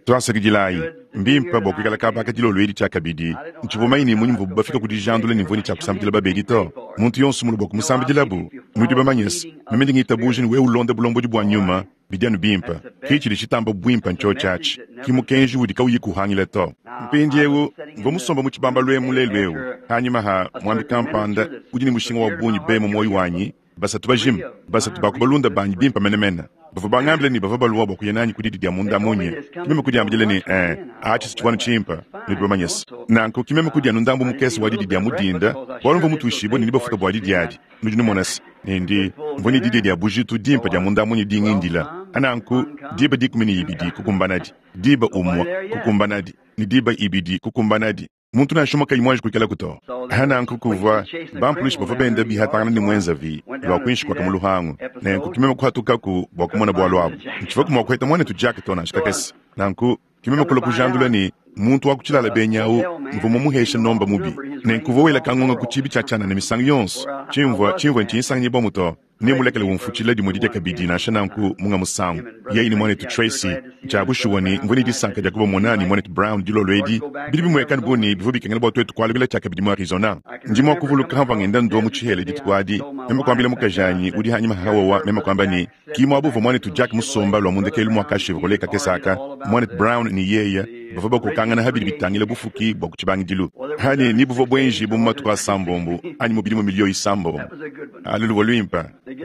Tuasakidilayi. Mbimpe bua kuikala kaba aka dilolo edi tshiakabidi. Ntshivua mumanye ne mmunyi muvuabu bafika ku dijandula ne mvua ne tshia kusambidila babedi to. Muntu yonso mulue bua kumusambidilabu. Nudi bamanye se, meme ndi ngitabuja ne wewe ulonda bulombodi bua nyuma, bidi anu bimpe. Ke tshidi tshitamba buimpe ntshiotshi atshi. Ki mukenji udi kauyi kuhangila to. Mpindieu, mvua musombe mu tshibambalu emu lelu eu, panyima ha muambi kampanda udi ne mushinga wa bungi be mu muoyo wanyi, Basatu bajima, basatu ba ku balunda banyi bimpe menemene, bavua bangambile ne, bavua balua bua kuya nanyi ku didi dia munda munya. Ke meme kudiambidila ne, Ee, atshi si tshivua anu tshimpe, nudi bamanye se. Nanku ke meme kudia anu ndambu mukese wa didi dia mu dinda, bualu mvua mutuishibue ne nebafuta bua didi adi. Nudi numona se, ne ndi, mvua ne didia dia bujitu dimpe dia munda munya dingindila. Nanku diba 12 kukumbanadi, diba umue kukumbanadi, ne diba ibidi kukumbanadi. Muntu nansha umue kayi muanji kuikalaku to. Ha nanku kuvua bampulushi bavua benda bihatangana ne muenzavi lua kuinshi kua mu luhangu. Nenku ki meme kuhatukaku bua kumona bualu abu. Ntshivuaku mua kuheta muanetu Jack to nansha kakese. Nanku ki meme kulua kujandula ne, muntu wa ku tshilala benyi au mvua mumuheshe nomba mubi. Nenku uvua wela kangonga ku tshibi tshia tshianana misangu yonso. Tshimvua tshimvua ntshinsanganyibua to. Nemmulekele umfutshila dimue didia kabidi, nansha nanku munga musangu. Yeye ne muanetu Tracy, ntshia bushuwa ne, mvua ne disanka dia kubamona ne muanetu Brown dilolo edi. Bidi bimueka anu bu ne, bivua bikengela bua tuetu kualukila tshiakabidi mu Arizona. Ndi mua kuvuluka hamvua ngenda ndua mu tshihela dituku adi, meme kuambila mukajanyi udi hanyima ha wowa, meme kuamba ne, Ki muaba uvua muanetu Jack musomba lua mu ndekelu mua ka Chevrolet kakese aka, muanetu Brown ne yeye bavua bakokangana ha bidi bitangila bufuki bua ku tshibangidilu. Anyi ni buvua buenjibue mu matuku asambombo anyi mu bidimu miliyo isambombo. Alu luvua luimpe.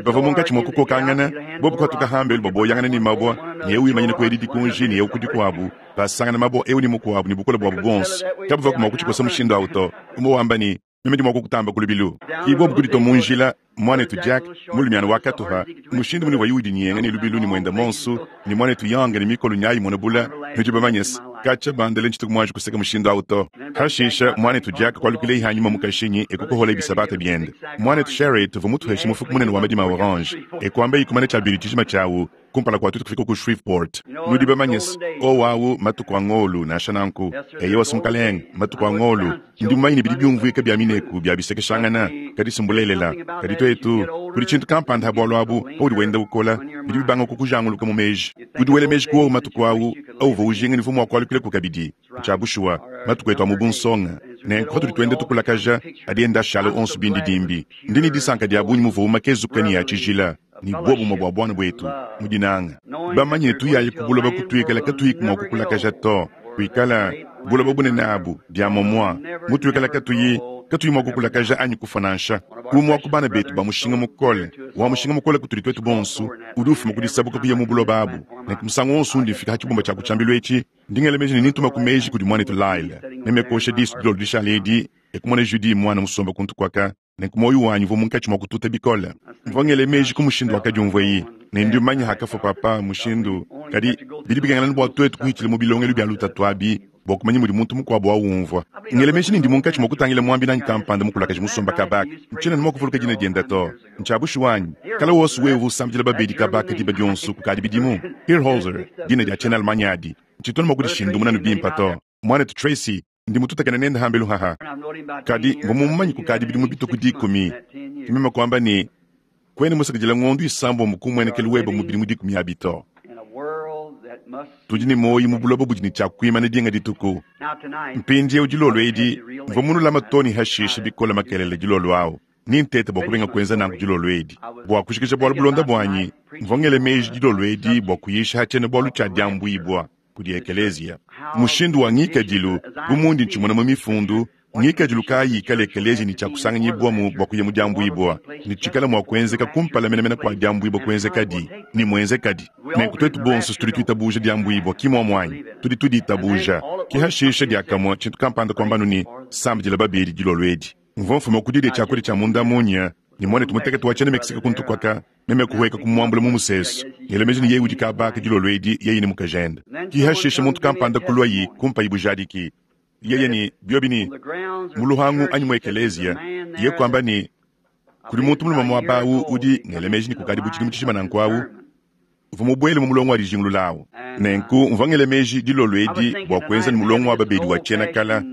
Bavua munkatshi mua kukokangana, bobu kuhatuka hambelu baboyangana ne mabua, ne eu wimanyina ku edi dikunji ne eu ku dikuabu, basangana mabua eu ne mukuabu ne bukole buabu buonso. Kabavuaku mua kutshikosa mushindu au to. Umue wamba ne, Meme ndi mua kukutamba ku lubilu. Ki bobu kuditua mu njila, muanetu Jack, mulumiana wa katupa, mushindu munuvua udinyenga ne lubilu ne muenda monsu, ne muanetu Young ne mikolu nyayi imona bula, nudi bamanye se, katshia bandele ntshituku muanji kuseka mushindu awu to. Hashisha, muanetu Jack kualukileyi hanyima mu kashinyi e kukoholayi bisabata biende. Muanetu Sherritt uvua mutuheshe mufuku munene wa madima a orange, e kuambayi kumana tshia bidi tshijima tshiawu kumpala kua tuetu kufika ku Shreveport. Nudi bamanye se, owu awu matuku a ngolu, nansha nanku. Eyowa, se mukalenge, matuku a ngolu. Ndi mumanye ne bidi biumvuika bia mineku bia bisekeshangana, kadi si mbulelela. Kadi tuetu, kudi tshintu kampanda ha bualu abu, paudi wenda ukola, bidi bibanga kukujanguluka mu meji. Udi wela meji ku wowu matuku awu auvua ujinga ne uvua mua kualukilaku kabidi. Ntshia bushuwa, matuku etu a mu bunsonga, nenku patudi tuenda tukulakaja, adi enda ashala onso bindidimbi. Ndi ne disanka dia bungi muvuawu makezuke ne a tshijila. Ne buobumue bua buana buetu mu dinanga, bamanye ne tuyayi ku buloba kutuikala katuyiku mua kukulakaja to, kuikala buloba bunene abu bia momua mutuikala katuyi katuyi mua kukulakaja anyi kufua nansha. Umue wa ku bana betu ba mushinga mukole, wa mushinga mukole kutudi tuetu bonso, udi ufuma ku disabuka kuya mu buloba abu. Nenku musangu wonso undi mfika ha tshibumba tshia ku tshiambilu etshi, ndi ngela meji ne nintumaku meji kudi muanetu Lyle. Meme kuosha disu dilolo dishale edi, e kumona Judy muana musomba kuntu kuaka. Nenku muoyo wanyi uvua munkatshi mua kututa bikole. Mvua ngela meji ku mushindu wakadiumvuaye, ne ndi mumanye hakafua papa mushindu. Kadi bidi bikengela bua tuetu kuhitshila mu bilongelu bia lutatu abi bua kumanya mudi muntu mukuabu aumvua. Ngela meji ne ndi munkatshi mua kutangila muambi nanyi kampanda mukulakaje musomba kaba aka. Ntshiena mua kuvuluka dina diende to. Ntshia bushuwa anyi? Kale wonso wewe uvua usambidila babedi kaba aka diba dionso kukadi bidimu. Hierholzer, dina dia tshiena-Allemagne adi. Ntshitu anu mua kudishindumuna anu bimpe to. Muanetu Tracy, Ndi mututakena nende hambelu haha, kadi mvua mumumanye kukadi bidimu bitue ku dikumi. Ke meme kuamba ne, Kuena musakidile ngondo isambombo ku mmuenekelu webe mu bidimu dikumi abi to. Tudi ne muoyo mu buloba budi ne tshia kuimana dinga dituku. Mpindieu dilolo edi, mvua munulame too ne hashishe bikole makelela dilolo au. Nintete bua kubenga kuenza nanku dilolo edi. Bua kujikija bualu bulonda buanyi, mvua ngela meji dilolo edi bua kuyisha ha tshiena-bualu tshia diambuibua kudi ekeleziya. Mushindu wa ngikadilu, bu mundi ntshimona mu mifundu, ngikadilu kayi ikala ekeleziya ne tshia kusanganyibuamu bua kuya mu diambuibua, ne tshikala mua kuenzeka kumpala menamena kua diambuibua kuenzekadi, ne muenzekadi. Nenku tuetu bonso tudi tuitabuja diambuibua, ki muomu anyi? Tudi tuditabuja. Ke hashisha diakamue tshintu kampanda kuambanu ne, Sambidila babedi dilolo edi. Mvua mfuma ku didia tshiakudia tshia munda munya ne muanetu mutekete wa tshiena Mexique kuntu kuaka, meme kuhueka kumuambula mu musesu, ngela meji ne yeye udi kaba aka dilolo edi, yeye ne mukajende. Ki hashishe muntu kampanda kuluayi kumpayi bujadiki, yeye ne biobi ne mu luhangu anyi mu ekeleziya, ye kuamba ne kudi muntu mulume muaba awu udi ngela meji ne kukadi bu tshidimu tshijima nanku awu, uvua mubuele mu mulongo wa dijingulula awu. Nenku mvua ngela meji dilolo edi bua kuenza ne mulongo wa babedi wa tshiena kala.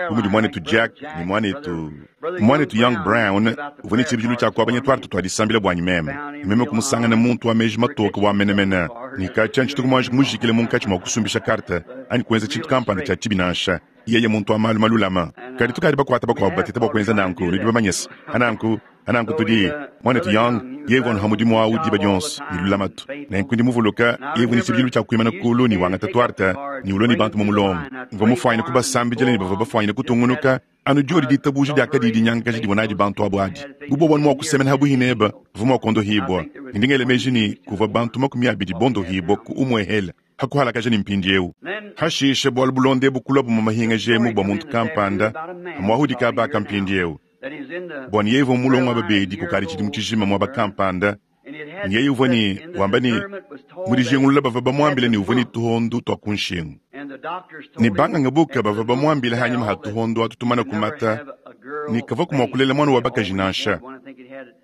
bu mudi muanetu Jack ne muanetu, muanetu Young Brown uvua ne tshibidilu tshia kuabanya tuarte tua disambila buanyi meme. Meme kumusangana muntu wa meji matoke wa menemene, ne katshia ntshituku muanji kumujikila munkatshi mua kusumbisha karte anyi kuenza tshintu kampanda tshia tshibi nansha. Yeye muntu wa malu malulama. Kadi tukadi bakuata bakuabu bateta bua kuenza nanku, nudi bamanye se, nanku, nanku tudi, muanetu Young, yeye uvua anuha mudimu au diba dionso ne lulamatu. Nenku ndi muvuluka yeye uvua ne tshibidilu tshia kuimana kulu ne wangata tuarte ne ulua ne bantu mu mulongo. Mvua mufuanyine kubasambidila ne bavua bafuanyine kutungunuka anu diodi ditabuja diakadi dinyangakaja divua nadi bantu abu adi. Bu bobu anu mua kusemena habuihi nebe, bavua mua kuondohibua. Ne ndi ngela meji ne, kuvua bantu 20 bondohibua ku umuehele. Ha kuhalakaja ne mpindieu. Hashishe bualu bulonda ebu kuluabu mu mahingaja emu bua muntu kampanda, hamuahudi kaba aka mpindieu. Bua ne yeye uvua mu mulongo wa babedi kukadi tshidimu tshijima muaba kampanda, ne yeye uvua ne wamba ne, mu dijingulula bavua bamuambile ne uvua ne tuhondu tua ku nshingu. Ne banganga buka bavua bamuambile hanyima ha tuhondu atu tumana kumata ne kavuaku mua kulela muana wa bakaji nansha.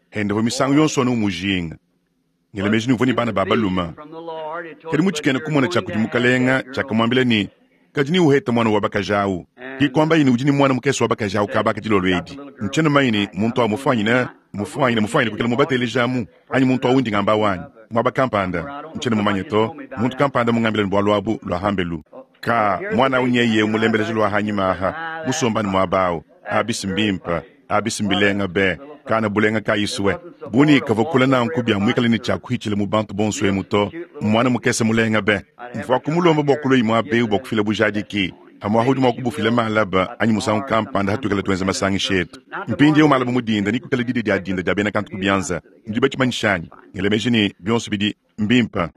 Hende uvua misangu yonso anu umujinga. Ngela meji ne uvua ne bana ba balume. Kadi mu tshikena kumona tshia kudi Mukalenga tshiakamuambila ne, Kadi neuhete muana wa bakaji au. Ke kuambaye ne, udi ne muana mukese wa bakaji au kaba aka dilolo edi. Ntshiena mumanye ne, muntu au mufuanyine, mufuanyine, mufuanyine kuikala mubatelejamu, anyi muntu au undi ngamba au anyi? Muaba kampanda, ntshiena mumanye to. Muntu kampanda mungambile ne bualu abu lua hambelu. Ka, muana au nyeye mulembeleja lua hanyima aha, musombane muaba au. Abisi mbimpe. Abisi mbilenga be, kana bulenga kayisue. Buni kavua kula nanku bia muikale ne tshia kuhitshila mu bantu bonso emu to. Muana mukese mulenga be. Mvua kumulomba bua kulua muaba eu bua kufila bujadiki. Pamuapa udi mua kubufila malaba anyi musangu kampanda hatuikala tuenza masangisha etu. Mpindieu malaba mu dinda nekuikale didia dia dinda dia bena kantu ku bianza. Nudi batshimanyisha anyi? Ngela meji ne, bionso bidi mbimpe.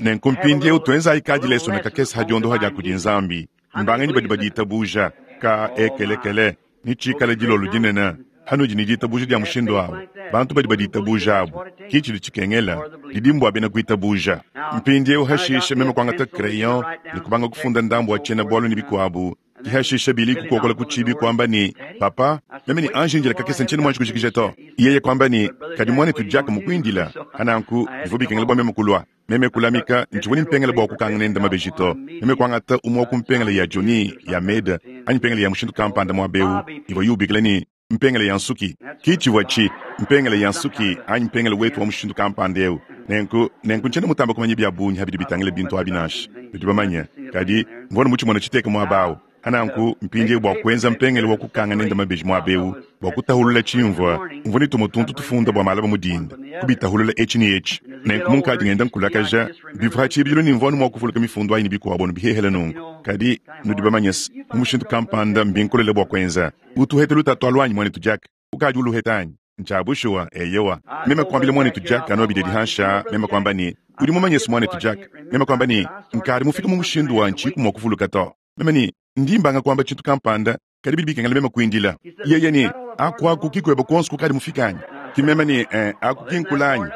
Nenku mpindieu tuenzayi kadilesona kakese ha diondoha dia kudi Nzambi. Mbanganyi badi baditabuja? Ka ekelekele. Netshikale dilolo dinene hanudi ne ditabuja dia mushindu au. Bantu badi baditabuja abu, ki tshidi tshikengela, didi mbua bena kuitabuja. Mpindieu hashishe meme kuangata crayon ne kubanga kufunda ndambu wa tshiena-bualu ne bikuabu. Ki hashishe Billy kukokola ku tshibi kuamba ne, Papa, meme ne anji indila kakese ntshiena muanji kujikija to. Yeye kuamba ne, Kadi muanetu Jack mukuindila. Hananku bivua bikengela bua meme kulua. Meme kulamika, ntshivua ne mpengele bua kukanga nende mabeji to. Meme kuangata umue wa ku mpengele ya Johnny, ya Meda, anyi mpengele ya mushindu kampanda muaba eu ivua yubikila ne, mpengele ya nsuki. Ki tshivua tshi, mpengele ya nsuki, anyi mpengele wetu wa mushindu kampanda eu. Nenku, nenku ntshiena mutamba kumanya bia bungi ha bidi bitangila bintu abi nansha, nudi bamanye. Kadi, mvua anu mutshimone tshiteka muaba au. Hananku, mpindieu bua kuenza mpengele wa kukanga nende mabeji muaba eu, bua kutahulula tshimvua, mvua ne tumue tuntu tufunda bua malaba mu dinda, kubitahulula etshi ne etshi. Nenku munkadi ngenda nkulakaja, bivua ha tshibidilu ne mvua anu mua kuvuluka mifundu ayi ne bikuabu anu bihehele nunku. Kadi, nudi bamanye se, mu mushindu kampanda mbinkolele bua kuenza. Utu uheta lutatu alu anyi, muanetu Jack? Ukadi uluheta anyi? Ntshia bushuwa, eyowa. Meme kuambila muanetu Jack anu abidi adi hanshi aa, meme kuamba ne, Udi mumanye se, muanetu Jack, meme kuamba ne, nkadi mufike mu mushindu wa ntshiku mua kuvuluka to. Meme ne, ndi mbanga kuamba tshintu kampanda, kadi bidi bikengela meme kuindila. Yeye ne, Aku aku ki kueba kuonso kukadi mufike anyi? Ki meme ne, eh, aku ki nkula anyi?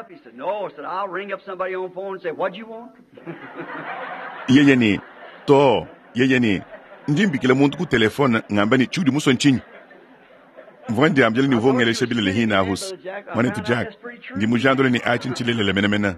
Yeye ne, to. Yeye ne, ndi mbikila muntu ku telefone ngamba ne, tshiudi musue ntshinyi? Mvua ndiambila ne uvua ungelesha bilele hine ahusa. Muanetu Jack, ndi mujandule ne atshi ntshilelela menemene.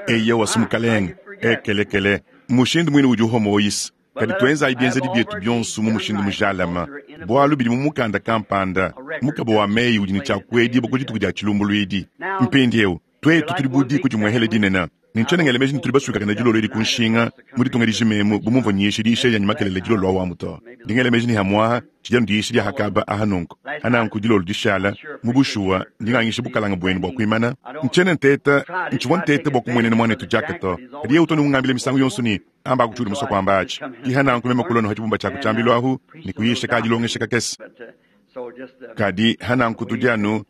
Eyowa, si mukalenge. Ekelekele. Mushindu muine udi uhomoyisa. Kadi tuenzayi bienzedi bietu bionso mu mushindu mujalame, bualu bidi mu mukanda kampanda, mukaba wa meyi udi ne tshia kuedibua ku dituku dia tshilumbuluidi. Mpindieu, tuetu tudi bu diku dimuehele dinene, ne ntshiena ngela meji ne tudi basuikakane dilolo edi ku nshinga mu ditunga dijima emu bu mumvua nyisha diyisha dianyi makelela dilolo awamu to. Ndi ngela meji ne hamuaha tshidi anu diyisha dia hakaba aha nunku. Hananku dilolo dishala, mu bushuwa ndi ngangisha bukalanga buenu bua kuimana. Ntshiena nteta, ntshivua nteta bua kumuenena muanetu Jack to, kadi yeye utu anu ungambila misangu yonso ne, Amba aku tshiudi musue kuamba atshi. Kiha nanku meme kulua nuha tshibumba tshia ku tshiambilu ahu ne kuyisha ka dilongesha kakese. Kadi ha nanku tudi anu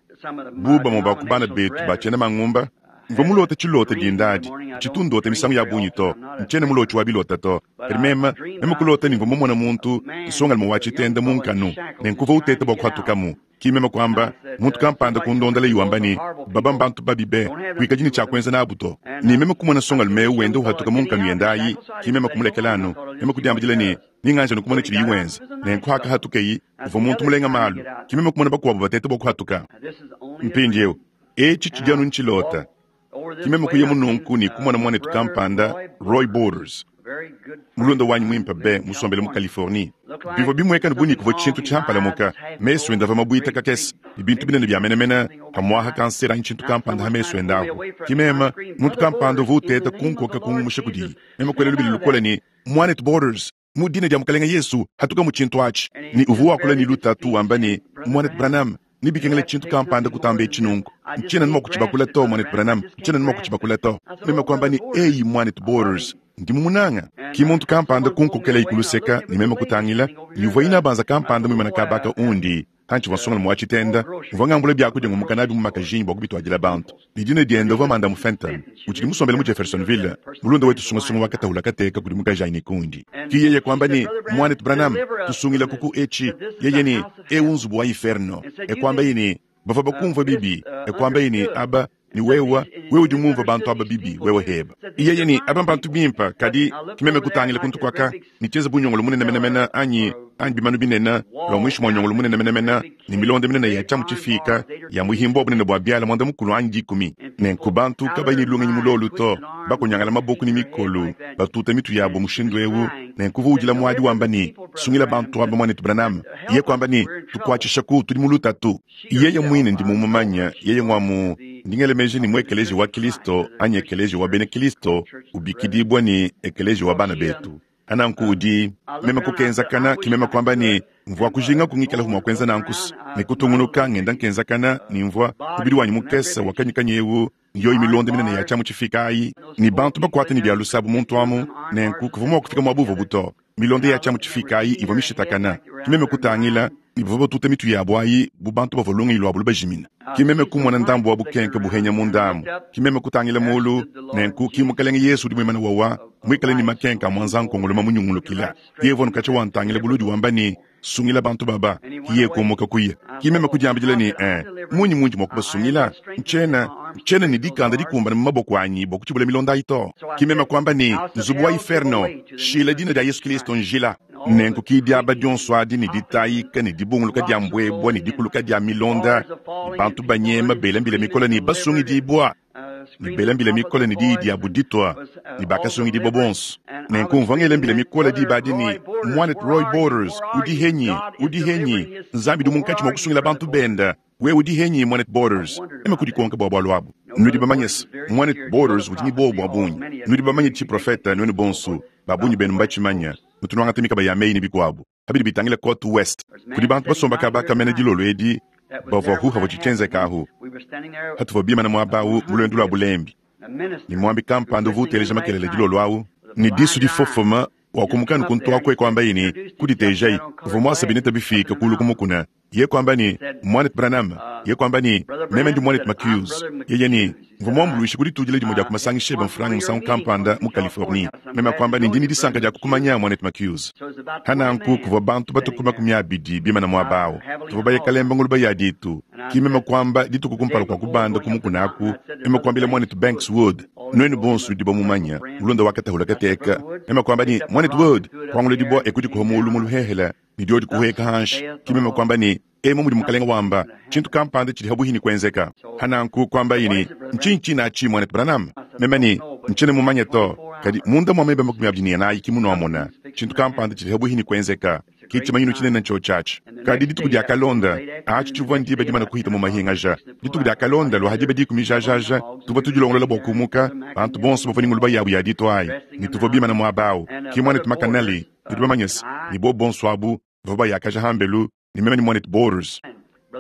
bu bamue ba ku bana betu ba tshiena mangumba. Mvua mulota tshilota dinda adi. Ntshitu ndota misangu ya bungi to. Ntshiena mulotshi wa bilota to. Kadi meme, meme kulota ne mvua mumona muntu, nsongalume wa tshitenda mu nkanu, ne nkuvua uteta bua kuhatukamu. Ki meme kuamba, muntu kampanda kundondela wamba ne, Baba mbantu babi be, kuikadi ne tshia kuenza nabu to. Ne meme kumona nsongalume eu wenda uhatuka mu nkanu yende ayi, ki meme kumulekela anu. Meme kudiambidila ne, Ninganje anu kumona tshidiyi wenza. Nenku hakahatukeyi, uvua muntu mulenga malu. Ki meme kumona bakuabu bateta bua kuhatuka. Mpindieu, etshi tshidi anu ntshilota. Ki meme kuyamu nunku ne kumona muanetu kampanda, Roy Borders, mulunda wanyi muimpe be, musombele mu Californie. Bivua bimueka bu ne kuvua tshintu tshiampalamuka, mesu ende avua mabuita kakese, ne bintu binene bia menemene, pamu'apa kansere anyi tshintu kampanda ha mesu ende apu. Ke meme, muntu kampanda uvua uteta kunkoka kungumusha kudiye. Meme kuela lubila lukole ne, Muanetu Borders, mu dina dia Mukalenge Yesu, hatuka mu tshintu atshi. Ne uvua wakula ne lutatu wamba ne, Muanetu Branham, nebikengele tshintu kampanda kutamba etshi nunku. Ntshiena anu mua kutshibakula to, Muanetu Branham, ntshiena anu mua kutshibakula to. Meme kuamba ne, Eyi, Muanetu Borders, ndi mumunanga. Ki muntu kampanda kunkokelayi ku luseka, ne meme kutangila, ne uvua inabanza kampanda muimana kaba aka undi, pantshivua nsongalume wa tshitenda, mvua ngambula biakudia ngumuka nabi mu makajinyi bua kubituadila bantu. Ne dina diende uvua Mandamu Fenton, utshidi musombele mu Jeffersonville, mulunda wetu sungasunga wa katahula kateka kudi mukajanyi ne kundi. Ki yeye kuamba ne, Muanetu Branham, tusungilaku ku etshi. Yeye ne, Eu nzubu wa inferno. E kuambaye ne, Bavua bakumvua bibi. E kuambaye ne, Aba, ne wewe, wewe udi mumvue bantu aba bibi, wewe heba. Yeye ne, Aba mbantu bimpe, kadi ki meme kutangila kuntu kuaka, ne tshienza bu nyongolo munene menemene anyi, anyi bimanu binene, lua muinshi mua nyongolo munene menemene, ne milonda minene ya tshiamu tshifiika ya muhimbu wa bunene bua biala muanda-mukulu anyi dikumi. Nenku bantu kabayi ne lungenyi mu lolu to, bakonyangala maboko ne mikolo, batuta mitu yabo mushindu eu. Nenku uvua udila muadi wamba ne, Sungila bantu aba, Muanetu Branham. Iye kuamba ne, Tukuatshishaku, tudi mu lutatu. Yeye muine ndi mumumanye, yeye ngwa mu, ndi ngela meji ne mu Ekeleziya wa Kilisto anyi Ekeleziya wa bena Kilisto, ubikidibua ne Ekeleziya wa bana betu. Nanku udi, meme kukenzakana, ki meme kuamba ne, Mvua kujinga kungikalaku mua kuenza nanku's, ne kutungunuka ngenda nkenzakana, ne mvua, mubidi wanyi mukese wa kanyukanyu ewu, ne yoyi milonda minene ya tshiamu tshifiika ayi, ne bantu bakuate ne bia lusabu muntu amu, nenku kuvua mua kufika muaba uvuabu to. Milonda ya tshiamu tshifiika ayi ivua mishitakana. Ki meme kutangila, ne bavua batuta mitu yabu ayi bu bantu bavua lungenyi luabu lubajimina. Ki meme kumona ndambu wa bukenke buhenya munda amu. Ki meme kutangila mulu, nenku ki Mukalenge Yesu udi muimane wawa, muikale ne makenka a muanza-nkongolo mamunyungulukila. Yeye uvua nukatshia wantangila buludi wamba ne, Sungila bantu baba. Ki yeye kumuka kuya. Ki meme kudiambidila ne, Ee, mmunyi mundi mua kubasungila? Ntshiena, ntshiena ne dikanda dikumbane mu maboko anyi bua kutshibula milonda ayi to. Ki meme kuamba ne, Nzubu wa iferno, shila dina dia Yesu Kilisto njila. Nenku ki diaba dionso adi ne ditayika ne dibunguluka dia mbuebua ne dikuluka dia milonda, ne bantu banyema bela mbila mikole ne basungidibua, ne bela mbila mikole ne diyi diabu ditua, ne bakasungidibua bonso. Nenku mvua ngela mbila mikole diba adi ne, Muanetu Roy Borders, udi henyi? Udi henyi? Nzambi udi munkatshi mua kusungila bantu benda. Wewe udi henyi, Muanetu Borders? Meme kudikonka bua bualu abu. Nudi bamanye se, Muanetu Borders udi ne buowa bua bungi. Nudi bamanye tshiprofete, nuenu bonso. Ba bungi benu mbatshimanye. Nutu nuangata mikaba ya meyi ne bikuabu pa bidi bitangila Cote Ouest. Kudi bantu basomba kaba ka mene dilolo edi bavuaku havua tshienzeka ahu. Patuvua bimane muaba au mu luendu lua bulembi, ne muambi kampanda uvua uteleja makelela dilolo au, ne disu difofoma, wakumuka anu kuntu aku e kuambaye ne, Kuditejayi, uvua muase bineta bifiike kuulu ku mukuna. Yeye kuamba ne, Muanetu Branham, yeye kuamba ne, Meme ndi Muanetu McHughes. Yeye ne, Mvua muambuluishe ku ditudila dimue dia ku masangisha ebe mfranga musangu kampanda mu Californie. Meme kuamba ne, Ndi ne disanka dia kukumanya, Muanetu McHughes. Pa nanku kuvua bantu batue ku 20 bimane muaba au. Tuvua baye kalemba nguluba ya ditu. Ki meme kuamba, dituku kumpala kua kubanda ku mukuna aku, meme kuambila Muanetu Banks Wood, nuenu bonso nudi bamumanye, mulunda wa katahula kateka, meme kuamba ne, Muanetu Wood, kuangula dibua e kudikuha muulu mu luhehele, ne diodi kuhueka hanshi. Ki meme kuamba ne, Emu mudi Mukalenge wamba, tshintu kampanda tshidi habuhi ne kuenzeka. Hananku kuambaye ne, Ntshinyi tshinatshi, Muanetu Branham? Meme ne, Ntshiena mumanye to, kadi munda mua meba 24 ki munuamona tshintu kampanda tshidi habuhi ne kuenzeka. Ki tshimanyinu tshinene ntshiotshi atshi. Kadi dituku diakalonda, atshi tshivua ndiba dimane kuhita mu mahingaja. Dituku diakalonda lua ha diba dikumi jajaja, tuvua tudilongolola bua kumuka, bantu bonso bavua ne nguluba yabu ya ditu ayi, ne tuvua bimane muaba au. Ki Muanetu McAnally, nudi bamanye se, ne bobu bonso abu bavua bayakaja hambelu, ne meme ne Muanetu Borders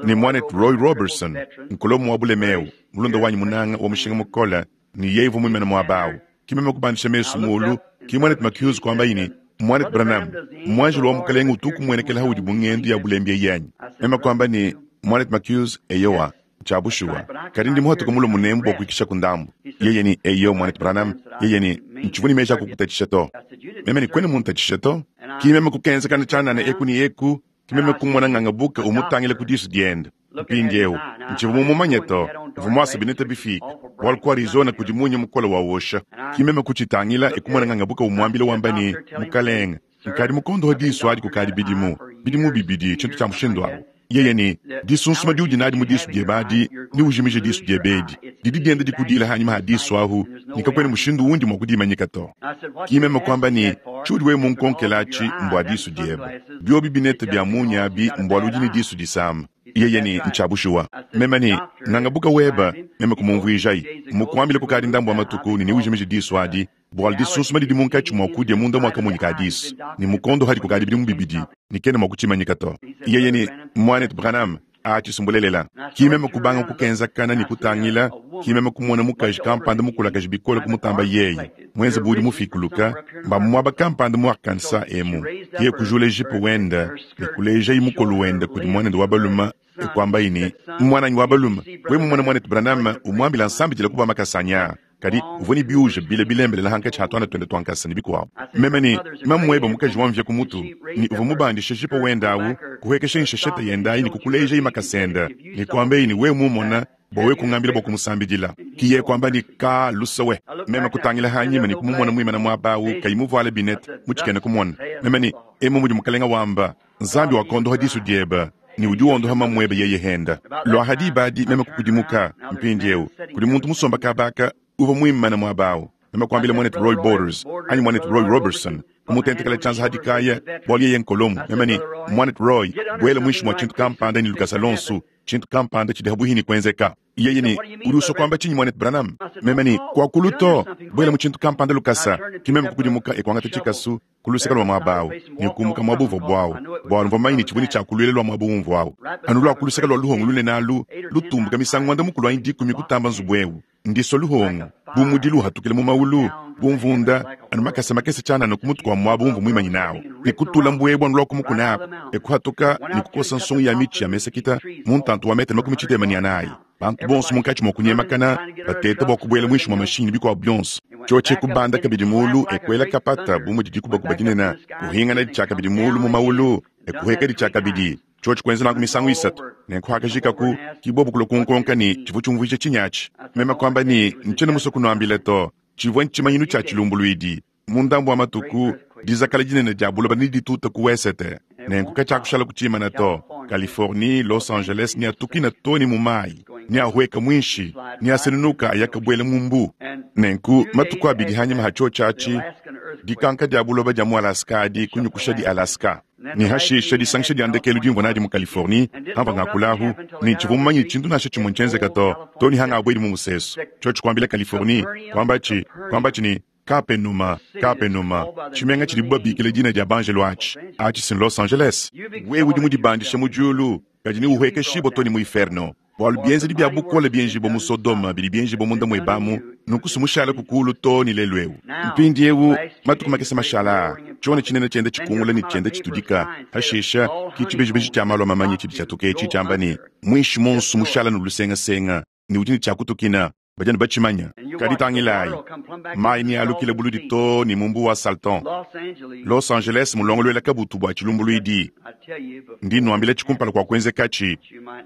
ne Muanetu Roy Roberson, nkolomo wa bulema eu, mulunda wanyi munanga wa mushinga mukole, ne yeye uvua muimane muaba au. Ki meme kubandisha mesu muulu, ki Muanetu McHughes kuambaye ne, Muanetu Branham, muanjelu wa Mukalenge utu ukumuenekela haudi mu ngendu ya bulembi eyi anyi? Meme kuamba ne, Muanetu McHughes, eyowa, ntshia bushuwa, kadi ndi muhatuke mulue munemu bua kuikishaku ndambu. Yeye ne, Eyo, Muanetu Branham. Yeye ne, Ntshivua ne meji a kukutatshisha to. Meme ne, Kuena muntatshishe to. Ki meme kukenzakana tshianana eku ne eku, ki meme kumona ngangabuka umutangila ku disu diende. Mpindieu, ntshivua mumumanye to, uvua muase bineta bifiike, bualu ku Arizona kudi munya mukole wa wosha. Ki meme kutshitangila e kumona ngangabuka umuambila wamba ne, Mukalenge, nkadi mukondohe disu adi kukadi bidimu, bidimu bibidi, tshintu tshia mushindu au. Yeye ne, Disunsuma diudi nadi mu disu diebe adi, neujimije disu diebe edi. Didi dienda dikudiila hanyima ha disu ahu, ne kakuena mushindu wundi mua kudimanyika to. Ki meme kuamba ne, Tshiudi wewe munkonkele atshi mbua disu diebe. Biobi binete bia munya abi mbualu udi ne disu disama. Yeye ne, Ntshia bushuwa. Meme ne, Ngangabuka weba, meme kumumvuijayi. Mmukuambile kukadi ndambu wa matuku ne neujimije disu adi, bualu disunsuma didi munkatshi mua kudia munda mua kamonyi ka disu, ne mukondo hadi kukadi bidimu bibidi, ne kena mua kutshimanyika to. Yeye ne, Muanetu Branham, atshi si mbulelela. Ki meme kubanga kukenzakana ne kutangila, ki meme kumona mukaji kampanda mukulakaje bikole kumutamba yeye, muenze bu udi mufikuluka, mba mu muaba kampanda mu Arkansas emu. Yeye kujula jipe wende ne kulejayi mukolo wende kudi muanende wa balume, e kuambaye ne, Muananyi wa balume, wewe mumone muanetu Branham, umuambila nsambidila ku makasa anyi aa. Kadi uvua ne biuja bile bilembelela hankatshi ha tuana tuende tua nkasa ne bikuabu. Meme ne mamuebe mukaji wa mvia ku mutu, ne uvua mubandishe jipe wende au, kuhuekesha nsheshete yende ayi ne kukulejayi makasa ende, ne kuambaye ne, wewe mumona, bua wewe kungambila bua kumusambidila. Ki yeye kuamba ne, Ka luse we. Meme kutangila hanyima ne kumumona muimane muaba au kayi muvuale binete, mu tshikena kumona. Meme ne, Emu mudi Mukalenga wamba, Nzambi wakondoha disu diebe, ne udi wondoha mamuebe yeye henda. Lua ha diba adi meme kukudimuka, mpindieu kudi muntu musomba kaba aka uvua muimane muaba au. Meme kuambila muanetu Roy Borders, anyi muanetu Roy Roberson, kumutentekela tshianza ha dikaya, bualu yeye nkolomu. Meme ne, Muanetu Roy, buela muinshi mua tshintu kampanda ne lukasa luonso, tshintu kampanda tshidi habuihi ne kuenzeka. Yeye ne, Udi usua kuamba tshinyi, muanetu Branham? Meme ne, Kuakulu to, buela mu tshintu kampanda lukasa. Ki meme kukudimuka e kuangata tshikasu ku luseke lua muaba au ne kumbuka muaba uvuabu au, bualu mvua mumanye ne tshivua ne tshia kuluila lua muaba umvua au, anu lua ku luseke lua luhongu lunene alu, lutumbuka misangu muanda mukulu anyi dikumi kutamba nzubu eu. Ndisua luhongu, bu mudilu uhatukila mu maulu, bu mvunda, anu makese makese tshianana ku mutu kua muaba umvua muimanyine au, ne kutula mbuebue anu lua ku mukuna aku, e kuhatuka ne kukosa nsongo ya mitshi ya mesekita mu ntantu wa metele 34. Bantu bonso munkatshi mua kunyemakana, bateta bua kubuela muinshi mua mashinyi ne bikuabu bionso. Tshiotshi e kubanda kabidi mulu, e kuela kapata bu mudi dikubakuba dinene, kuhinganadi tshiakabidi mulu mu maulu, e kuhuekadi tshiakabidi. Tshiotshi kuenza nanku misangu isatu. Nenku hakajikaku, ki bobu kulua kunkonka ne, tshivua tshiumvuija tshinyi atshi. Meme kuamba ne, Ntshiena musue kunuambila to. Tshivua ntshimanyinu tshia tshilumbuluidi. Mu ndambu wa matuku, dizakala dinene dia buloba neditute ku wesete, nenku katshiakushala ku tshimana to. Californie, Los Angeles neatukina too ne mu mayi, neahueka muinshi, neasenunuka aya kabuela mu mbu. Nenku matuku abidi hanyima ha tshiotshi atshi, dikanka dia buloba dia mu Alaska adi kunyukushadi Alaska. Ne hashisha disangisha dia ndekelu dimvua nadi mu Californie, hamvua ngakula ahu, ne tshivua mumanye ne tshintu nansha tshimue ntshienzeka to, too ne hangabuedi mu musesu. Tshiotshi kuambila Californie, kuambatshi, kuambatshi ne, Kapenuma, Kapenuma, tshimenga tshidibu babikila dina dia banjelu atshi, atshi si n'Los Angeles. Wewe udi mudibandishe mu diulu, kadi neuhuekeshibue too ne mu iferno, bualu bienzedi bia bukole bienjibua mu Sodoma bidi bienjibua munda muebe amu, nunku si mushaleku kulu too ne lelu eu. Mpindieu, matuku makese mashala aa, tshiona tshinene tshienda tshikungula ne tshienda tshitudika, pashishe ki tshibejibeji tshia malu a mamanya tshidi tshiatuka etshi tshiamba ne, Muinshi muonso mushala ne lusengasenga ne udi ne tshia kutukina. Badi anu batshimanya. Kadi tangilayi, mayi nealukile buludi too ne mu mbuwa wa Salton. Los Angeles mulongoluela kabutu bua tshilumbuluidi. Ndi nnuambilatshi kumpala kua kuenzekatshi,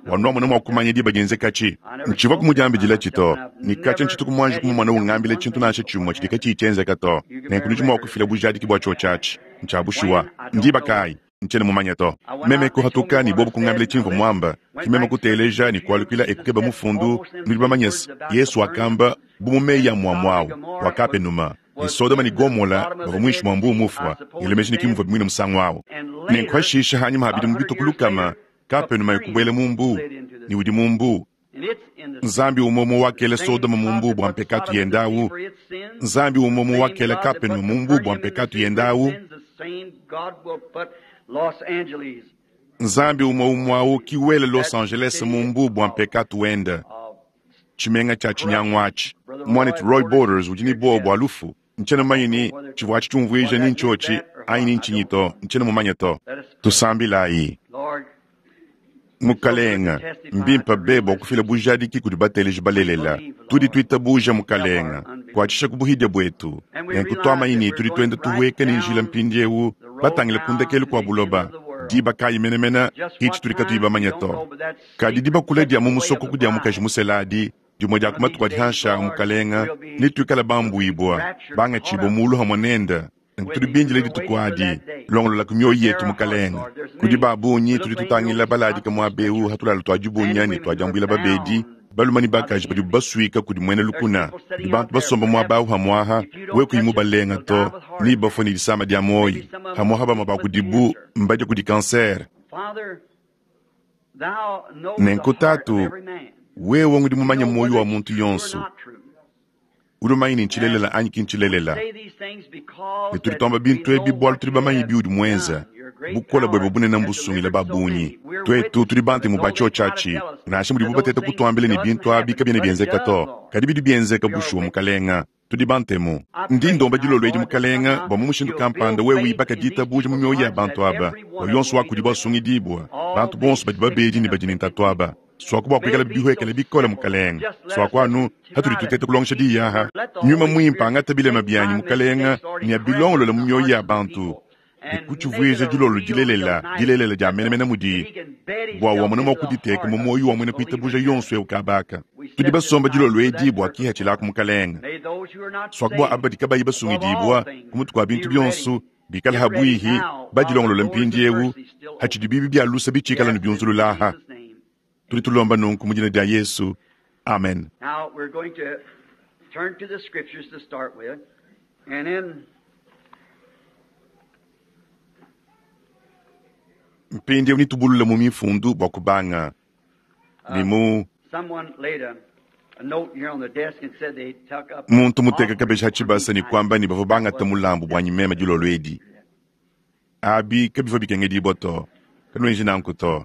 bua nuamona mua kumanya diba dienzekatshi. Ntshivua kumudiambidilatshi to, ne katshia ntshituku muanji kumumona ungambila tshintu nansha tshimue tshidi katshiyi tshienzeka to. Nenku nudi mua kufila bujadiki bua tshiotshi atshi. Ntshia bushuwa. Ndiba kayi? Ntshiena mumanye to. Meme kuhatuka ne bobu kungambila tshimvua muamba. Ke meme kuteleja ne kualukila e kukeba mufundu. Nudi bamanye se, Yesu wakamba bu mu meyi a muamua au bua Kapenuma ne Sodoma ne Gomola bavua muinshi mua Mbuu Mufua. Ngela meji ne ki muvua muine musangu au. Nenku hashishe hanyima ha bidimu bitue ku lukama, Kapenuma e kubuela mu mbuu, ne udi mu mbuu. Nzambi umue umue wakela Sodoma mu mbuu bua mpekatu yende au, Nzambi umue umue wakela Kapenuma mu mbuu bua mpekatu yende au, Nzambi umue umue au ki wela Los Angeles mu mbuu bua mpekatu wende, tshimenga tshia tshinyangu atshi. Muanetu Roy Borders udi ne buowa bua lufu. Ntshiena mumanye ni tshivua atshi tshiumvuija ni ntshiotshi anyi ni ntshinyi to, ntshiena mumanye to. Tusambilayi. Mukalenga, mbimpe be bua kufila bujadiki kudi bateleji balelela. Tudi tuitabuja, Mukalenga, kuatshisha ku buhidia buetu. Nenku tuamanyi ne tudi tuenda tuhueka ne njila mpindieu batangile ku ndekelu kua buloba. Diba kayi menemene ki tshitudi katuyi bamanye to. Kadi dibakula dia mu musokoku dia mukaji musela adi, dimue dia ku matuku adi hanshi a Mukalenga, netuikale bambuibua, bangatshibue mulu hamue nende. Nenku tudi bindile dituku adi. Longololaku mioyo yetu, Mukalenge. Kudi ba bungi tudi tutangila baladika muaba eu ha tulalu tua dibunya ne tua diambuila babedi, balume ne bakaji badibu basuika kudi muena lukuna. Kudi bantu basomba muaba au hamuaha, wewe kuyi mubalenga to, ne bafue ne disama dia muoyo. Hamuaha bamue ba kudibu mbadia kudi kansere. Nenku Tatu, wewe ngudi mumanye muoyo wa muntu yonso. Udi mumanye ne ntshilelela anyi ki ntshilelela. Ne tudi tuamba bintu ebi bualu tudi bamanye biudi muenza. Bukole buebe bunene mbusungile ba bungi. Tuetu tudi bantemu ba tshiotshi atshi, nansha mudibu bateta kutuambila ne bintu abi kabiena bienzeka to. Kadi bidi bienzeka bushuwa, Mukalenga. Tudi bantemu. Ndi ndomba dilolo edi, Mukalenga, bua mu mushindu kampanda wewe wibaka ditabuja mu mioyo ya bantu aba, bua yonso wa kudibu asungidibua, bantu bonso badi babedi ne badi ne ntatu aba. Suaku bua kuikala bihuekele bikole, Mukalenge. Suaku anu hatudi tuteta kulongesha diyi aha. Nyuma Muimpe angata bilema bianyi, Mukalenge, ne abilongolole mu mioyo ya bantu, ne kutshivuija dilolo dilelela, dilelela dia menemene mudi, bua wamona mua kuditeka mu muoyo wa muena kuitabuja yonso eu kabaka. Tudi basomba dilolo edi bua kihatshilaku, Mukalenge. Suaku bua aba badi kabayi basungidibua ku mutu kua bintu bionso, bikale habuihi, badilongolole mpindieu, hatshidi bibi bia lusa bitshikala ne biunzulula aha. Tudi tulomba nunku mu dina dia Yesu. Amen. Now we're going to turn to the scriptures to start with, and in Mpindieu nitubulule mu mifundu bua kubanga ne mu someone laid a note here on the desk and said they took up muntu muteka kabeji ha tshibasa ne kuamba ne bavua bangata mulambu buanyi meme dilolo edi. Abi kabivua bikengedibua to. Kanuenji nanku to.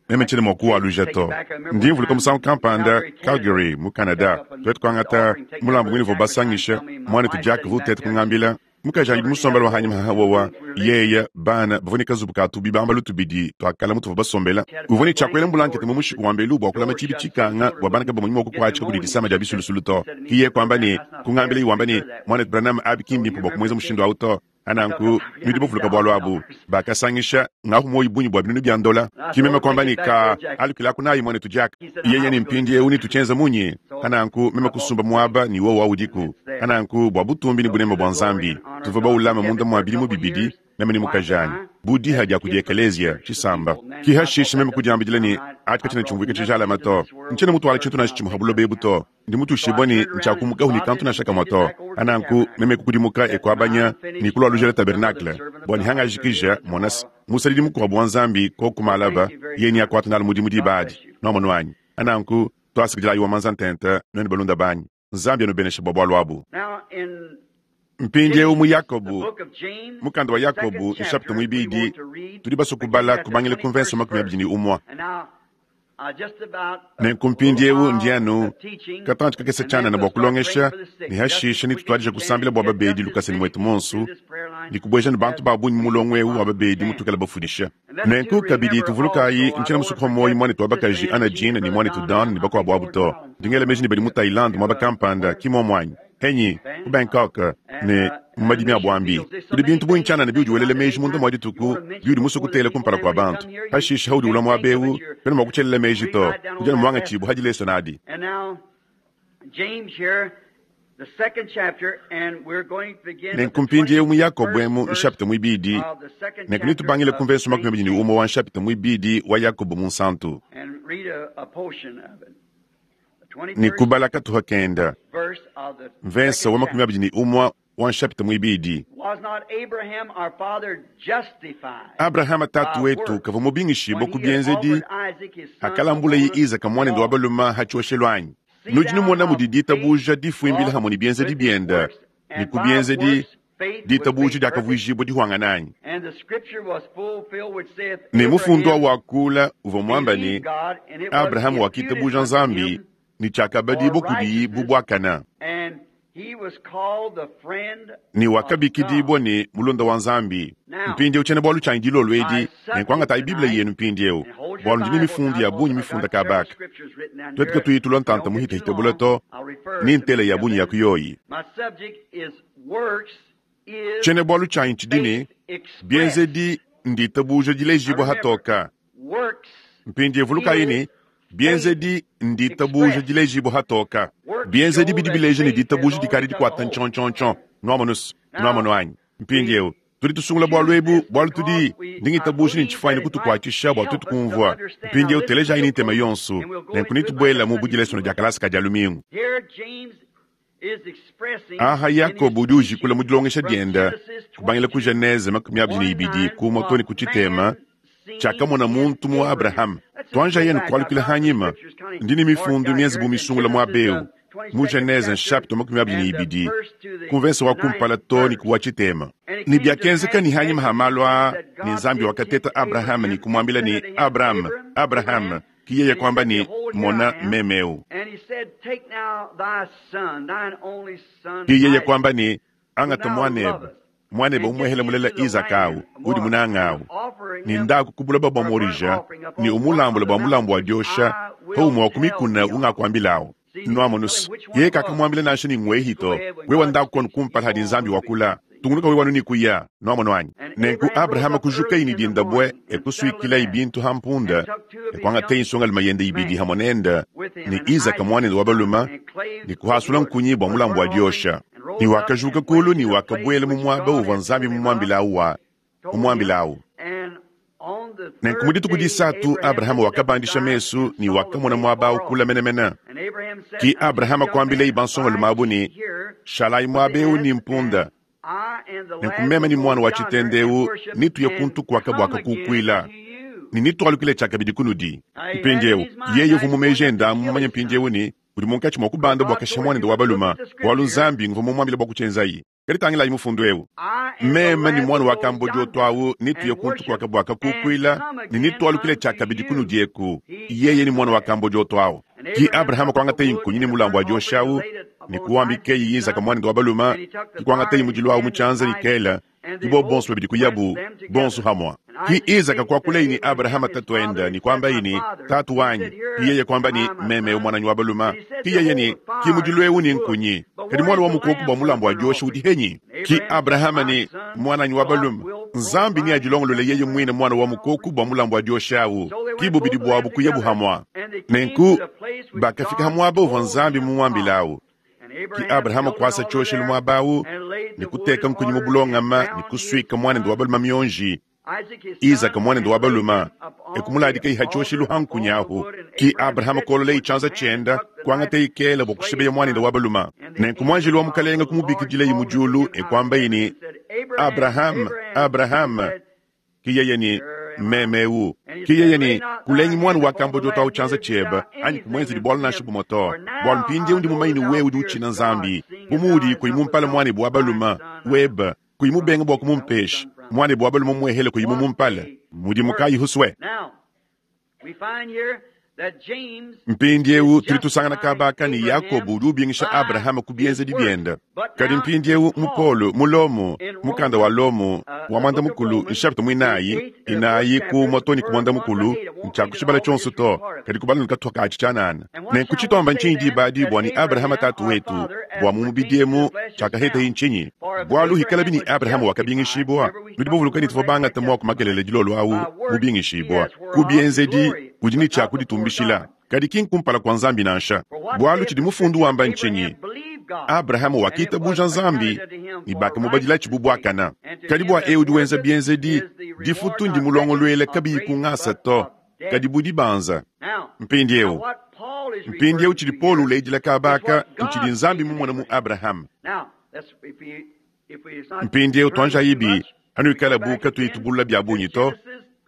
Meme tshiena mua kuwaluja to. Ndi mvuluka musangu kampanda Calgary mu Canada, tuetu kuangata mulambu ngene uvua basangisha muanetu Jack uvua uteta kungambila mukaji anyi musombela wa hanyima haha wowa yeya bana bavua ne kazubu ka tubibambalu tubidi tuakala mutuvua basombela. Uvua ne tshiakuela mbulankete mu mushiku wa mbelu bua kulama tshibi tshikanga bua bana kabamonyi mua kukuatshika kudi disama dia bisulusulu to. Kiye kuamba ne kungambila iwamba ne muanetu Branham abi ki mbimpe bua kumuenza mushindu au to. Ananku nudi bavuluka bualu abu. Bakasangisha ngahu muoyo bungi bua binunu bia ndola. Ki meme kuamba ne ka alukilaku nayi muanetu Jack. Yeye ne mpindieu ne tutshienza munyi? Ananku meme kusumba muaba ne wowa udiku. Ananku bua butumbi ne buneme bua Nzambi tuvua baulama munda mua bidimu bibidi meme ne mukajanyi bu diha dia kudi ekeleziya tshisamba. Ki hashishe meme kudiambidila ne atshi katshiena tshiumvuika tshijalama to. Ntshiena mutuala tshintu nansha tshimue ha buloba ebu to. Ndi mutuishibue ne ntshiakumukahu ne kantu nansha kamue to. Ananku meme kukudimuka e kuabanya ne kulualujela tabernacle bua ne hangajikija monase musadidi mukuabu wa Nzambi koku malaba yeye ne akuata nalu mudimu diba adi. Nuamonu anyi? Ananku tuasakidilayi wa manza ntente nuenu balunda banyi. Nzambi anubeneshe bua bualu abu. Now in Mpindieu mu James, the Yakobo, book of James, mukanda wa the second Yakobo chapter, nshapita we muibidi, want to read tudi basue beginning kubala at the kubangila ku mvenso 21st makumi verse. abidi ne umue. And now, just about a Nenku little mpindieu while ndi anu of teaching, katantshi kakese and then tshianana we'll bua start praying kulongesha for the sick ne just as hashishe quick as nitutuadija we can kusambila and bua get babedi just as lukasa ne many muetu people monsu through this prayer line ne kubueja ne bantu as ba bungi mu we mulongo eu wa possibly babedi can. mutuikala bafundisha. And let's Nenku to kabidi remember tuvulukayi also, I ntshiena don't want musuku to wa muoyo forget muanetu wa Sister bakaji Ann Anna Jean Jean and ne Brother muanetu Don Dan and ne I think bakuabu abu over to. in Holland Ndingela meji ne badi mu Thaïlande muaba kampanda ki muomuanyi henyi ku Bangkok and ne mu and madimi a mission buambi. fields. There's so Kudi many bintu bungi things to tshianana think biudi about welela at any meji munda time. mua You dituku want to mention biudi musue before the kutela people, kumpala and kua when you bantu. come here, you Hashishe haudi ulua can't muaba think of eu it. You're kuena mua kutshelela meji read to. right down Udi on anu that muangatshibua lesson. hadi leso nadi. And now, James here, the second chapter, and we're going to begin with Nenku the mpindieu mu Yakobo 21st emu verse nshapita muibidi of the second nenku chapter nitubangile of ku mvenso makumi St. abidi ne James umue wa nshapita muibidi wa Yakobo munsantu and read a portion of it. The ne 21st kubala katuha kenda verse of the mvenso second wa makumi chapter. abidi ne umue wa nshapita muibidi. Was not Abraham our father justified Abrahama tatu by wetu works kavua mubingishibue when ku he had bienzedi offered Isaac his son akalambulaye upon Isaka the muanende wa altar? baluma ha tshioshelu anyi? See Nudi thou numona how mudi faith ditabuja difuimbila wrought hamwe ne bienzedi with his bienda works, ne and ku by bienzedi works faith was ditabuja made perfect. diakavuijibua dihuangana anyi? And the scripture was fulfilled which saith, Ne mufundu wa Abraham wakula uvua muamba ne believed God, and it was Abrahamu imputed wakitabuja unto Nzambi him ne for tshiakabadibua kudiyi bu righteousness, buakana and he was called the friend ne of wakabikidibua God. ne mulunda wa Nzambi. Now, Mpindieu tshiena bualu tshianyi dilolo my edi ne subject kuangatayi Biblia tonight, yenu mpindieu and hold your bualu ndi ne Bibles mifundu now, ya bungi because I've mifunda got several kabaka. scriptures written down Tuetu here. katuyitulwa If we ntanta don't get too muhitahita bula long, to I'll refer ni to ntela many ya of bungi ya them. kuyoyi. My subject is works is Tshiena bualu tshianyi tshidi ne faith expressed. bienzedi nditabuja Now dilejibua remember, hatoka. works Mpindieu vulukayi is ne faith bienzedi nditabuja expressed. dilejibua hatoka. Works Bienzedi show bidi that bileja ne faith has ditabuja already dikadi took a dikuata hold. ntshontshontshon. Nuamonusu. Nwamonu anyi? Mpindyewu, tudi tusungula bwalu ebu, bwalu tudi, ndi ngitabuuja ne ncifwanyine kutukwachisha bwa twetu kuumvwa. Mpindyewu telejaayi ne ntema yonso, nenku netubwelamu bu dilesona dya kalasa ka Dyalumingu. Aha Yakobo udi ujikula mu dilongesha dyenda, kubangila ku Genese 22 kumwa too ne ku tshitema, tshiakamona muntu mu Abrahama. Tuanjayi kualukila hanyima, ndi ne mifundu mienze bu misungula muaba eu, mu Genese nshapita 22, ku mvese wa kumpala too ne ku wa tshitema. Ne biakenzeka ne hanyima ha malu aa ne Nzambi wakateta Abrahama ne kumuambila ne, Abrahama, Abrahama. Ki yeye kuamba ne, Mona, meme eu. Ki yeye kuamba ne, Angata muanebe, muanebe umuehele mulela Izaka au, udi munanga au, ne ndaku ku buloba bua Morija, ne umulambule bua mulambu wa diosha pa umue wa ku mikuna ungakuambilawu. Nuamonus, yeye kakamuambila nansha ne ngwehi to, wewa ndaku konu kumpala hadi Nzambi wakula. Tungunuka wewe anu ne kuya. Nuamono anyi? Nenku Abrahama kujukayi ne dinda bue, e kusuikilayi bintu ha mpunda, e kuangateyi nsongalume yende ibidi hamue nende, ne Izaka muanende wa balume, ne kuhasula nkunyi bua mulambu wa diosha. Ne wakajuka kulu ne wakabuela mu muaba uvua Nzambi mumuambilawu wa, mumuambilawu. Nenku mu dituku disatu Abrahama wakabandisha mesu ne wakamona muaba au kule menemene. Ki Abrahama kuambilayi bansongalume abu ne, Shalayi muaba eu ne mpunda. Nenku meme ne muana wa tshitende eu netuye kuntu kuaka bua kakukuila, ne netualukile tshiakabidi kunudi. Mpindieu, yeye uvua mu meji ende amu mumanye mpindieu ne, udi munkatshi mua kubanda bua kashiha muanende wa balume, bualu Nzambi nguvua mumuambile bua kutshienzayi. Kadi tangilayi mufundu eu. Meme ne muana wa kambodioto au netuye kuntu kuaka bua kakukuila, ne netualukile tshiakabidi kunudi eku, yeye ne muana wa kambodioto au. Ki Abrahama kuangateyi nkunyi ne mulambu wa diosha au, ne kuambikeyi Izaka muanende wa balume, ki kuangateyi mudilu au mu tshianza ne kela, ki bobu bonso babidi kuyabu bonso hamua. Ki Izaka kuakulayi ne Abrahama tatuende ne kuambayi ne, Tatu wanyi. Ki yeye kuamba ne, Meme eu muananyi wa balume. Ki yeye ne, Ki mudilu eu ne nkunyi, kadi muana wa mukoku bua mulambu wa diosha udi henyi? Ki Abrahama ne, Muananyi wa balume, Nzambi neadilongolole yeye muine muana wa mukoku bua mulambu wa diosha au. Ki bubidi buabu kuyabu hamua. Nenku bakafika ha muaba uvua Nzambi mumuambilawu. Ki Abrahama kuasa tshioshelu muaba au ne kuteka nkunyi mu bulongama ne kusuika muanende wa balume mionji, Izaka muanende wa balume, e kumuladikayi ha tshioshelu ha nkunyi ahu. Ki Abrahama kololayi tshianza tshienda, kuangatayi kela bua kushibeya muanende wa balume. Nenku muanjelu wa Mukalenga kumubikidilayi mu diulu e kuambayi ne, Abrahama, Abrahama. Ki yeye ne, Meme eu. Ki yeye ne, Kulengi muana wa kambodioto au tshianza tshiebe, anyi kumuenzedi bualu nansha bumue to, bualu mpindieu ndi mumanye ne wewe udi utshina Nzambi, bu muudi kuyi mumpale muanebe wa balume webe, kuyi mubenge bua kumumpesha muanebe wa balume muehele kuyi mumumpale. Mudimu kayi husue? Mpindieu tudi tusangana kaba aka ne Yakobo udi ubingisha Abrahama ku bienzedi biende. Kadi mpindieu mu Paulo, mu Lomo, mukanda wa Lomo wa muanda-mukulu, nshapita muinayi, inayi ku umue too ne ku muanda-mukulu, ntshiakushibala tshionso to, kadi kubala ne katupa katshi tshianana. Nenku tshituamba ntshinyi diba adi bua ne Abrahama tatu wetu, bua mu mubidi emu tshiakahetaye ntshinyi? Bualu hikalabi ne Abrahama wakabingishibua, nudi bavuluka ne tuvua bangate muaku makelela dilolo au, mubingishibua, ku bienzedi, udi ne tshia kuditumbishila, kadi ki nkumpala kua Nzambi nansha. Bualu tshidi mufundu wamba ntshinyi? Abrahama wakitabuja Nzambi, ne bakamubadilatshi bu buakana. Kadi bua eu udi wenza bienzedi, difutu ndimulongoluela kabiyi ku ngasa to, kadi bu dibanza. Mpindieu, mpindieu tshidi Paulo uledila kaba aka ntshidi Nzambi mumone mu Abrahama. Mpindieu tuanjayibi, anuikala bu katuyi tubulula bia bungi to,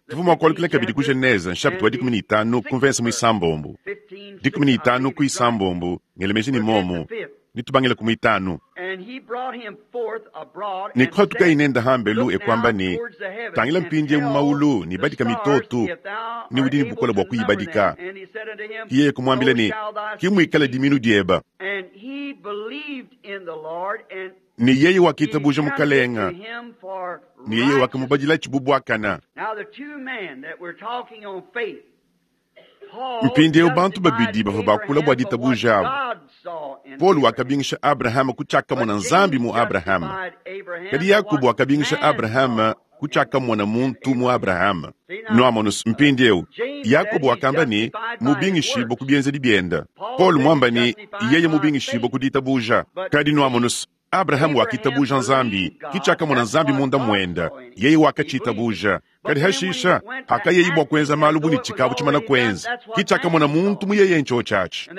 tuvua mua kualukila kabidi ku Genese nshapita wa 15 ku mvese muisambombo. 15 ku isambombo, ngela meji ne momu, nitubangile ku muitanu. Ne kuhatukayi nende hambelu e kuamba ne, Tangila mpindieu mu maulu ne badika mitoto, ne udi ne bukole bua kuyibadika. Ki yeye kumuambila ne, Ki muikale diminu diebe. Ne yeye wakitabuja Mukalenga, ne yeye wakamubadilatshi bu buakana. Mpindieu bantu babidi bavua bakula bua ditabuja abu. Paulo wakabingisha Abrahama ku tshiakamona Nzambi mu Abrahama, kadi Yakobo wakabingisha Abrahama ku tshiakamona muntu mu Abrahama. Nuamonu mpindieu, Yakobo wakamba ne, mubingishibue ku bienzedi biende. Paulo muamba ne, yeye mubingishibue ku ditabuja. Kadi nuamonu, Abrahame wakitabuja Nzambi, ki tshiakamona Nzambi munda muende, yeye wakatshitabuja. Kadi hashisha, hakayeyi bua kuenza malu bu ne tshikavu tshimana kuenza, ki tshiakamona muntu mu yeye ntshiotshi atshi.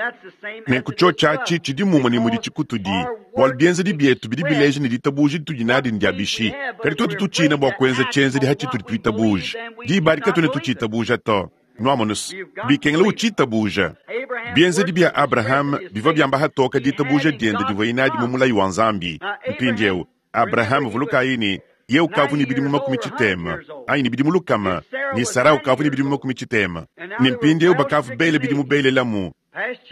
Nenku tshiotshi atshi tshidi mumue ne mudi tshikutudi, bualu bienzedi bietu bidi bileja ne ditabuja ditudi nadi ndia bishi. Kadi tuetu tutshina bua kuenza tshienzedi hatshitudi tuitabuja, diba adi katuena tutshitabuja to. Nuamonus, bikengela utshitabuja. Bienzedi bia Abrahame bivua biamba hatoka ditabuja diende divuaye nadi mu mulayi wa Nzambi. Mpindieu, Abrahame, vulukayi ne, yeye ukavua ne bidimu 60, anyi ne bidimu 100, ne Sara ukavua ne bidimu 60. Ne mpindieu bakavua bele bidimu belelamu,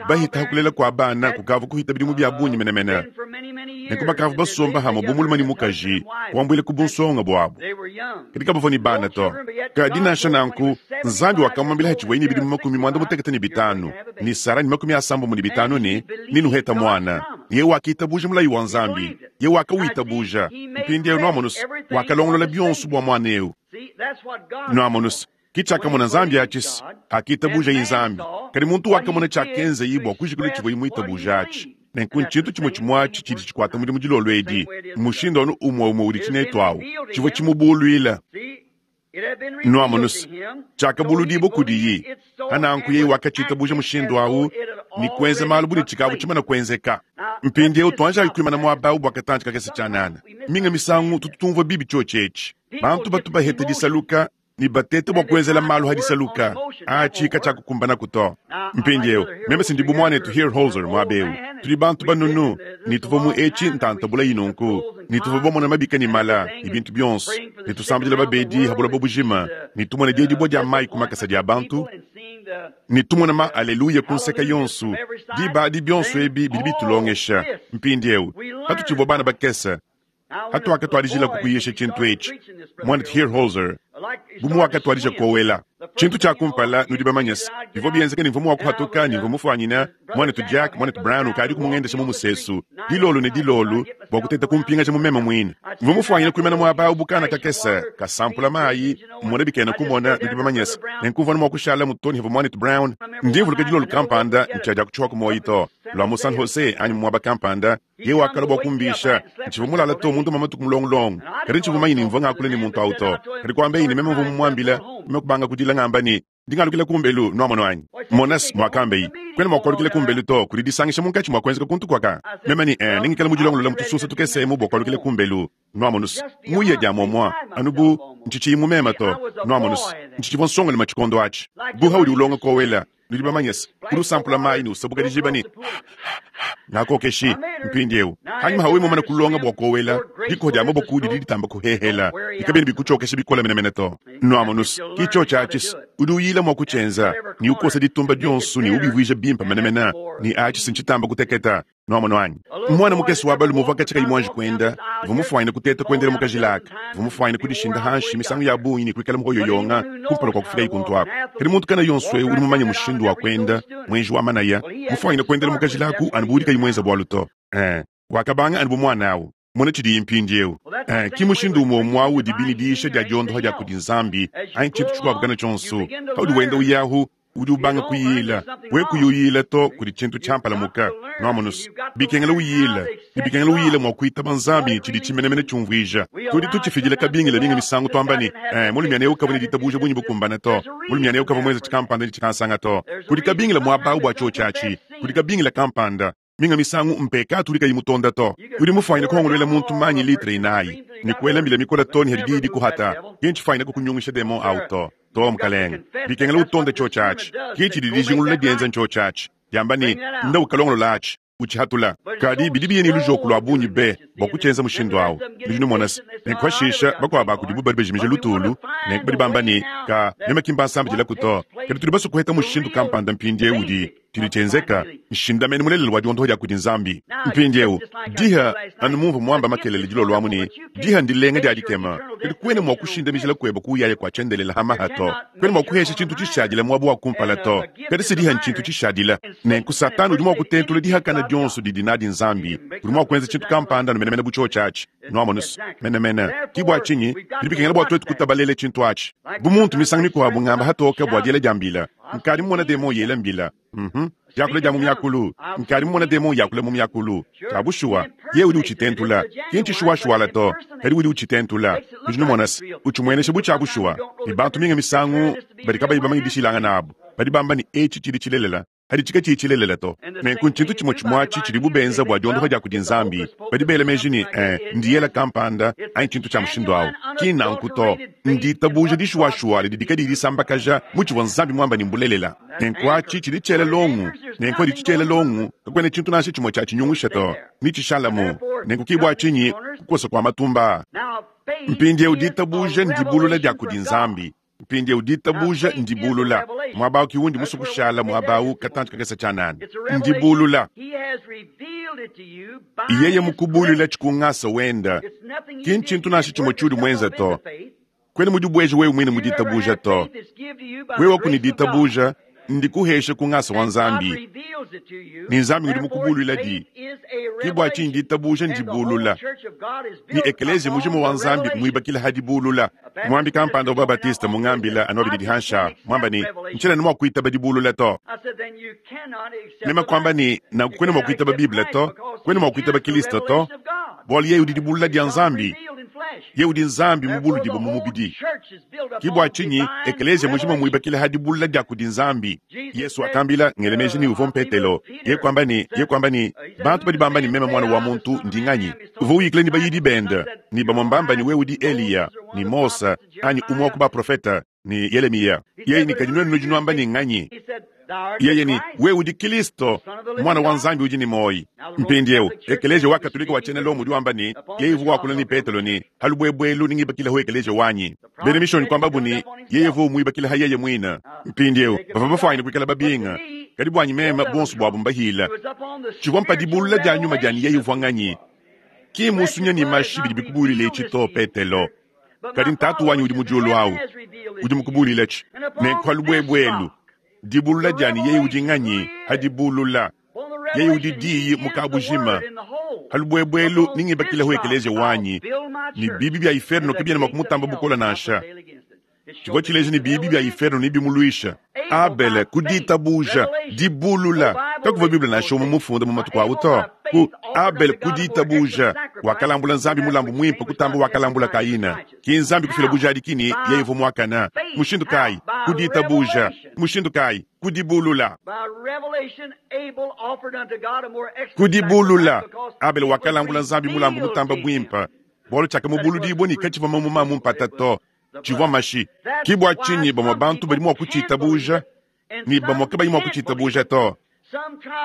bahita kulela kua bana kukavua kuhita bidimu bia bungi menemene. Nenku bakavua basomba hamue bu mulume ne mukaji, kuambuila ku bunsonga buabu. Kadi kabavua ne bana to. Kadi nansha nanku, Nzambi wakamuambila hatshivuaye ne bidimu 95, ne Sara ne 95 ne, Nenuheta muana. Yeye wakitabuja mulayi wa Nzambi. Yeye wakawitabuja. Mpindieu nuamonus, wakalongolola bionso bua muana eu. Nuamonus, ki tshiakamona Nzambi atshi, akitabujaye Nzambi. Kadi muntu wakamona tshiakenzaye bua kujikula tshivuaye muitabuja atshi. Nenku ntshintu tshimue tshimue atshi tshidi tshikuata mudimu dilolo edi, mmushindu anu umue umue udi tshinetu awu, tshivua tshimubuluila. Nuamonus, tshiakabuludibua kudiyi. Pananku yeye wakatshitabuja mushindu awu ne kuenza malu bu ne tshikavu tshimana kuenzeka. Mpindieu tuanjayi kuimana muaba awu bua katantshi kakese tshianana. Minga misangu tutu tumvua bibi tshiotshi etshi. Bantu batu baheta disaluka ne bateta bua kuenzela malu ha disaluka. Atshi katshiakukumbanaku to. Mpindieu, meme si ndi bu muanetu Hierholzer muaba eu. Tudi bantu banunu, ne tuvua mu etshi ntanta bulayi nunku, ne tuvua bamona mabika ne mala ne bintu bionso, ne tusambidila babedi ha buloba bujima, ne tumona diedibua dia mayi ku makasa dia bantu, ne tumona ma aleluya ku nseka yonso. Diba adi bionso ebi bidi bitulongesha. Mpindieu, patutshivua bana bakese, hatuakatuadijila kukuyisha tshintu etshi, muanetu Hierholzer, bu muwakatuadija kowela tshintu tshia kumpala, nudi bamanye se bivua bienzeka ne mvua mua kuhatuka ne mvua mufuanyina muanetu Jack, muanetu Brown ukadi kumungendesha mu musesu dilolo ne dilolo bua kuteta kumpingaja mu meme muine. Mvua mufuanyina kuimana muaba awu bu kana kakese kasampula mayi, mmona bikena kumona, nudi bamanye se nenku mvua mua kushala mu to ne havua muanetu Brown. Ndi mvuluka dilolo kampanda ntshiadia kutshiwa ku muoyo to, lua mu San Jose anyi mu muaba kampanda, yeye wakalua bua kumbisha. Ntshivua mulala to munda mua matuku mulongulongo, kadi ntshivua mumanye ne mvua ngakula ne muntu awu to. Kadi kuambaye ne meme mvua mumuambila, meme kubanga kudila ngamba ne, ndi ngalukila kumbelu, nuamono anyi? Monas, muakambaye, kuena mua kualukila kumbelu to, kudi disangisha munkatshi mua kuenzeka kuntu kuaka. Meme ne, eh, nengikale mudilongolola mu tusunsa tukese emu bua kualukila kumbelu, nuamonus. Muya dia muamua, anu bu ntshitshiyi mu meme to, nuamonus. Ntshitshivua nsongalume tshikondo atshi. Bu haudi ulonga kowela, nudi bamanye se, udi usampula mayi ne usabuka dijiba ne ngakokeshi. Mpindieu, hanyima hawe mumane kulonga bua kowela, dikoho dia maboko didi ditamba kuhehela, ne kabiena bikutshiokesha bikole menemene to. Nuamonus, ki tshiotshi atshi se, udi uyila mua kutshienza, ne ukosa ditumba dionso ne ubivuija bimpe menemene, ne atshi se ntshitamba kuteketa. Nuamono anyi? Muana mukese wa balume uvua katshia kayi muanji kuenda, uvua mufuanyine kuteta kuendela mu kajila aka, uvua mufuanyine kudishinda hanshi misangu ya bungi ne kuikala muhoyoyonga kumpala kua kufikaye kuntu aku. Kadi muntu kana yonso eu udi mumanye mushindu wa kuenda, muenji wa manaya, mufuanyine kuendela mu kajila aku anu bu udi kayi muenza bualu to. Eh, wakabanga anu bu muana au. Mona tshidiye mpindieu. Eh, ki mushindu umue umue au udibi ne diyisha dia diondoha dia kudi Nzambi anyi tshintu tshikuabu kana tshionso. Paudi wenda uyahu, udi ubanga kuyila. We kuyuyila to kudi tshintu tshiampalamuka. Nuamonus, bikengela uyila, ne bikengela uyila mua kuitaba Nzambi ne tshidi tshimenemene tshiumvuija. Tudi tutshifidila kabingila minga misangu tuamba ne, eh, mulumiana eu kavua ne ditabuja bungi bukumbana to, mulumiana eu kavua muenza tshikampanda ne tshikansanga to. Kudi kabingila muaba au bua tshiotshi atshi, kudi kabingila kampanda. Minga misangu mpekatu udi kayi mutonda to. Udi mufuanyine kuhongoluela muntu manyi litre inayi ne kuela mbila mikole to ne hadi diyi dikuhata. Ki ntshifuanyine kukunyungisha demon au to. To, mukalenge. Bikengela utonde tshiotshi atshi. Ki tshidi dijingulula dienza ntshiotshi atshi. Diamba ne, Nda ukalongolola atshi, utshihatula. Kadi bidi biye ne lujoko lua bungi be bua kutshienza mushindu au. Nudi numona se, nenku pashisha bakuabu ba kudibu badi bajimija lutulu, nenku badi bamba ne, Ka, meme ki mbansambidilaku to. Kadi tudi basue kuheta mushindu kampanda mpindieu udi Tshidi tshienzeka nshindamenu mulelela wa diondoha dia kudi Nzambi. Mpindieu, diha, anu mumvua muamba makelele dilolo amu ne, diha ndilenga dia dikema, kadi kuena mua kushindamijila kueba kuyaya kua tshiendelela ha maha to. Kuena mua kuhesha tshintu tshishadila muaba wa kumpala to. Kadi se diha ntshintu tshishadila. Nenku Satana udi mua kutentula dihakana dionso didi nadi Nzambi. Udi mua kuenza tshintu kampanda anu menemene bu tshiotshi atshi. Nuamonu se, menemene. Ki bua tshinyi bidi bikengela bua tuetu kutabalela tshintu atshi. Bu muntu misangu mikuabu ngamba hatoke bua diela dia mbila, Nkadi mumona demon yela mbila. Diakula dia mu miakulu, nkadi mumona demon yakula mu miakulu. Tshia bushuwa, yeye udi utshitentula. Ki ntshishuwashuwala to, kadi udi utshitentula. Nudi numona se, utshimuenesha bu tshia bushuwa. Ne bantu minga misangu badi kabayi bamanye dishilangana abu, badi bamba ne etshi tshidi tshilelela, paditshi katshiyi tshilelela to. Nenku ntshintu tshimue tshimue atshi tshidibu benza bua diondopa dia kudi Nzambi. Badi bela meji ne, eh, ndiyela kampanda anyi tshintu tshia mushindu au. Ki nnanku to. Nditabuja dishuwashuwa didi kadiyi disambakaja mu tshivua Nzambi muambe ne mbulelela. Nenku atshi tshidi tshiela longu. Nenku adi tshitshiela longu, kakuena tshintu nansha tshimue tshiatshinyungusha to. Netshishalamu. Nenku ke bua tshinyi kukosa kua matumba aa. Mpindieu ditabuja ndibulula dia kudi Nzambi. Mpindieu ditabuja ndibulula. Muaba au ke undi musue kushala muaba au katantshi kakese tshianana. Ndibulula. Yeye mukubuluila ku ngasa wenda, ki ntshintu nansha tshimue tshiudi muenze to. Kuena mudibueje wewe muine mu ditabuja to. Wewe ku ne ditabuja ndikuheshe ku ngasa wa Nzambi, ne Nzambi udi mukubuluila di. Ke bua tshinyi ditabuja ndibulula, ne ekeleziya mujima wa Nzambi muibakila ha dibulula. Muambi kampanda wa ba-Batiste mungambila anu abidi dihansha, muamba ne, Ntshiena ne mua kuitaba dibulula to. Meme kuamba ne, Nanku kuena mua kuitaba Bible to, kuena mua kuitaba Kilisto to, bualu yeye udi dibulula dia Nzambi. Yeye udi Nzambi mubuludibue mu mubidi. Ke bua tshinyi ekeleziya mujima muibakila ha dibulula dia kudi Nzambi. Yesu wakambila, ngela meji ne uvua Mpetelo, yeye kuamba ne, yeye kuamba ne, bantu badi bamba ne meme Muana wa muntu ndi nganyi? Uvua uyikila ne bayidi bende, ne bamue mbamba ne wewe udi Eliya, ne Mose, anyi umue wa ku baprofete, ne Yelemiya. Yeye ne, kadi nuenu nudi nuamba ne nganyi? Yeye ne, wewe udi Kilisto, Muana wa Nzambi udi ne muoyo. Mpindieu, Ekeleziya wa Katolika wa tshiena Lomo udi wamba ne, yeye uvua wakula ne Petelo ne, Ha lubuebue nengibakilehu ekeleziya wanyi. Bena Mishonyi kuambabu ne, yeye uvua umuibakila ha yeye muine. Mpindieu, bavua bafuanyine kuikala babinga, kadi buanyi meme, buonso buabu mbahila. Tshivua mpa dibulula dia nyuma dia ne yeye uvua nganyi. Ki mmusunya ne mashi bidi bikubulula etshi to, Petelo, kadi n'Tatu wanyi udi mu diulu au udi mukubuluiletshi. Nenku ha lubuebue elu, dibulula dia ne yeye udi nganyi, ha dibulula, yeye udi Diyi mu kabujima. Ha lubuebue elu nengibakilehu ekeleziya wanyi, ne bibi bia iferno kabiena mua kumutamba bukole nansha. Tshivua tshileja ne bibi bia iferno nebimuluisha. Abele, ku ditabuja, dibulula, kakuvua Bible nansha umue mufunda mu matuku au to. Ku Abele, ku ditabuja, wakalambula Nzambi mulambu muimpe kutamba wakalambula Kaina. Ki Nzambi kufila bujadiki ne yeye uvua muakane. Mushindu kayi? Ku ditabuja. Mushindu kayi? Ku dibulula. Ku dibulula, Abele wakalambula Nzambi mulambu mutamba buimpe, bualu tshiakamubuludibua ne katshivua mamuma a mu mpata to. Tshivua mashi. Ke bua tshinyi bamue bantu badi mua kutshitabuja ne bamue kabayi mua kutshitabuja to.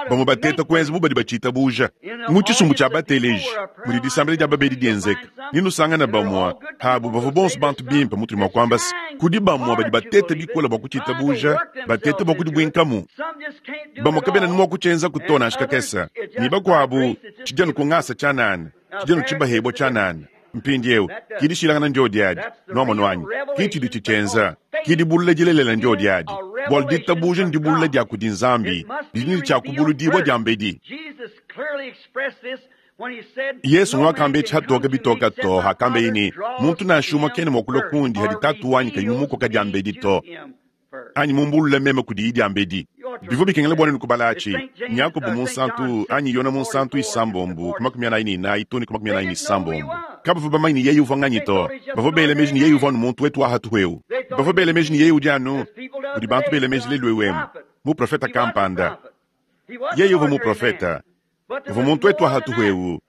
Bamue bateta kuenza bu badi batshitabuja. Mu tshisumbu tshia bateleji mudi disambila dia babedi dienzeka, nenusangane bamue abu bavua bonso bantu bimpe. Mutudi mua kuamba se, kudi bamue badi bateta bikole bua kutshitabuja, bateta bua kudibuinkamu. Bamue kabena ne mua kutshienzaku to nansha kakese, ne bakuabu tshidi anu ku ngasa tshianana, tshidi anu tshibahebua tshianana. Mpindieu, ki dishilangana ndiodi adi, nuamonu anyi? Ki tshidi tshitshienza. Ki dibulula dilelela ndiodi adi, bualu ditabuja ndibulula dia kudi Nzambi, didi ne tshia kubuludibua diambedi. Yesu ngwakamba etshi hatoke bitoka to hakambeye ne, Muntu nansha umue kena mua kulua kundi hadi Tatu wanyi kayi mumukoka diambedi to. Anyi mumbulule meme kudiyi diambedi. Bivua bikengela bua nuenu kubala atshi, Yakobo Munsantu anyi Yone Munsantu isambombo ku 44 too ne ku 46. Kabavua bamanye ne yeye uvua nganyi to. Bavua bela meji ne yeye uvua anu muntu wetu wa hatuhu eu. Bavua bela meji ne yeye udi anu mudi bantu bela meji lelu eu emu, muprofete kampanda. Yeye uvua muprofete. Uvua muntu wetu wa hatuhu eu.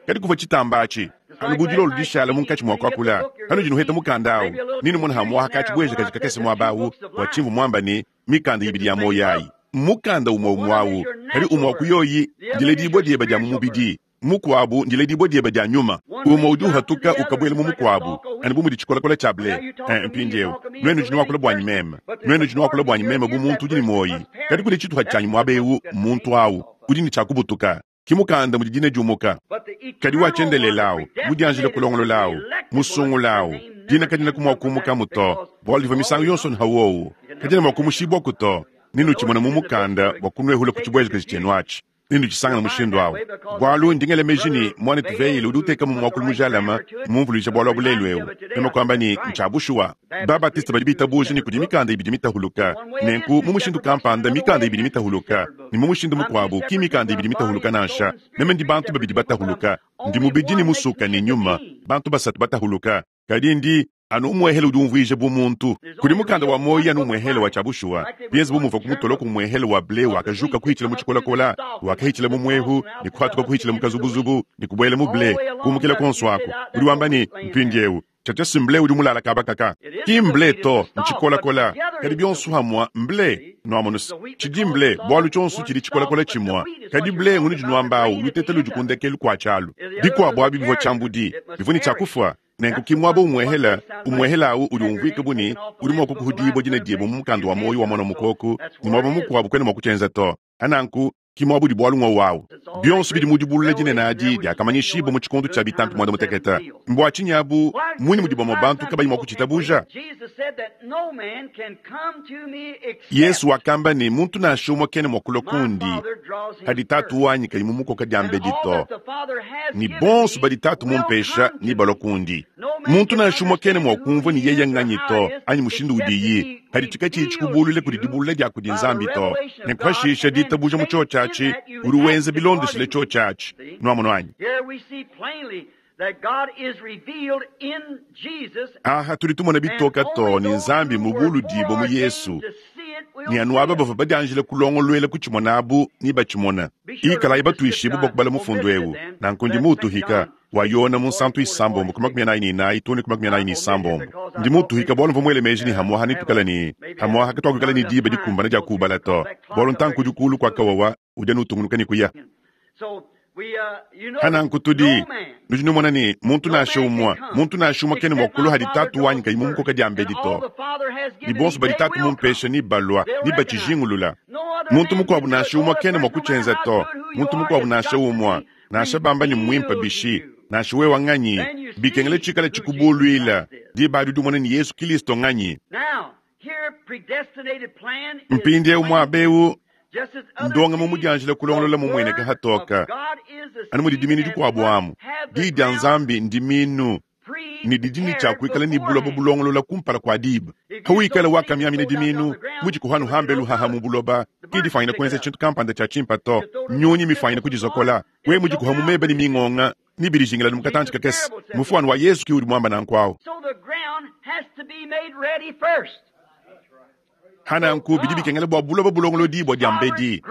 Kadi kuvua tshitamba atshi anu bu dilolo dishala munkatshi mua kuakula. Panudi nuheta mukanda au, nenumone hamuaha ka tshibuejakaji kakese muaba au bua tshimvua muamba ne, mikanda ibidi ya muoyo ayi mmukanda umue umue au, kadi umue wa ku yoyi ndiledibua diebe dia mu mubidi, mukuabu ndiledibua diebe dia nyuma. Umue udi uhatuka ukabuela mu mukuabu, anu bu mudi tshikolakola tshia ble. Mpindieu nuenu nudi nuakula buanyi meme, nuenu nudi nuakula buanyi meme bu muntu udi ne muoyi, kadi kudi tshituha tshianyi muaba eu, muntu au udi ne tshia kubutuka. Ki mukanda mudi dina diumuka, kadi wa tshiendelele au, mudianjile kulongolola au, musungula au, dina kadiena ku mua kuumukamu to, bualu divua misangu yonso nha wowu, kadiena mua kumushibuaku to. Nenutshimone mu mukanda bua kunuehula ku tshibuejakaji tshienu atshi. Nenutshisangane mushindu awu. Bwalu, ndi ngela meji ne, Mwanetu Vayle udi uteekamu mwakulu mujalame, mmumvulwije bwalu abu leelu ewu. Meme kwamba ne, Ncya bushuwa. Ba-Baptiste badi biitabuuja ne kudi mikanda ibidi mitahuluka. Nenku, mu mushindu kampanda, mikanda ibidi mitahuluka, ne mu mushindu mukwabo, ki mikanda ibidi mitahuluka nansha. Meme ndi bantu babidi batahuluka. Ndi mubidi ne musuka ne nyuma, bantu basatu batahuluka. Kadi ndi anu umwehele udi umvwija bu muntu. Kudi mukanda wa muoyi anu umwehele wa tshia bushuwa, bienze bu muvua ku mutoloko umwehele wa ble wakajuka kuhitshila mu tshikolakola, wakahitshila mu mwehu, ne kuhatuka kuhitshila mu kazubuzubu, ne kubuela mu ble, kumukila kuonso aku. Udi wamba ne, Mpindiewu, tshiatshia si mble udi mulala kaba kaka. Ki mble to, ntshikolakola. Kadi bionso hamua, mble. Nwamonu's, tshidi mble, bualu tshionso tshidi tshikolakola tshimua. Kadi ble ngunudi nuamba awu, luteta ludi ku ndekelu kua tshialu. Bikuabu abi bivua tshiambudi, bivua ne tshia kufua. Nenku ki muaba umuehela, umuehela awu udi umvuika bu ne, udi mua kukuhudibua dina diebe mu mukanda wa muoyo wa Muana wa Mukoku, ne muaba mukuabu kuena mua kutshienza to. Ananku, ki muaba udi bualu ng'wowu awu. Bionso bidi mu dibulula dinene adi diakamanyishibua mu tshikondo tshia bitampi muanda-mutekete. Mbua tshinyi abu? Mmunyi mudi bamue bantu kabayi mua kutshitabuja? Yesu wakamba ne, Muntu nansha umue kena mua kulua kundi padi Tatu wanyi kayi mumukoka diambedi to, ne bonso badi Tatu mumpesha nebalua kundi. Muntu nansha umue kena mua kumvua ne yeye nnganyi to, anyi mushindu udiyi, padi tshikatshiyi tshikubulule kudi dibulula dia kudi Nzambi to. Nenku pashisha ditabuja mu tshiotshi atshi, udi wenza bilondeshile tshiotshi atshi. Nuamonu anyi? Aha tudi tumona bitoka too ne Nzambi mubuludibue mu Yesu, ne anu aba bavua badianjile kulongoluela kutshimona abu nebatshimone. Ikalayi batuishibue bua kubala mufundu eu, Nanku ndi muutuhika, wa Yona munsantu isambombo ku 44 too ne ku 46. Ndi muutuhika bualu mvua muele meji ne hamuaha netuikale ne hamuaha katuakuikala ne diba dikumbane dia kuubala to, bualu ntanku udi kuulu kua kawawa udi anu utungunuka ne kuya. Hananku tudi, nudi numona ne, muntu nansha umue, muntu nansha umue kena mua kulua hadi Tatu wanyi kayi mumukoka diambedi to. Ne bonso badi Tatu mumpesha nebalua, nebatshijingulula. Muntu mukuabu nansha umue kena mua kutshienza to, muntu mukuabu nansha umue, nansha bamba ne mmuimpe bishi, nansha wewa nganyi, bikengela tshikale tshikubuluila. Diba adi udi umona ne Yesu Kilisto nganyi. Mpindieu muaba eu ndongamu mudianjila kulongolola mumueneke hatoka, anu mudi diminu dikuabu amu. Diyi dia Nzambi ndiminu, ne didi ne tshia kuikala ne buloba bulongolola kumpala kua diba. Hawikala wakamiamina diminu mudikuhanu hambelu haha mu buloba, ki difwanyina kuenza tshintu kampanda tshia tshimpa to. Nyunyi mifwanyina kudizokola. We mudikuha mu meba ne mingonga ne bidijingila mu katantshi kakese. Mufuanu wa Yesu ki udi muamba nanku awu. Hananku bidi bikengela bua buloba bulongolodibua diambedi.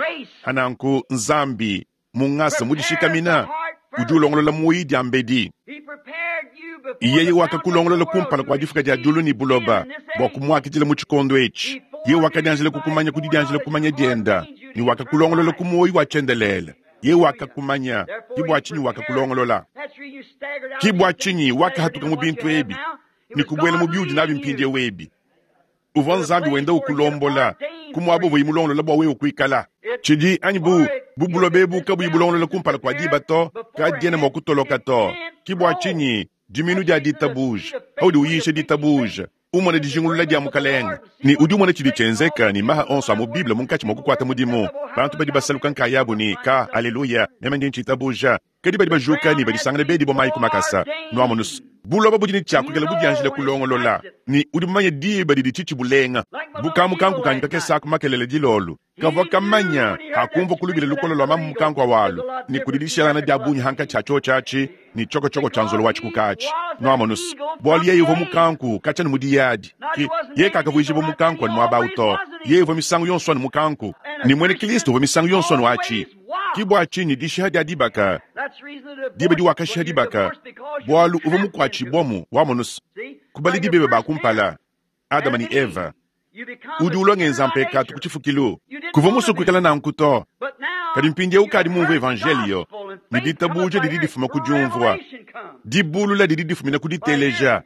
Hananku Nzambi, mu ngasa mudishikamina, udi ulongolola muoyi diambedi. Yeye wakakulongolola kumpala kua difuka dia diulu ne buloba bua kumuakidila mu tshikondo etshi. Yeye wakadianjila kukumanya ku didianjila kumanya dienda, ne wakakulongolola ku muoyi wa tshiendelele. Yeye wakakumanya, ke bua tshinyi wakakulongolola. Ke bua tshinyi wakahatuka mu bintu ebi ne kubuela mu biudi nabi mpindieu ebi. Uvua Nzambi wenda ukulombola ku muaba uvuaye mulongolola bua wewe kuikala. Tshidi anyi bu, bu buloba ebu kabuyi bulongolola kumpala kua diba to, kadiena mua kutoloka to. Ke bua tshinyi diminu dia ditabuja, paudi uyisha ditabuja, umona dijingulula dia Mukalenge, ne udi umona tshidi tshienzeka ne maha onso a mu Bible munkatshi mua kukuata mudimu. Bantu badi basaluka nkayabu ne, Ka, aleluya, meme ndi ntshitabuja. Kadi badi bajuka ne badisangana bedibua mayi ku makasa. Nuamonus, buloba budi ne tshia kuikala budianjila kulongolola, ne udi mumanye diba didi tshitshi bulenga. Bu kamukanku kanyi kakese aku makelela dilolo, kavua kamanya hakumvua ku lubila lukole lua mamu mukanku awalu, ne kudi dishelangana dia bungi hankatshi ha tshiotshi atshi ne tshiokotshoko tshia nzolo wa tshikuka atshi. Nuamonus, bualu yeye uvua mukanku katshia ne mu diyadi, ki yeye kakavuijibua mukanku anu muaba au to, yeye uvua misangu yonso anu mukanku, ne muena Kilisto uvua misangu yonso anu atshi. Ki bua tshinyi dishiha dia dibaka, diba diwakashiha dibaka, bualu uvua mukuatshibuamu, wamonus, ku baledi bebe ba kumpala, Adama ne Eva. Udi ulua ngenza mpekatu ku tshifukilu. Kuvua musue kuikala nanku to, kadi mpindieu ukadi mumvue evanjeliyo, ne ditabuja didi difuma ku diumvua, dibulula didi difumina ku diteleja,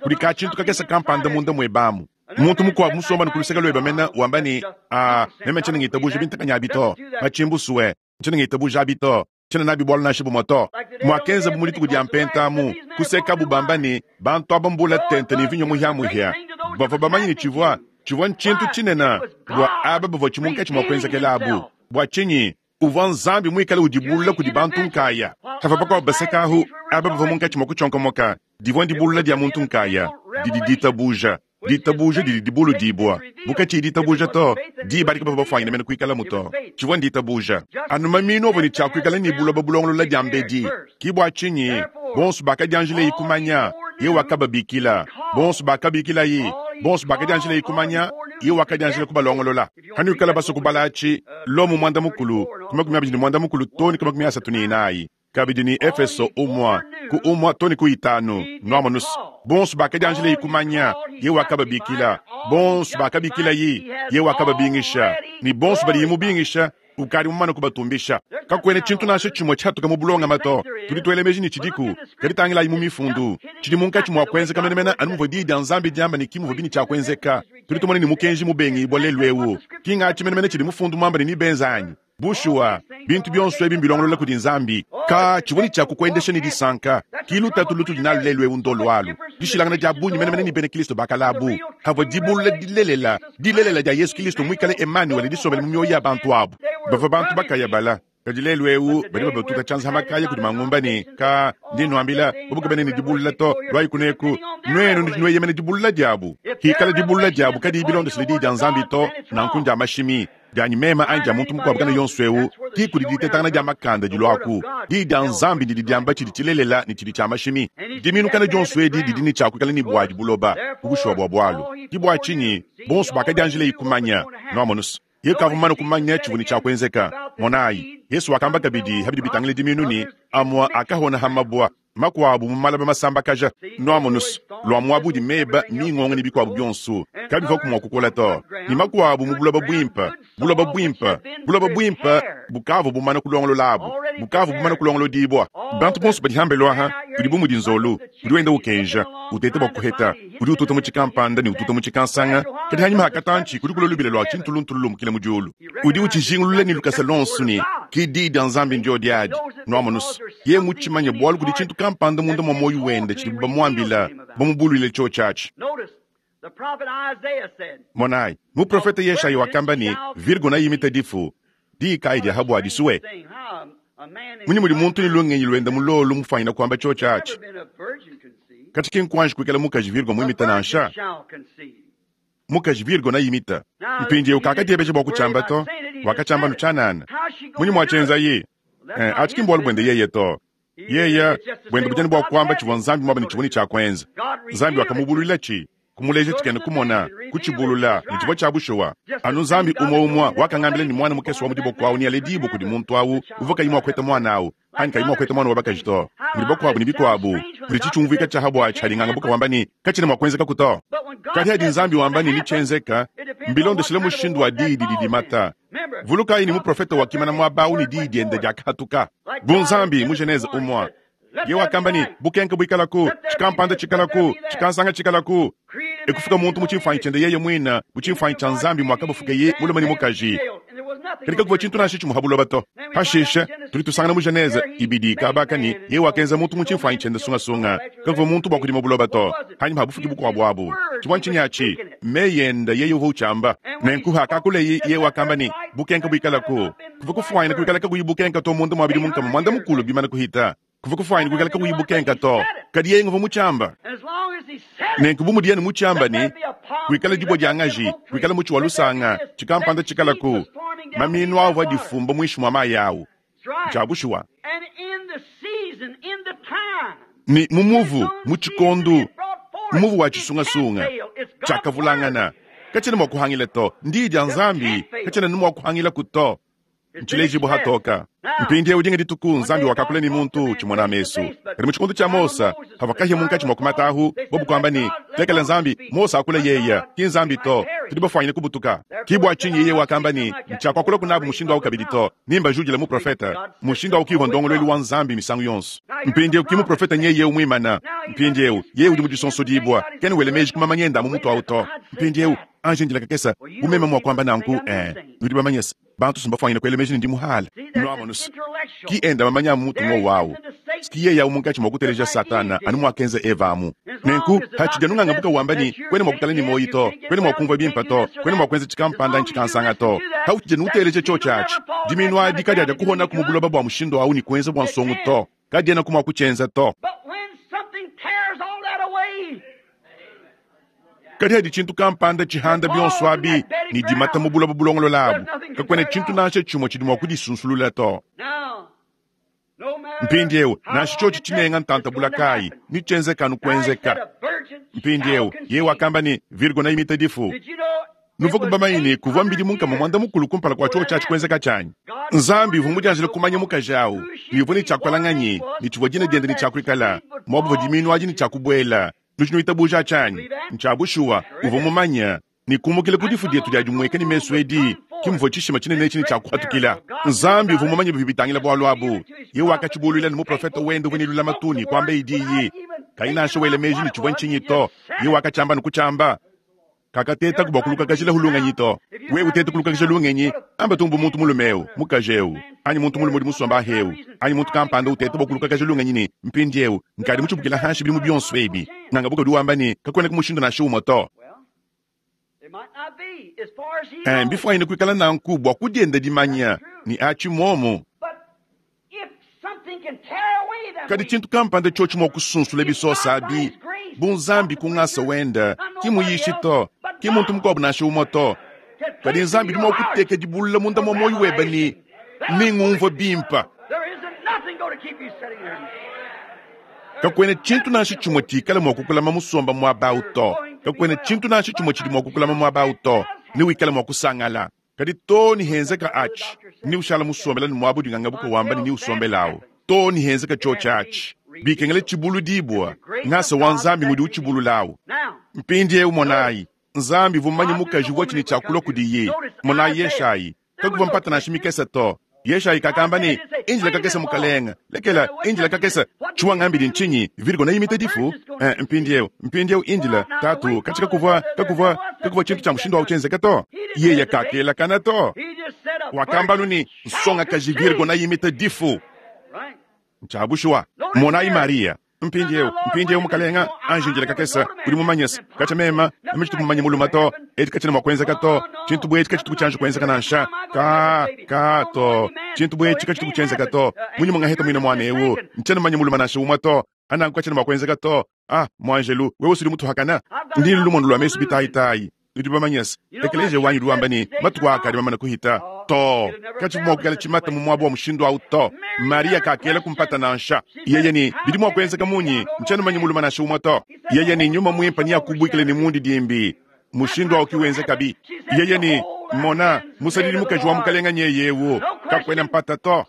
kudi ka-tshintu kakese kampanda munda muebe amu. Muntu mukuabu musomba ku luseke luebe mena wamba ne, A, meme tshiena ngitabuja bintakanya abi to. Matshimbusue, tshiena ngitabuja abi to. Tshiena nabi bualu nansha bumue to. Muakenzabu mu dituku dia Mpenta amu, kusekabu bamba ne, bantu aba mbula tente ne mvinyo muhiamuhia. Bavua bamanye ne tshivua, tshivua ntshintu tshinene bua aba bavua tshi munkatshi mua kuenzekela abu. Bua tshinyi? Uvua Nzambi muikale udibulula kudi bantu nkaya. Pavua bakuabu baseka ahu, aba bavua munkatshi mua kutshionkomoka. Divua ndibulula dia muntu nkaya, didi ditabuja. Ditabuja didi dibuludibua. Bu katshiyi ditabuja to, diba adi kabavua bafuanyine mene kuikalamu to. Tshivua nditabuja. Anu mamiinu avua ne tshia kuikala ne buloba bulongolola diambedi. Ki bua tshinyi, bonso bakadianjilayi kumanya, yeye wakababikila. Bonso bakabikilayi, bonso bakadianjilayi kumanya, yeye wakadianjila kubalongolola. Hanuikala basue kubala atshi, Lomo 14, ku 24 too ne ku 34. Kabidi ne Efeso 1, ku 1 too ne ku 5. Nuamonus, bonso bakadianjilayi kumanya, yeye wakababikila. Bonso bakabikilayi, yeye wakababingisha. Ne bonso badiye mubingisha, ukadi mumane kubatumbisha. Kakuena tshintu nansha tshimue tshiatuka mu bulongame to. Tudi tuela meji ne tshidiku, kadi tangilayi mu Mifundu. Tshidi munkatshi mua kuenzeka menemene anu muvua Diyi dia Nzambi diamba ne ki muvua bine tshia kuenzeka. Tudi tumona ne mukenji mubengibua lelu eu. Ki ngatshi menemene tshidi Mufundu muambe ne nebenze anyi? Bushuwa, bintu bionso ebi mbilongolola kudi Nzambi. Ka tshivua ne tshia kukuendesha ne disanka. Ki lutatu lutudi nalu lelu eu ndolu alu. Dishilangana dia bungi menemene ne bena Kristo ba kale abu, havua dibulula dilelela, dilelela dia Yezu Kristo muikale Emanuele disombele mu mioyo ya bantu abu. Bavua bantu bakayabala. Kadi lelu eu badi babatuta tshianza ha makaya kudi mangumba ne, Ka, ndi nnuambila, bobo kabena ne dibulula to, luayi kuneku. Nuenu nudi nueyemena dibulula diabu. Hikala dibulula diabu kadiyi bilondeshile Diyi dia Nzambi to, nanku ndia mashimi. Dianyi meme anyi dia muntu mukuabu kana yonso eu, ki kudi ditetangana dia makanda diluaku. Diyi dia Nzambi didi diamba tshidi tshilelela ne tshidi tshia mashimi. Diminukana dionso edi didi ne tshia kuikala ne buadi buloba, ku bushuwa bua bualu. Ki bua tshinyi bonso bakadianjilayi kumanya. Nuamonus, yeye kavua mumane kumanya tshivua ne tshia kuenzeka. Monayi, Yesu wakamba kabidi ha bidi bitangila diminu ne, Amua akahona ha mabua, makuabu mu malaba masambakaja. Nuamonus, lua muaba udi meba, mingonga ne bikuabu bionso kabivuaku mua kukola to, ne makuabu mu buloba buimpe, buloba buimpe, buloba buimpe bukavua bumana kulongololabu, bukavua bumana kulongolodibua. Bantu bonso badi hambelu aha udi bu mudi nzolu udi wenda ukenja, uteta bua kuheta, udi ututa mu tshikampanda ne ututa mu tshikansanga, kadi hanyima ha katantshi kudi kulua lubila lua tshintuluntulu lumukila mu diulu. Udi utshijingulula ne lukasa luonso ne, ki Diyi dia Nzambi ndiodi adi. Nuamonus, yeye mutshimanye bualu kudi tshintu kampanda munda mua muoyo wende tshidibu bamuambila, bamubuluile tshiotshi atshi. Monayi, muprofete Yeshaya wakamba ne, Virgo nayimite difu. Diyi kayi dia ha bua disue? Munyi mudi muntu ne lungenyi luende mulolu mufuanyine kuamba tshiotshi atshi? Katshi ki nkuanji kuikala mukaji Virgo muimite nansha. Mukaji Virgo nayimita. Mpindieu kakadiebeja bua kutshiamba to, wakatshiamba anu tshianana. Munyi muatshienzaye? Eh, atshi ki mbualu buende yeye to. Yeye buende budi anu bua kuamba tshivua Nzambi muambe ne tshivua ne tshia kuenza. Nzambi wakamubuluilatshi, kumuleja tshikena kumona, kutshibulula, ne tshivua tshia bushuwa. Anu Nzambi umue umue wakangambila ne muana mukese wa mu diboko au nealedibue kudi muntu au uvua kayi mua kuheta muana au anyi kayi mua kuheta muana wa bakaji to. Mudi bakuabu ne bikuabu, mudi tshitshiumvuika tshia ha buatshi hadi nganga wamba ne katshiena mua kuenzekaku to. Kadi hadi Nzambi wamba ne netshienzeka, mbilondeshile mushindu wa diyi didi dimata. Vulukayi ne muprofete wakimana muaba au ne diyi diende diakahatuka bu Nzambi mu Genese 1. Yeye wakamba ne, bukenke buikalaku, tshikampanda tshikalaku, tshikansanga tshikalaku. Ekufuka muntu mu tshimfuanyi tshiende yeye muine, bu tshimfuanyi tshia Nzambi muakabafukeye mulume ne mukaji. Kadi kakuvua tshintu nansha tshimue ha buloba to. Pashishe tudi tusangana mu Genese 2 kaba aka ne, yeye wakenza muntu mu tshimfuanyi tshiende sungasunga. Kakuvua muntu bua kudima buloba to, hanyima ha bufuki bukuabu abu. Tshivua ntshinyi atshi? Meyi ende yeye uvua utshiamba. Nenku hakakuleye yeye wakamba ne, bukenke buikalaku. Kuvua kufuanyine kuikala kakuyi bukenke to munda mua bidimu 40 bimane kuhita. Kuvua kufuanyine kuikala kakuyi bukenke to, kadi yeye nguvua mutshiamba. Nenku bu mudiye ne mutshiamba ne, kuikala dibue dia ngaji, kuikala mutshi wa lusanga, tshikampanda tshikalaku, maminu avua difumba muinshi mua mayi awu. Ntshia bushuwa. Ne mu muvu, mu tshikondo, mu muvu wa tshisungasunga, tshiakavulangana. Katshiena mua kuhangila to. Ndiyi dia Nzambi katshiena ne mua kuhangilaku to. Ntshilejibua hatoka. Mpindieu dinga dituku Nzambi wakakula ne muntu tshimona mesu. Kadi mu tshikondo tshia Mose, havua kahia munkatshi mua kumata ahu, bobu kuamba ne, lekela Nzambi, Mose akula yeye, ki Nzambi to. Tudi bafuanyine kubutuka. Ki bua tshinyi yeye wakamba ne, ntshiakuakulaku nabu mushindu au kabidi to, nimbajudile muprofete. Mushindu au ki uvua ndongoluelu wa Nzambi misangu yonso. Mpindieu ki muprofete nyeye umuimana. Mpindieu yeye udi mu disonsodibua, kena wela meji ku mamanya ende a mu mutu au to. Mpindieu anji ndila kakese, bu meme mua kuamba nanku, nudi bamanye se, bantu si mbafuanyine kuela meji ne ndi muhale. Nuamonus, ki enda mamanya a mu mutu ngowu au. S'ki yeye awu munkaci mwa kuteleja Satana anu mwakenza Eva amu. Nenku, pacidi anu ngangabuka wamba ne, Kwena mwa kutala ne mwoyi to, kwena mwa kumvwa bimpe to, kwena mwa kwenza cikampanda anyi cikansanga to. Pawucidi anu uteleja cyoci aci, dimiinu adi kadyadyakuhonaku mu buloba bwa mushindu awu ne kwenza bwa nsongo to. Kadyenaku mwa kucyenza to. Kadi hadi tshintu kampanda tshihanda bionso abi ne dimata mu buloba bulongolola abu, kakuena tshintu nansha tshimue tshidi mua kudisunsulula to. Mpindieu, nansha tshiotshi tshinenga ntanta bula kayi, netshienzeke anu kuenzeka. Mpindieu, yeye wakamba ne, Virgo neimite difu. Nuvuaku bamanye ne, kuvua mbidimu nkama muanda mukulu kumpala kua tshiotshi atshi kuenzeka tshianyi? Nzambi uvua mudianjile kumanya mukaji au, ne uvua ne tshia kuikala nganyi, ne tshivua dina diende ne tshia kuikala, muaba uvua dimiinu adi ne tshia kubuela. Nudi nuitabuja tshianyi? Ntshia bushuwa, uvua mumanye ne, kumukila ku difu dietu dia dimueka ne mesu edi ke muvua tshishima tshinene etshi ne tshia kupatukila. Nzambi uvua mumanye bivua bitangila bualu abu. Yeye wakatshibuluila ne muprofete wende uvua ne lulamatu ne kuambaye diyi kayi nansha wela meji ne tshivua ntshinyi to. Yeye wakatshiamba ne kutshiamba. Kakatetaku bua kulukakajilahu lungenyi to. Wewe uteta kulukakaja lungenyi, amba tumbu muntu mulume eu, mukaji eu, anyi muntu mulume udi musomba aha eu, anyi muntu kampanda uteta bua kulukakaja lungenyi ne, Mpindieu, nkadi mutshibukila hanshi bidimu bionso ebi. Ngangabuka udi wamba ne, Kakuenaku mushindu nansha umue to. Eh, mbifuanyine kuikala nanku bua kudienda dimanya ne atshi muomu. Kadi tshintu kampanda tshiotshi mua kusunsula bisosa abi, bu Nzambi ku ngasa wenda, ki muyishi to, ki muntu mukuabu nansha umue to, kadi Nzambi udi mua kuteka dibulula munda mua muoyo webe ne nengumvue bimpe. Kakuena tshintu nansha tshimue tshikala mua kukulama musomba muaba au to. Kakuena tshintu nansha tshimue tshidi mua kukulama muaba au to. Newikale mua kusangala. Kadi too ne henzeka atshi, neushala musombela ne muaba udi ngangabuka wamba ne neusombelawu too ne henzeka tshiotshi atshi. Bikengela tshibuludibua, ngasa wa Nzambi ngudi utshibululawu. Mpindiewu monayi, Nzambi uvua mumanye mukaji uvua ne tshia kulua kudiye. Monayi Yeshayi, kakuvua mpata nansha mikese to. Yeshayi kakamba ne, Indila kakese mukalenge, lekela, indila kakese. Tshiwangambidi ntshinyi? Virgo neimite difu? Eh, mpindieu, mpindieu indila, tatu, katshi kakuvua, kakuvua, kakuvua tshintu tshia mushindu au tshienzeka to. Yeye kakelakana to. Wakamba anu ne, nsongakaji Virgo neimite difu. Ntshia bushuwa. Monayi Mariya. Mpindiewu, mpindiewu, mukalenga, anji indila kakese. Udi mumanye se, katshia mema, meme tshitu mumanye mulume to. Edi katshiena mua kuenzeka to. Tshintu bu etshi katshituku tshianji kuenzeka nansha. Ka, ka, to. Tshintu bu etshi katshituku tshienzeka to. Munyi mungaheta muine muana ewu? Ntshiena mumanye mulume nansha umue to. Ananku katshiena mua kuenzeka to. Ah, muanjelu, wewe usudi mutuhakana. Ndi ne lumonu lua mesu bitayitayi. Nudi bamanye se, ekeleziya wanyi udi wamba ne, matuku aa akadi mamane kuhita. Too, katshivua mua kuikala tshimata mu muaba wa mushindu au to. Mariya kakela mpata nansha. Yeye ne, bidi mua kuenzeka munyi? Ntshiena mumanye mulume nansha umue to. Yeye ne, nyuma muimpe neakubuikile ne mundidimbi. Mushindu au ki wenzekabi. Yeye ne, mona, musadidi mukaji wa Mukalenga nyeye eu. Kakuena mpata to.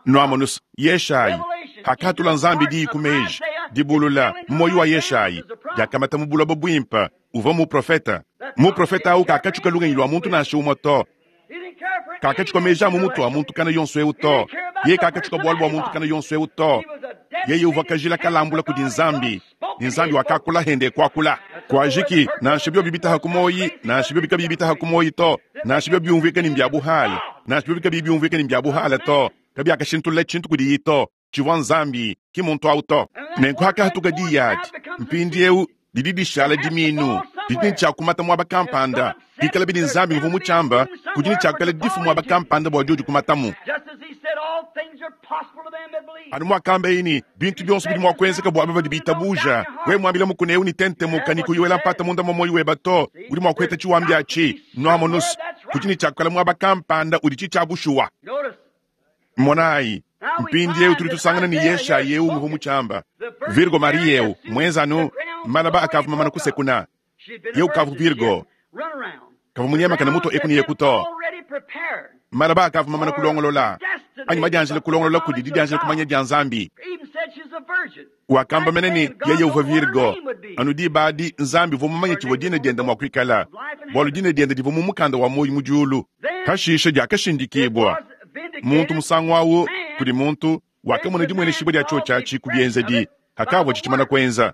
Nuamonus, Yeshayi, hakatula Nzambi diyi ku meji, dibulula mu muoyo wa Yeshayi, diakamata mu buloba buimpe, uvua muprofete. Muprofete au kakatshuka lungenyi lua muntu nansha umue to, kakatshuka meji a mu mutu a muntu kana yonso eu to, yeye kakatshuka bualu bua muntu kana yonso eu to. Yeye uvua kajila kalambula kudi Nzambi, ne Nzambi wakakula hende kuakula. Kuajiki, nansha biobi bitaha ku muoyi, nansha biobi kabiyi bitaha ku muoyi to, nansha biobi biumvuika ne mbia buhale, nansha biobi kabiyi biumvuika ne mbia buhale to, kabiakashintulula tshintu kudiyi to. Tshivua Nzambi, ki muntu au to. Nenku hakahatuka diyi adi, mpindieu didi dishala dimiinu, didi ne tshia kumata muaba kampanda. Bikalabi ne Nzambi nguvua mutshiamba, kudi ne tshia kuikala difu muaba kampanda bua diodi kumatamu. Anu muakambaye ne, bintu bionso bidi mua kuenzeka bua aba badi bitabuja. Wewe muambile mukuna eu ne tentemuka ne kuyi wela mpata munda mua muoyo weba to, udi mua kuheta tshiwambi atshi. Nuamonus, kudi ne tshia kuikala muaba kampanda udi tshi tshia bushuwa. Monayi, mpindieu tudi tusangana ne Yeshayi eu nguvua mutshiamba, Virgo Mariya eu muenza anu malaba akavua mamana kusekuna. Yeu kavua Virgo, kavua munyemakane mutua eku ne eku to. Malaba akavua mamana kulongolola, anyi madianjila kulongolola kudi didianjila kumanya dia Nzambi. Wakamba mene ne, yeye uvua Virgo. Anu diba adi, Nzambi uvua mumanye tshivua dina diende mua kuikala, bualu dina diende divua mu mukanda wa muoyo mu diulu. Pashishe diakashindikibua muntu musangu au kudi muntu wakamona dimueneshibua dia tshiotshi atshi ku bienzedi hakavua tshitshimana kuenza.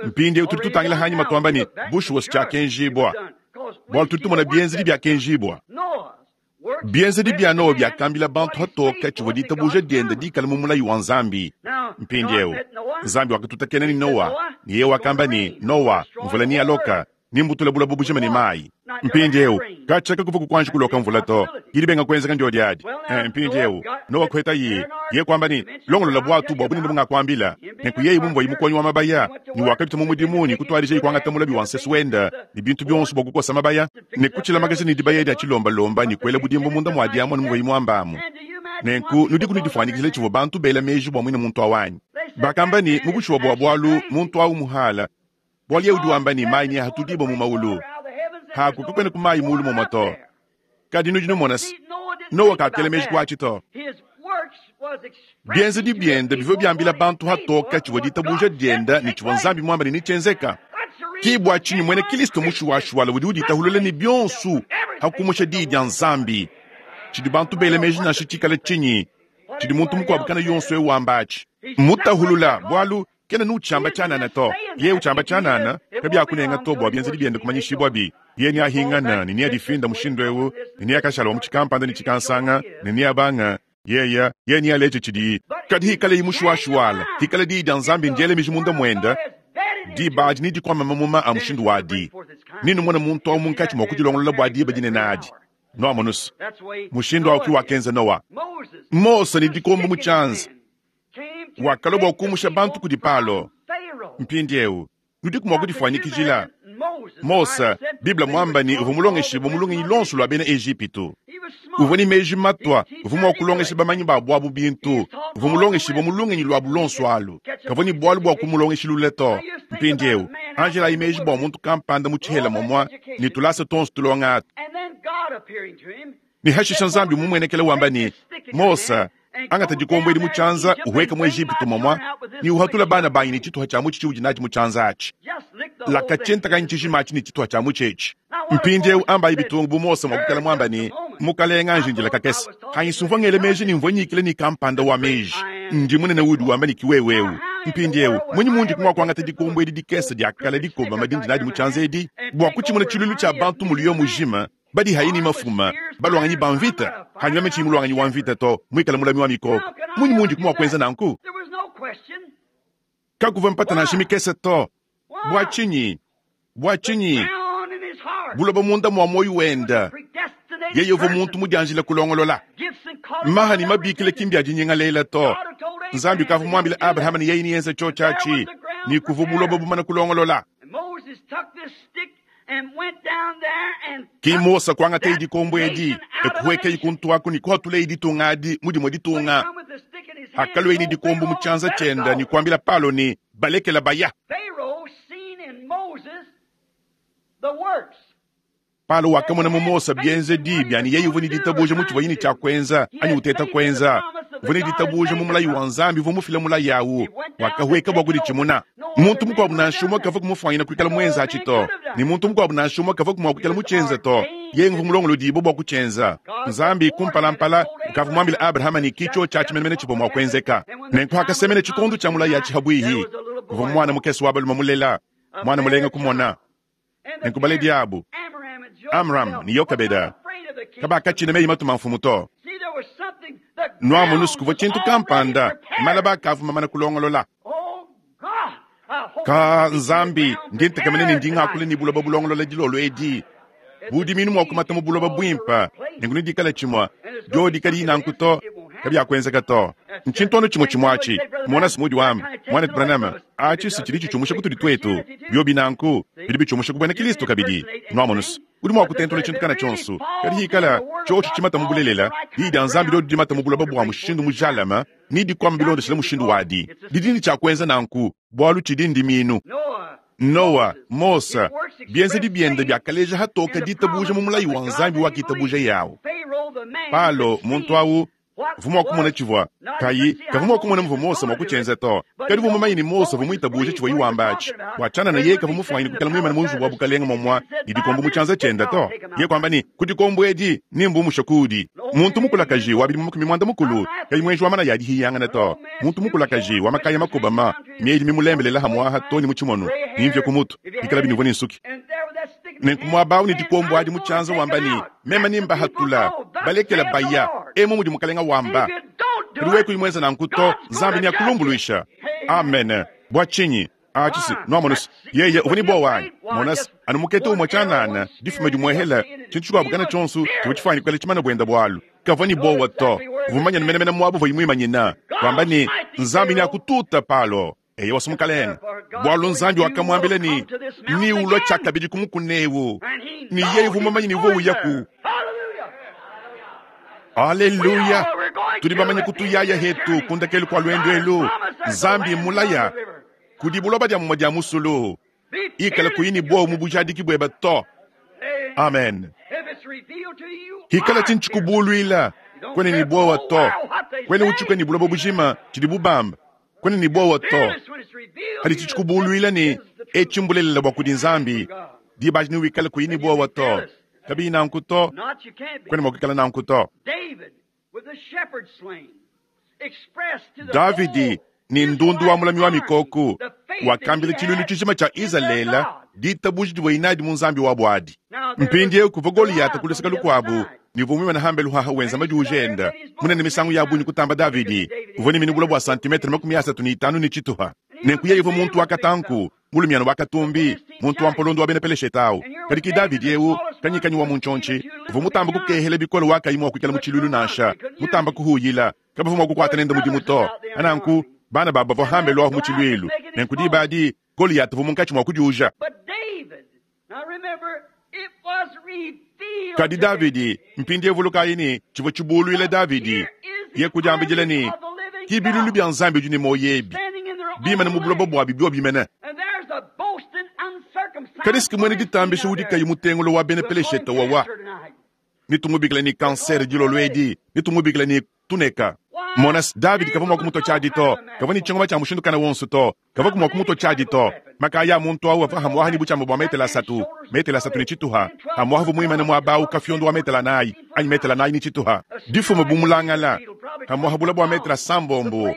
Mpindieu tudi tutangila hanyima tuamba ne, bushuwa tshiakenjibua, bualu tudi tumona bienzedi biakenjibua. Bienzedi bia Nowa biakambila bantu patoke tshivua ditabuja diende dikale mu mulayi wa Nzambi. Mpindieu, Nzambi wakatutakena ne Nowa, ne yeye wakamba ne, Nowa, mvula nealoke, nembutule buloba bujima ne mayi. Mpindieu, katshia kakuvua kuanji kuloka mvula to. Dibenga kuenzeka ndiodi adi. Mpindieu, Nowa kuhetaye, yeye kuamba ne, Longolola buatu bua bunene bungakuambila. Nenku yeye mumvua mukonyi wa mabaya, ne wakapita mu mudimu ne kutuadijaye kuangata mulabi wa nsesu wende ne bintu bionso bua kukosa mabaya ne kutshilamakaja ne dibaya dia tshilombalomba ne kuela budimbu munda mua diamua ne muvuaye muambamu. Nenku nudiku nudifuanyikijila tshivua bantu bela meji bua muine muntu awu anyi? Bakamba ne, mu bushuwa bua bualu, muntu awu muhala, bualu yeye udi wamba ne, mayi neahatudibue mu mawulu. Haku kakuena ku mayi muulu mumue to. Kadi nudi numona se, Nowa kakela meji ku atshi to. Bienzedi biende bivua biambila bantu patoke tshivua ditabuja diende ne tshivua Nzambi muambe ne netshienzeka. Ke bua tshinyi muena Kristo mushuwashuwala udi uditahulula ne bionso pa kumusha Diyi dia Nzambi. Tshidi bantu bela meji nansha tshikale tshinyi, tshidi muntu mukuabu kana yonso eu wamba atshi, mmutahulula, bualu kena nutshiamba tshianana to. Yeye utshiamba tshianana, kabiakunenga to bua bienzedi biende kumanyishibuabi. Yeye neahingane ne neadifinda mushindu eu, ne neakashala wa mu tshikampanda ne tshikansanga, ne neabanga yeye, yeye nealeje tshidiyi. Kadi hikaleyi mushuwashuwala, hikala diyi dia Nzambi ndiele miji munda muende, diba adi nedikuame mamuma a mushindu wadi. Nenumone muntu au munkatshi mua kudilongolola bua diba dinene adi. Nuamonuse mushindu au ki wakenza Nowa. Mose ne dikombo mu tshianza wakalua bua kumusha bantu kudi Palo. Mpindieu nudiku mua kudifuanyikijila Mose, Bible muamba ne uvua mulongeshibue mu lungenyi luonso lua bena Ejipitu. Uvua ne meji matua, uvua mua kulongesha bamanyi ba buabu bintu, uvua mulongeshibue mu lungenyi luabu luonso alu. Kavua ne bualu bua kumulongeshilula to. Mpindieu anjelayi meji bua muntu kampanda mu tshihela momua ne tulasa tuonso tulonga atu. Ne hashisha Nzambi mumuenekele wamba ne, Mose, angata dikombo edi mu tshianza uhueke mu Ejipitu momua ne uhatula bana banyi ne tshituha tshia mutshi tshiudi natshi mu tshianza atshi. Lakatshientakanyi tshijima atshi ne tshituha tshia mutshi etshi. Mpindieu ambayi bitungu bu Mose mua kuikala muamba ne, Mukalenga anji kakese. Hanyi sumvua ngele meji ne mvua nyikile ne kampanda wa meji. Ndi munene udi wamba ne kiwewewu. Mpindieu munyi mundi mua kuangata dikombo edi dikese dia kale dikobama dindi nadi mu tshianza edi bua kutshimuna tshiluilu tshia bantu muliyo mujima badi hayi ni mafuma balwanganyi ba mvita hanyuma metshi mulwanganyi wa mvita to muikale mulami wa mikoko. Munyi mundi mua kuenza nanku? Kakuvua mpata nansha mikese to. Bua tshinyi? Bua tshinyi? Buloba munda mua muoyo wende. Yeye uvua muntu mudianjila kulongolola. Maha ne mabikile ki mbia dinyingalela to. Nzambi ukavua muambile Abrahama ne yeye niyenze tshiotshi atshi, ne kuvua buloba bumana kulongolola. Ki Mose kuangataye dikombo edi, ekuhuekaye kuntu aku ne kuhatulaye ditunga adi mu dimue ditunga. Akalueye ne dikombo mu tshianza tshiende ne kuambila Palo ne, balekela baya. Palo wakamona mu Mose bienzedi bia ne yeye uvua ne ditabuja mu tshivuaye ne tshia kuenza anyi uteta kuenza. Uvua ne ditabuja mu mulayi wa Nzambi uvua mufile mulayi awu, wakahueka bua kuditshimuna. Muntu mukuabu nansha umue kavua kumufuanyina kuikala muenza atshi to, ne muntu mukuabu nansha umue kavua mua kuikala mutshienza to. Yeye uvua mulongolodibue bua kutshienza. Nzambi kumpalampala ukavua muambile Abrahama ne kitsho tshiatshi menemene tshivua mua kuenzeka. Nenku hakasemena tshikondo tshia mulayi atshi habuihi, kuvua muana mukese wa balume mulela, muana mulenga kumona. Nenku baledi abu, Amram ne Yokebeda, kabakatshina meyi matuma mfumu to. Nuamonu kuvua tshintu kampanda, malaba akavua mamana kulongolola. Ka Nzambi, ndi ntekemena ne ndi ngakula ne buloba bulongolola dilolo edi. Budiminu mua kumata mu buloba buimpe, nenku nedikale tshimue, diodi kadiyi nanku to, kabiakuenzeka to. Ntshintu anu tshimue tshimue atshi. Mona Simudi wamba, Mwanetu Branham, atshi si tshidi tshitshiumusha kutudi tuetu. Biobi nanku, bidi bitshiumusha ku buena Kristo kabidi. Nuamonu se, udi mua kutentula tshintu kana tshionso, kadi hikala tshiotshi tshimata mu bulelela, diyi dia Nzambi diodi dimata mu buloba bua mushindu mujalame, ne dikuama bilondeshile mushindu wadi. Didi ne tshia kuenza nanku, bualu tshidi ndiminu. Nowa, Mose, bienzedi biende biakaleja hatoka ditabuja mu mulayi wa Nzambi wakitabuja yawu. Palo, muntu awu, uvua mua kumona tshivua kayi kavua mua kumona muvua Mose mua kutshienza to. Kadi uvua mumanye ne Mose uvua muitabuje tshivuaye wamba atshi. Bua tshianana yeye kavua mufuanyine kuikala muimane mu nzubu wa bukalenge momua ne dikombo mu tshianza tshiende to. Yeye kuamba ne, ku dikombo edi nembumushe kuudi. Muntu mukulakaji wa bidimu 90 kayi muenji wa manaya a dihiyangana to. Muntu mukulakaji wa makaya makobama, miedi mimulembelela hamuaha to ne mu tshimono, ne mvia ku mutu, bikala binuvua ne nsuki. Nenku muaba awu ne dikombo adi mu tshianza wamba ne, meme nembahatula. Balekela baya, emu mudi Mukalenga wamba. Kadi wewe kuyi muenza nanku to, Nzambi neakulumbuluisha. Amen. Bua tshinyi? Atshi nwamonu-se, yeye uvua ne buowa anyi? Mona-se, anu mukete umue tshianana, difuma dimuehela, tshintu tshikuabu kana tshionso tshivua tshifuane kuikala tshimane buenda bualu. Kavua ne buowa to. Uvua mumanye menemene muaba uvuaye muimanyina, wamba ne, Nzambi neakututa, Palo. Eyowa, Mukalenge, bualu Nzambi wakamuambila ne, Neulue tshiakabidi ku mukuna eu, ne yeye uvua mumanye ne uvua uyaku. Aleluya! Tudi bamanye kutuyaya hetu ku ndekelu kua luendu elu. Nzambi mmulaya kudi buloba dia mumue dia musulu. Ikala kuyi ne buowa mu bujadiki buebe to. Amen. Hikala tshintu tshikubuluila, kuena ne buowa to. Kuena utshuka ne buloba bujima tshidibu bamba, kuena ne buowa to. Hadi tshikubuluila ne etshi mbulelela bua kudi Nzambi, diba adi newikale kuyi ne buowa to. Kabiyi nanku to, kuena mua kuikala nanku to. Davidi ne ndundu wa mulami wa mikoko wakambila tshiluilu tshijima tshia Izalele ditabuja divuaye nadi mu Nzambi wabu adi. Mpindieu kuvua Goleyata ku luseke lukuabu ne uvua muimane hambelu haha wenza madiuja enda munene misangu ya bungi kutamba Davidi. Uvua ne minu bule bua santimetre 35 ne tshitupa. Nenku yeye uvua muntu wa katanku, mulumiana wa katumbi, muntu wa mpolondo wa bena Peleshete au. Kadi ki Davidi eu, kanyikanyi wa muntshiontshi, uvua mutamba kukehela bikole wa kayi mua kuikala mu tshiluilu nansha, mutamba kuhuyila, kabavua mua kukuata nende mudimu to. Nanku, bana babu bavua hambelu ahu mu tshiluilu. Nenku diba adi, Goleyata uvua munkatshi mua kudiuja. Kadi Davidi, mpindieu vulukayi ne, tshivua tshibuluila Davidi, ye kudiambidila ne, ki bilulu bia Nzambi udi ne muoyo ebi, bimane mu buloba buabi biobi mene. Kadi siki muena ditambisha udi kayi mutengula wa bena Peleshete wawa, netumubikile ne kansere dilolo edi, netumubikile ne tuneka. Mona, Davidi kavua mua kumutua tshiadi to, kavua ne tshingoma tshia mushindu kana wonso to, kavua mua kumutua tshiadi to. Makaya a muntu au avua hamuaha ne butshiama bua metele asatu, metele asatu ne tshituha, hamuaha uvua muimane muaba au kafiondo wa metele anayi anyi metele anayi ne tshituha, difuma bu mulangala, hamuaha bula bua metele asambombo,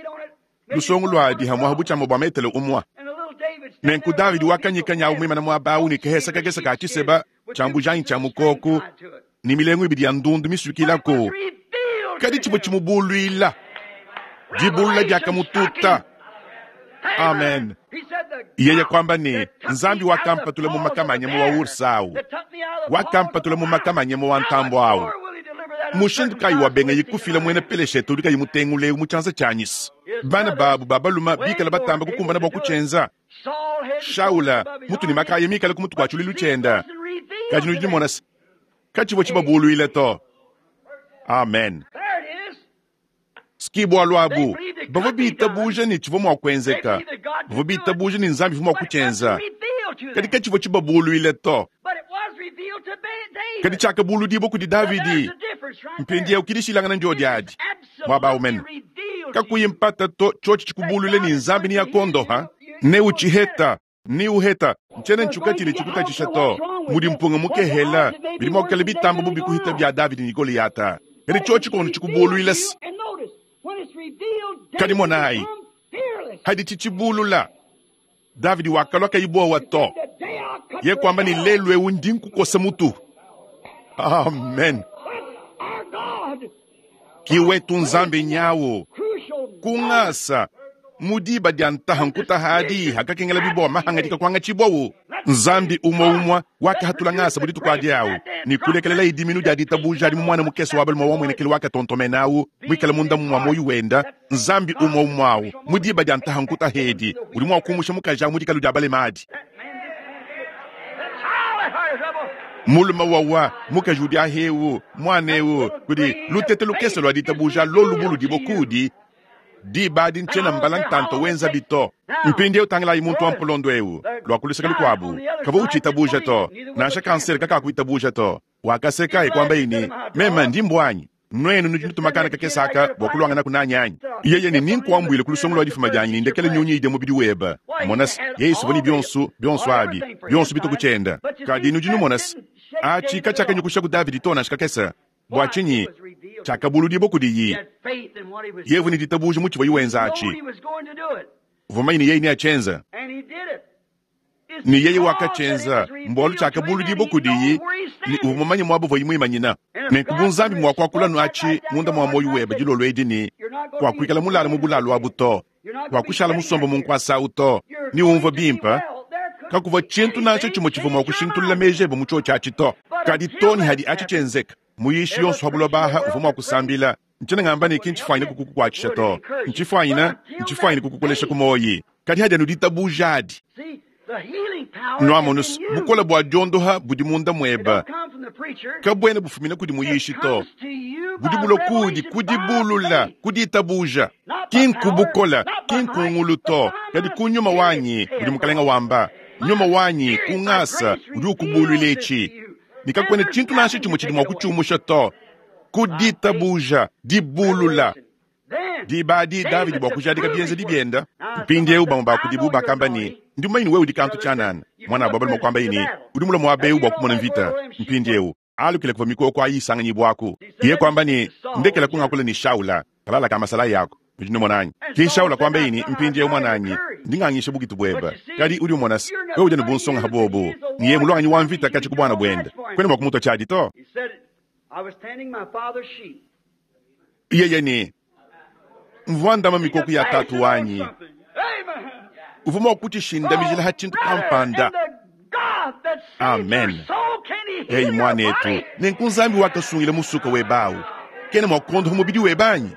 lusongo luadi hamuaha butshiama bua metele umua. Nenku Davidi wakanyikanya au muimane muaba au ne kahesa kakese ka tshiseba tshia mbujanyi tshia mukoko ne milengu ibidi ya ndundu misuikilaku, kadi tshivua tshimubuluila. Dibulula diakamututa. Amen. Yeye kuamba ne, Nzambi wakampatula mu makama a nyama wa ursa au, wakampatula mu makama a nyama wa ntambue au. Mushindu kayi wabengaye kufila muena Peleshete udi kayi mutengula eu mu tshianza tshianyi? Bana babu ba balume bikala batamba kukumbana bua kutshienza. Shaula mutu ne makaya mikale ku mutu kua tshiluilu tshiende, kadi nudi numona se, katshivua tshibabuluile to. Amen. Ski bualu abu, bavua bitabuja ne tshivua mua kuenzeka, bavua bitabuja ne Nzambi uvua mua kutshienza, kadi katshivua tshibabuluile to. Kadi tshiakabuludibua kudi Davidi. Mpindieu ki dishilangana ndiodi adi muaba au mene, kakuyi mpata to, tshiotshi tshikubuluile ne Nzambi neakuondoha, neutshiheta Niuheta, ntshiena ntshuka tshidi tshikutatshisha to. Mudi mpunga mukehela, bidi mua kuikala bitamba bubi kuhita bia Davidi ne Goleyata. Kadi tshiotshi tshikondo tshikubuluila se. Kadi monayi, hadi tshitshibulula, Davidi wakalua kayi buowa to. Ye kuamba ne, lelu eu ndi nkukosa mutu. Amen. Ki wetu Nzambi nyawu ku ngasa mu diba dia ntaha nkutaha adi hakakengela bibowa mahangadika kuangatshibwawu. Nzambi umue umue wakahatula ngasa mu dituku adi awu ne kulekelela idiminu dia ditabuja adi mu muana mukese wa balume wa muenekelu wakatontomena awu muikale munda mua muoyo wenda. Nzambi umue umue awu mu diba dia ntaha nkutaha edi udi mua kumusha mukaji awu mu dikalu dia balema adi. Mulume wawa mukaji udi ahewu muana eu kudi lutete lukese lua ditabuja lolu buludibua kudi diba adi ntshiena mbala ntanta wenza bito. Mpindieu tangilayi muntu wa mpolondo eu lua ku luseke lukuabu kavua utshitabuja to, nansha kansere kakakuitabuja to. Wakaseka e kuambaye ne, Meme ndi mbuanyi, nuenu nudi nutuma kana kakese aka bua kuluanganaku nanyi anyi? Yeye ne, Ninkuambuile ku lusongo lua difuma dianyi ne ndekele nyunyi idia mubidi webe. Mona se, yeye uvua ne bionso, bionso abi, bionso bitu ku tshienda. Kadi nudi numona se, atshi katshiakanyukushaku Davidi to nansha kakese. Bua tshinyi? Tshiakabuludibua kudiyi. Yeye uvua ne ditabuja mu tshivuaye wenza atshi. Uvua mumanye ne yeye neatshienze. Ne yeye wakatshienza, mbualu tshiakabuludibua kudiyi, ne uvua mumanye muaba uvuaye muimanyina. Nenku bu Nzambi mua kuakula anu atshi munda mua muoyo webe dilolo edi ne, Kuakuikala mulale mu bulalu abu to, kuakushala musombe mu nkuasa au to, neumvue bimpe. Kakuvua tshintu nansha tshimue tshivua mua kushintulula meji ebe mu tshiotshi atshi to. Kadi too ne hadi atshi tshienzeka, muyishi yonso wa buloba aha uvua mua kusambila. Ntshiena ngamba ne ki ntshifuanyine kukukuatshisha to, ntshifuanyine, ntshifuanyine kukukolesha ku muoyi. Kadi hadi anu ditabuja adi. Nuamonu, bukole bua diondoha budi munda muebe kabuena bufumina kudi muyishi to, budi bulua kuudi ku dibulula, ku ditabuja. Ki nku bukole, ki nku ngulu to, kadi ku nyuma wanyi, mudi Mukalenga wamba. Nyuma wanyi, ku ngasa, udi ukubuluila etshi, ne kakuena tshintu nansha tshimue tshidi mua kutshiumusha to. Ku ditabuja, dibulula. Diba adi Davidi bua kujadika bienzedi biende. Mpindieu bamue ba kudibu bakamba ne, Ndi mumanye ne wewe udi kantu tshianana. Muanabu wa balume kuambaye ne, Udi mulue muaba eu bua kumona mvita. Mpindieu alukile kuvua mikoko ayi isanganyibuaku. Yeye kuamba ne, Ndekela kungakula ne Shaula, kalala ka masalayi aku. Nudi numona anyi? Ke Shaula kuambaye ne, Mpindieu muananyi, ndi ngangisha bukitu buebe. Kadi udi umona se, wewe udi anu bu nsonga ha buobu, ne yeye muluanganyi wa mvita katshia ku buana buende. Kuena mua kumutua tshiadi to. Yeye ne, Mvua ndama mikoko ya tatu wanyi. Uvua mua kutshishindamijila ha tshintu kampanda. Amen. Eyi muanetu, nenku Nzambi wakasungila musuka webe awu, kena mua kuondopa mubidi webe anyi?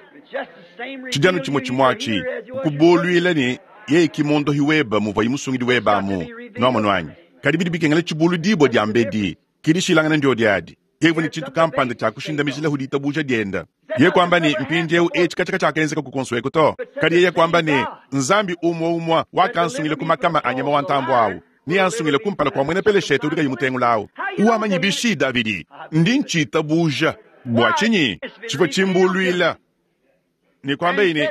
Tshidi anu tshimue tshimue atshi, kukuboluila ne yeye ki muondohi webe muvuaye musungidi webe amu. Nuamonu anyi? Kadi bidi bikengela tshibuludibua diambedi. Ki dishilangana ndiodi adi. Yeye uvua ne tshintu kampanda tshia kushindamijilahu ditabuja diende. Yeye kuamba ne, Mpindieu etshi katshia katshiakenzeka kuonso eku to. Kadi yeye kuamba ne, Nzambi umue umue wakansungila ku makama a nyama wa ntambue au, neansungile kumpala kua muena Peleshete udi kayi mutengula au. Wamanyi bishi, Davidi? Ndi ntshitabuja. Bua tshinyi? Tshivua tshimbuluila. Ne kuambaye ne,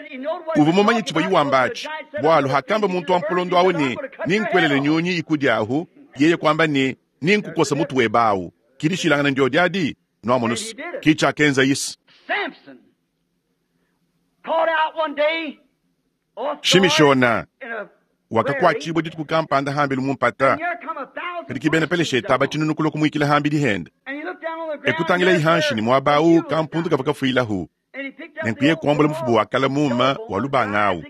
Uvua mumanye tshivuaye wamba atshi, bualu hakamba muntu wa mpolondo au ne, Nenkuelele nyunyi ikudiahu, yeye kuamba ne, Nenkukosa mutu webe au. Ki dishilangana ndiodi adi? Nuamonus, ki tshiakenza Yesu. Shimishona wakakuatshibua dituku kampanda hambelu mu mpata, kadi ki bena Peleshete aba tshinunu kulua kumuikila hambidi hende. Ekutangilayi hanshi ne muaba au kampundu kavua kafuilahu. Nenku yeye kuambula mufuba wa kala muuma wa lubanga au,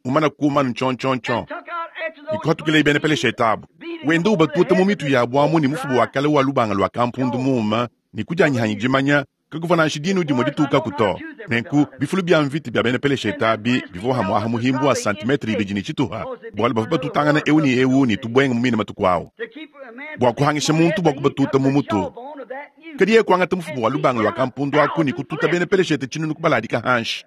mumana kuuma ntshontshontshon, ne kuhatukilaye bena Peleshete abu, wenda ubatuta mu mitu yabu amu ne mufuba wa kale wa lubanga lua kampundu muuma, ne ku dianyi dimanya, kakuvua nansha dinu dimue ditukaku to. Nenku bifulu bia mvita bia bena Peleshete abi bivua hamuaha muhimbu wa santimetre ibidi ne tshituha, bualu bavua batutangana eu ne eu ne tubuenga mu mine matuku au bua kuhangisha muntu bua kubatuta mu mutu. Kadi yeye kuangata mufuba wa lubanga lua kampundu aku ne kututa bena Peleshete tshinunu kubaladika hanshi.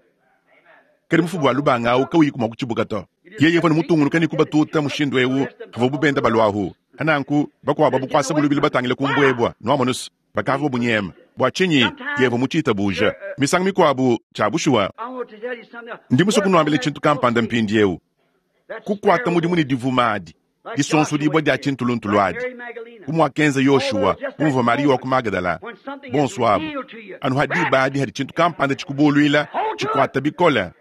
Kadi mufuba wa lubanga au kawuyiku mua kutshibuka to. Yeye uvua ne mutungunuka ne kubatuta mushindu eu pavuabu benda baluahu. Nanku bakuabu abu kuasabu lubilu batangile ku mbuebua. Nuamonus, bakavua bunyema. Bua tshinyi? Yeye mutshitabuja. Misangu mikuabu, tshia bushuwa. Ndi musue kunuambila tshintu kampanda mpindieu. Kukuata mudimu ne divuma adi, disonsodibua dia tshintuluntulu adi, bu muakenza Yoshua, bu muvua Mariya wa ku Magadala, bonso abu, anu ha diba adi hadi tshintu kampanda tshikubuluila, tshikuata bikole,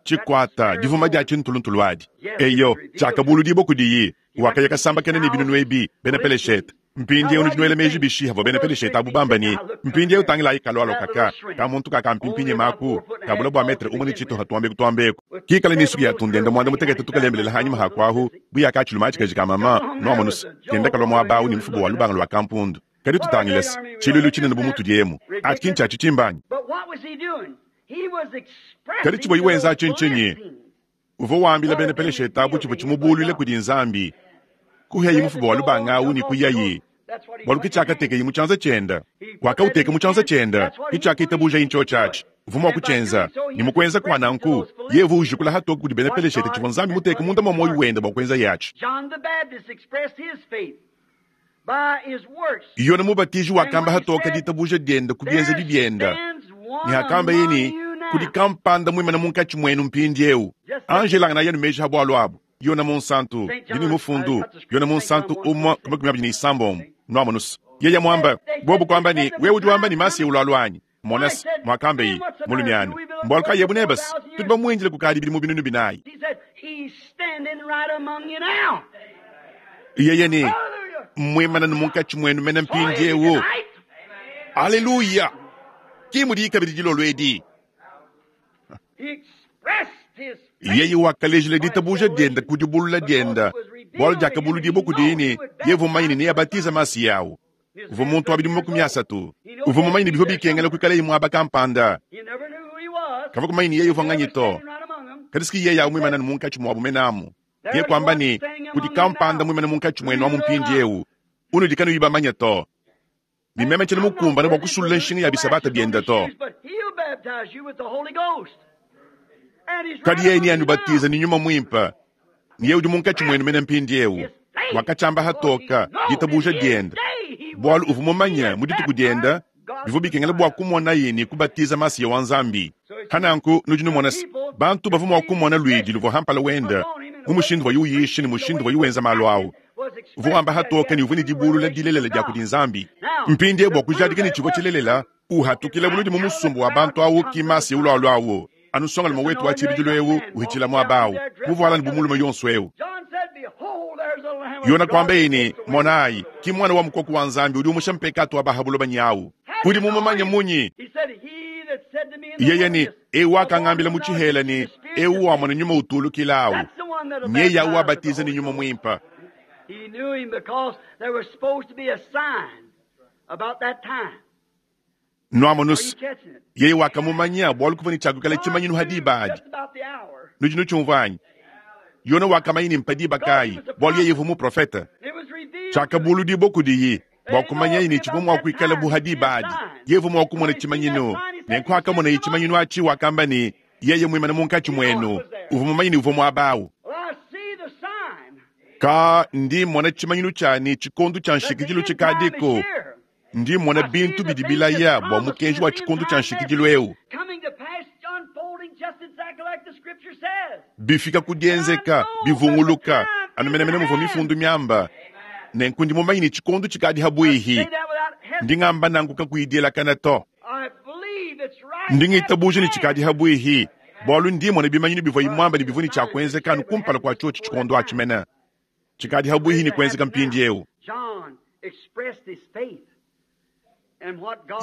tshikuata divuma dia tshintuluntulu adi. Eyo, tshiakabuludibua kudiyi, wakaya kasambakena ne binunu ebi, bena Peleshete. Mpindieu nudi nuela meji bishi havua bena Peleshete abu bamba ne, Mpindieu tangilayi kalualua kaka ka muntu kakampimpinye maku kabula bua metre umue ne tshituha tuambeku tuambeku kikale ne nsuki ya tundenda muanda mutekete tukalembelela hanyima ha kuahu bu ya katshilume atshi kaji ka mama nuamonuse kenda kalua muaba au ne mufuba wa lubanga lua kampundu. Kadi tutangilese tshiluilu tshinene bu mutudi emu atshi ki ntshia tshitshimba anyi? Kadi tshivuaye wenza atshi ntshinyi? Uvua wambila bena Peleshete abu tshivua tshimubuluile kudi Nzambi. Kuhiaye mufuba wa lubanga au ne kuyaye, bualu ke tshiakatekeye mu tshianza tshiende. Wakauteka mu tshianza tshiende, ke tshiakitabujaye ntshiotshi atshi. Uvua mua kutshienza, ne mu kuenza kua nanku, yeye uvua ujikula hatoke kudi bena Peleshete tshivua Nzambi muteke munda mua muoyo wende bua kuenzaye atshi. Yone Mubatiji wakamba hatoke ditabuja diende ku bienzedi biende, ne hakambaye ne, Kudi kampanda muimane munkatshi muenu mpindieu. Anjelanganayi anu meji ha bualu abu. Yone Munsantu, ndi ne mufundu, Yone Munsantu umue ku makumi abidi ne isambombo. Nuamonus, yeye muamba, bobu kuamba ne, wewe udi wamba ne Masiya ulualua anyi? Monas, muakambaye, mulumiana, mbualu kayi ebu nebas? Tudi bamuindile kukadi bidimu binunu binayi. Yeye ne, Mmuimane munkatshi muenu mene mpindieu. Aleluya! Ki mudiyi kabidi dilolo edi. Yeye wakalejila ditabuja diende ku dibulula diende, bualu diakabuludibua kudiye ne, yeye uvua mumanye ne neabatize Masiya au. Uvua muntu wa bidimu 30. Uvua mumanye ne bivua bikengela kuikalaye muaba kampanda. Kavua kumanya ne yeye uvua nganyi to. Kadi si yeye au muimane munkatshi muabu mene amu. Yeye kuamba ne, Kudi kampanda muimane munkatshi muenu amu mpindieu, unudi kanuyi bamanye to. Ne meme tshiena mukumbane bua kusulula nshinga ya bisabata biende to. Kadi yeye neanubatize ne Nyuma Muimpe, ne yeye udi munkatshi muenu mene mpindieu. Wakatshiamba hatoka ditabuja diende, bualu uvua mumanye mu dituku diende bivua bikengela bua kumonaye ne kubatiza Masiya wa Nzambi. Pa nanku nudi numona se, bantu bavua mua kumona luidi luvua ha mpala wende mu mushindu uvuaye uyisha ne mushindu uvuaye wenza malu au. Uvua wamba hatoke ne uvua ne dibulula dilelela dia kudi Nzambi. Mpindieu bua kujadika ne tshivua tshilelela, uhatukila buludi mu musumba wa bantu au ki Masiya ulualua au, anu nsongalume wetu wa tshibidilu eu uhitshila muaba au, muvuala ne bu mulume yonso eu. Yona kuambaye ne, Monayi, ki Muana wa mukoko wa Nzambi udi umusha mpekatu wa ba ha buloba nyawu. Udi mumumanye munyi? Yeye ne, Eu wakangambila mu tshihela ne, Eu wamona nyuma utulukila au, nyeye au wabatiza ne Nyuma Muimpe. Nuamonus, yeye wakamumanya bualu kuvua ne tshiakuikala tshimanyinu ha diba adi. Nudi nutshiumvua anyi? Yona wakamanya ne mpa diba kayi, bualu yeye uvua muprofete. Tshiakabuludibua kudiyi bua kumanyaye ne tshivua mua kuikala bu ha diba adi. Yeye uvua mua kumona tshimanyinu. Nenku hakamonaye tshimanyinu atshi, wakamba ne, Yeye muimane munkatshi muenu. Uvua mumanye ne uvua muaba au. Ka ndi mmona tshimanyinu tshia ne tshikondo tshia nshikidilu tshikadiku. Ndi mmona bintu bidi bilaya bua mukenji wa tshikondo tshia nshikidilu eu bifika ku dienzeka, bivunguluka anu menemene muvua mifundu miamba. Nenku ndi mumanye ne tshikondo tshikadi habuihi. Ndi ngamba nanku kakuyi dielakana to. Ndi ngitabuja ne tshikadi habuihi, bualu ndi mmona bimanyinu bivuaye muambe ne bivua ne tshia kuenzeka anu kumpala kua tshiotshi tshikondo atshi mene. Tshikadi habuihi ne kuenzeka mpindieu.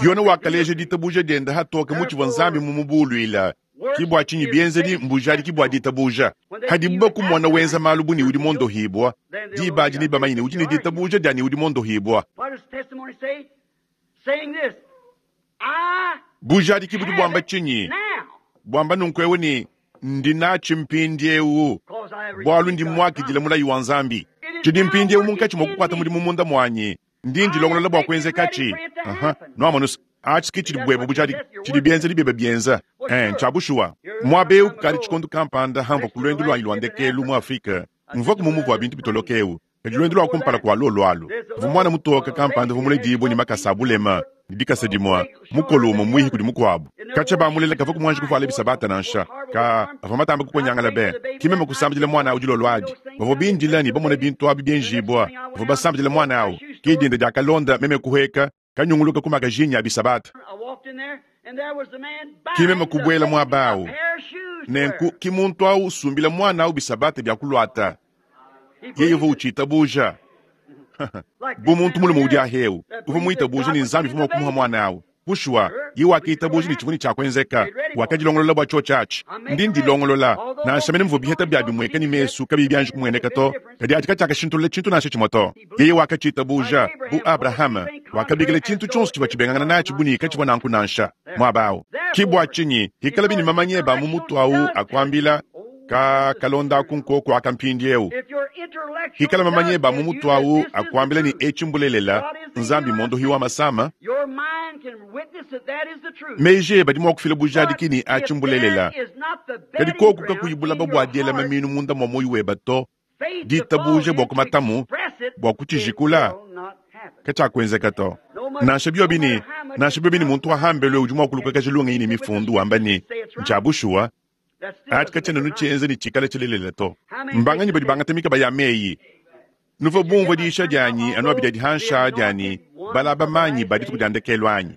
Yona wakaleja ditabuja diende hatoke mu tshivua Nzambi mumubuluila. Ki bua tshinyi bienzedi mbujadiki bua ditabuja. Hadibu bakumona wenza malu bu ne udi mondohibua, diba adi nebamanye ne udi ne ditabuja dia ne udi mondohibua. Bujadiki budi buamba tshinyi? Buamba nunku eu ne, Ndi natshi mpindieu, bualu ndi muakidile mulayi wa Nzambi. Tshidi mpindieu munkatshi mua kukuata mudimu munda muanyi. Ndi ndilongolola bua kuenzekatshi. Aha, nuamonu se, atshi ke tshidi buebe bujadiki, tshidi bienzedi biebe bienza. Eh, ntshia bushuwa. Muaba eu kukadi tshikondo kampanda hamvua ku luendu luanyi lua ndekelu mu Afrike, mvuaku mu muvu wa bintu bitoloke eu. Kadi luendu lua kumpala kua luolu alu, kuvua muana mutoke kampanda uvua muledibue ne makasa a bulema ne dikasa dimue, mukolo umue muihi kudi mukuabu. Katshia bamulela kavua muanji kuvuala bisabata nansha. Ka avua matambe kukonyangala be. Ki meme kusambidila muana au dilolo adi. Bavua bindila ne bamona bintu abi bienjibua. Bavua basambidila muana au. Ke dinda diakalonda meme kuhueka kanyunguluka ku makajinyi a bisabata. Ki meme kubuela muaba au. Nenku ki muntu au usumbila muana au bisabata bia kuluata. Yeye uvua utshitabuja. Bu muntu mulume udi ahewu, uvua muitabuja ne Nzambi uvua mua kumuha muana au. Bushuwa, yeye wakitabuja ne tshivua ne tshia kuenzeka. Wakadilongolola bua tshiotshi atshi. Ndi ndilongolola, nansha mene muvua biheta bia bimueka ne mesu kabiyi bianji kumueneka to, kadi atshi katshiakashintulula tshintu nansha tshimue to. Yeye wakatshitabuja. Bu Abrahama, wakabikila tshintu tshionso tshivua tshibengangana natshi bu ne katshivua nanku nansha. Muaba au. Ki bua tshinyi hikalabi ne mamanya ebe a mu mutu au akuambila, Ka kalonda aku nkoku aka mpindieu. Hikala mamanya ebe a mu mutu au akuambila ne etshi mbulelela, Nzambi mmuondohi wa masama, meji ebe adi mua kufila bujadiki ne atshi mbulelela. Kadi koku kakuyi bulaba bua diela maminu munda mua muoyo webe to, ditabuja bua kumatamu, bua kutshijikula, katshiakuenzeka to. Nansha biobi ne, nansha biobi ne muntu wa hambelu udi mua kulukakaja lungenyi ne mifundu wamba ne, ntshia bushuwa, Atshi katshiena nutshienza ne tshikale tshilelela to. Mbanganyi badi bangata mikaba ya meyi? Nuvua bumvue diyisha dianyi anu abidi adi hanshi aa dia ne, Balaba manyi ba dituku dia ndekelu anyi?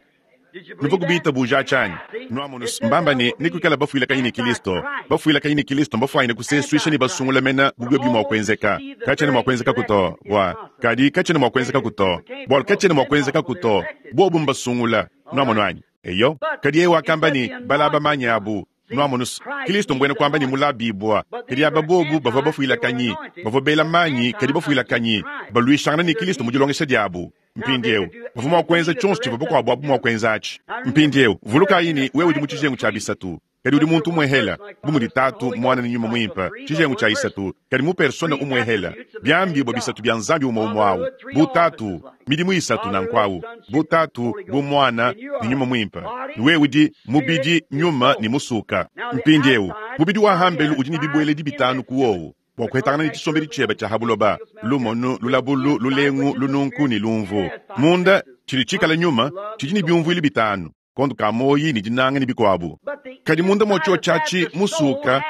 Nuvua kubiitabuja aci anyi? Nwamonu's, mbamba ne nekwikala bafwilakanyi ne Kilisto. Bafwilakanyi ne Kilisto mbafwanyine kuseeswisha ne basungula mena bu byobyo mwa kwenzeka. Kacyena mwa kwenzekaku to, bwa, kadi kacyena mwa kwenzekaku to, bwalu kacyena mwa kwenzekaku to. Bobo mbasungula. Nwamonu anyi? Eyo. Kadi yeye wakamba ne, Balaba manyi abu. Nwamonu's, Kilisto mbwena kwamba ne mulabiibwa. Kadi aba bobu bavwa bafwilakanyi, bavwa beela manyi kadi bafwilakanyi, balwishangana ne Kilisto mu dilongesha dyabu. Mpindyewu, bavwa mwa kwenza cyonso civwa bakwabo abu mwa kwenza aci. Mpindyewu, vulukaayi ne, wewe udi mu cijengu cya bisatu, kadi udi muntu umwehela, bu mudi Taatu, Mwana ne Nyuma Mwimpe, cijengu cya isatu, kadi mu persona umwehela, byambiibwa bisatu bya Nzambi umwe umwe awu, bu Taatu, midimu isatu nanku awu, bu Taatu, bu Mwana, ne Nyuma Mwimpe. Ne wewe udi mubidi, nyuma, ne musuka. Mpindyewu, mubidi wa hambelu udi ne bibweledi bitanu ku wowu, bwa kuhetangana ne cisombedi cyebe cya ha buloba, lumonu, lulabulu, lulengu, lununku, ne lumvu. Munda, cidi ciikala nyuma, cidi ne byumvwilu bitanu, kondo ka muoyi ne dinanga ne bikwabu. Kadi munda mwa cyoci aci, musuka,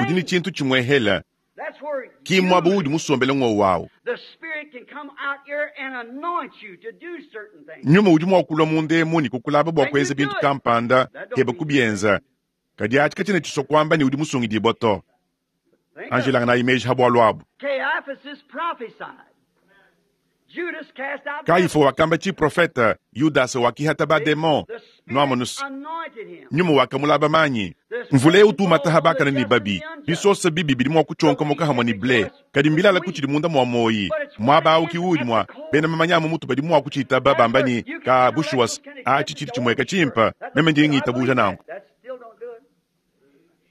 udi ne cintu cimwehela, ki mmwaba uudi musombele ngwowu awu. Nyuma udi mwa kulwa munda emu ne kukulaba bwa kwenza bintu kampanda, keba kubyenza, kadi aci kacyena ciswa kwamba ne udi musungidibwa to. Anjilanganayi meji ha bwalu abu. Kayifa wakamba ciprofeta, Yudasa wakihata ba-demon. Nwamonu's, Nyuma wakamulaba manyi. Mvula eu utu umata ha bakane ne babi. Bisosa bibi bidi mwa kucyonkomoka hamwe ne ble, kadi mbilala kutshidi munda mwa muoyi. Mwaba awu ki uudi mwa bena mamanya a mu mutu badi mwa kuciitaba bamba ne, Kaa, bushuwa's, aci cidi cimweka cimpe. Meme ndi ngiitabuuja nanku.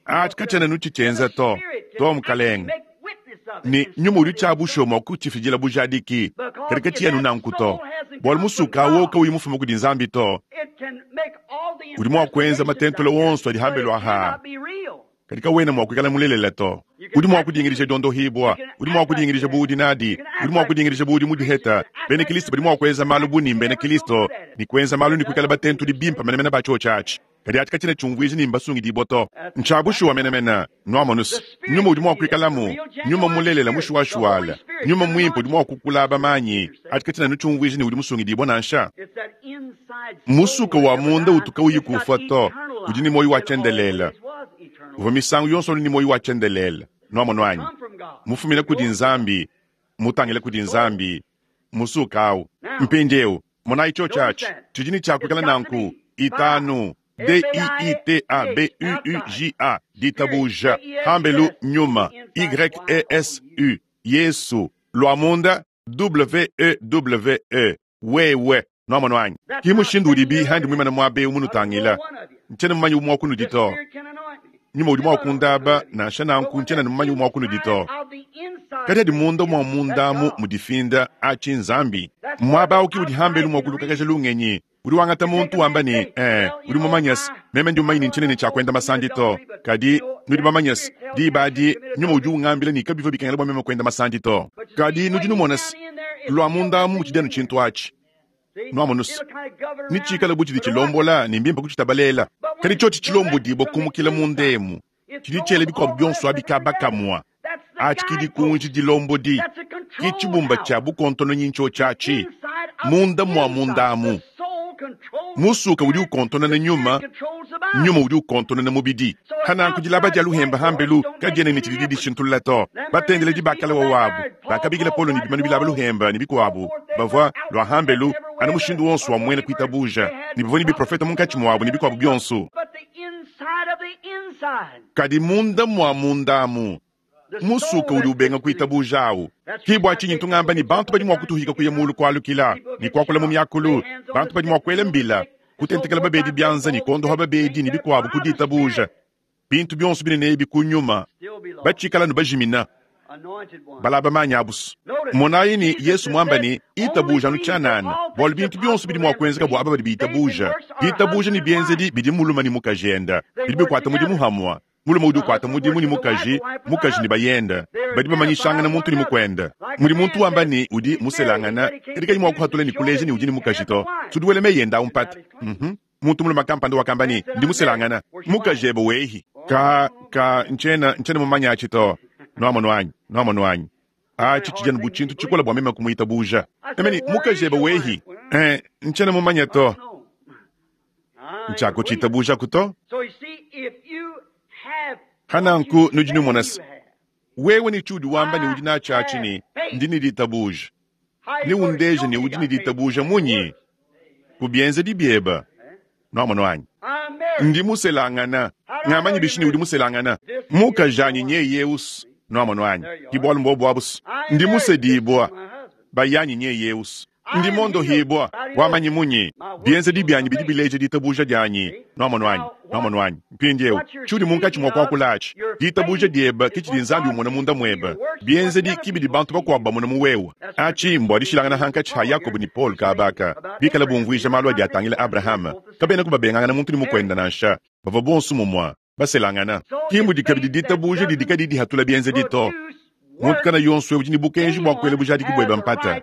Aci kacyena nucicyenza to, to, mukalenge. Ne nyuma udi cya bushuwa mwa kucifidila bujadiki, kadi kacyena nanku to, bwalu musuka wowo kawuyi mufume kudi Nzambi to. Udi mwa kwenza matentula wonso adi hambelu aha, kadi kawena mwa kwikala mulelela to. Udi mwa kudingidija dyondohibwa, udi mwa kudingidija bu udi nadi, udi mwa kudingidija bu udi mudiheta. Bena Kilisto badi mwa kwenza malu bu ni mbena Kilisto, ne kwenza malu ne kwikala batentudi bimpe menemene ba cyoci aci. Kadi aci kacyena cyumvwija ni mbasungidibwa to. Ncya bushuwa menemene. Nwamonu's, Nyuma udi mwa kwikalamu, Nyuma mulelela mushuwashuwala, Nyuma Mwimpe udi mwa kukulaba manyi, aci kacyena anu cyumvwija ne udi musungidibwa nansha. Musuka wa munda utu kawuyi kufwa to, udi ne mwoyi wa cyendelele. Uvwa misangu yonso anu ne mwoyi wa cyendelele. Nwamonu anyi? Mufumina kudi Nzambi, mutangila kudi Nzambi, musuka awu. Mpindyewu, monayi cyoci aci, cidi ne cya kwikala nanku, itanu, D-I-I-T-A-B-U-U-J-A, ditabuja, hambelu, nyuma, Y-E-S-U, Yesu, lwa munda, W-E-W-E, wewe. Nwamonu anyi? Ki mushindu udibi handi mwimane mwaba ewu munutangila. Ncyena mumanye umwe wa kunudi to. Nyuma udi mwa kundaba, nansha nanku ncyena mumanye umwe wa kunudi to. Kadi adi munda mwa munda amu mudifinda, aci Nzambi. Mwaba awu ki udi hambelu mwa kulukakaja lungenyi. Udi wangata muntu wamba ne, Ee, udi mumanye's, meme ndi mumanye ne ncyena ne cya kwenda masandi to. Kadi, nudi bamanye's, diba adi, Nyuma udi ungambila ne kabivwa bikengela bwa meme kwenda masandi to. Kadi nudi numona's, lwa munda amu mutshidi anu cintu aci. Nwamonu's, ne ciikale bu cidi cilombola ne mbimpe kucitabalela. Kadi cyoci cilombodibwa kumukila munda emu, cidi cyela bikwabo byonso abi kaba kamwa. Aci ki dikunji dilombodi, ki cibumba cya bukontononyi ncyoci aci, munda mwa munda amu. Musuka udi ukontonona nyuma, nyuma udi ukontonona mubidi. Pa nanku dilaba dya luhemba hambelu kadyena ne cididi dishintulula to. Batendeledi ba kale wawabu bakabikila Paulo ne bimanu bilaba luhemba ne bikwabu, bavwa lwa hambelu anu mushindu wonso wa mwena kwitabuja, ne bavwa ne biprofeta munkatshi mwabu ne bikwabu byonso. Kadi munda mwa munda amu, musuka udi ubenga kwitabuja awu. Ki bwa cinyi ntu ngamba ne bantu badi mwa kutuhika kuya mulu kwalukila, ne kwakula mu myakulu, bantu badi mwa kwela mbila, kutentekela babedi byanza ne kondoha babedi ne bikwabu ku ditabuja, bintu byonso binene ebi ku nyuma, bacikala anu bajimina. Balaba manyi abu's. Monayi ne, Yesu mwamba ne, Itabuja anu cyanana, bwalu bintu byonso bidi mwa kwenzeka bwa aba badi bitabuja. Ditabuja ne byenzedi bidi mulume ne mukajenda bidi bikwata mudimu hamwa. Mulume udi ukwata mudimu ne mukaji, mukaji ne bayenda. Badi bamanyishangana muntu ne mukwenda. Mudi muntu wamba ne udi muselangana, kadi kayi mwa kuhatula ne kuleja ne udi ne mukaji to. Sudi wela meyi enda awu mpata. Uhum. Muntu mulume kampanda wakamba ne, Ndi muselangana. Mukajebe wehi. Ka, ka, ncyena, ncyena mumanye aci to. Nwamonu anyi? Nwamonu anyi? Aci cidi anu bu cintu cikole bwa meme kumwitabuuja. Meme ne, Mukajebe wehi. Ee, ncyena mumanye to. Ntshiakutshitabujaku to. Pa nanku nudi numona se, wewe ne tshiudi wamba ne udi natshi atshi ne, Ndi ne ditabuja. Neundeje ne udi ne ditabuja munyi? Ku bienzedi biebe. Nwamonu anyi? Ndi muselangana. Ngamanyi bishi ne udi muselangana? Mukajanyi nyeye eu's. Nwamonu anyi? Ki bualu mbobu abu's. Ndi musedibua. Bayanyi nyeye eu's. Ndi mondohibua. Wamanyi munyi? Bienzedi bianyi bidi bileja ditabuja dianyi. Nwamonu anyi? Nwamonu anyi? Mpindiewu, tshiudi munkatshi mua kuakula atshi, ditabuja diebe ke tshidi Nzambi umona munda muebe. Bienzedi ki bidi bantu bakuabu bamona mu wewe. Atshi mbua dishilangana hankatshi ha Yakobo ne Paulo kaaba aka, bikale bumvuija malu adi atangila Abrahama. Kabenaku babengangana muntu ne mukuende nansha. Bavua bonso mumue, baselangana. Ki mudi kabidi ditabuja didi kadiyi dihatula bienzedi to. Muntu kana yonso eu udi ne bukenji bua kuela bujadiki buebe mpata.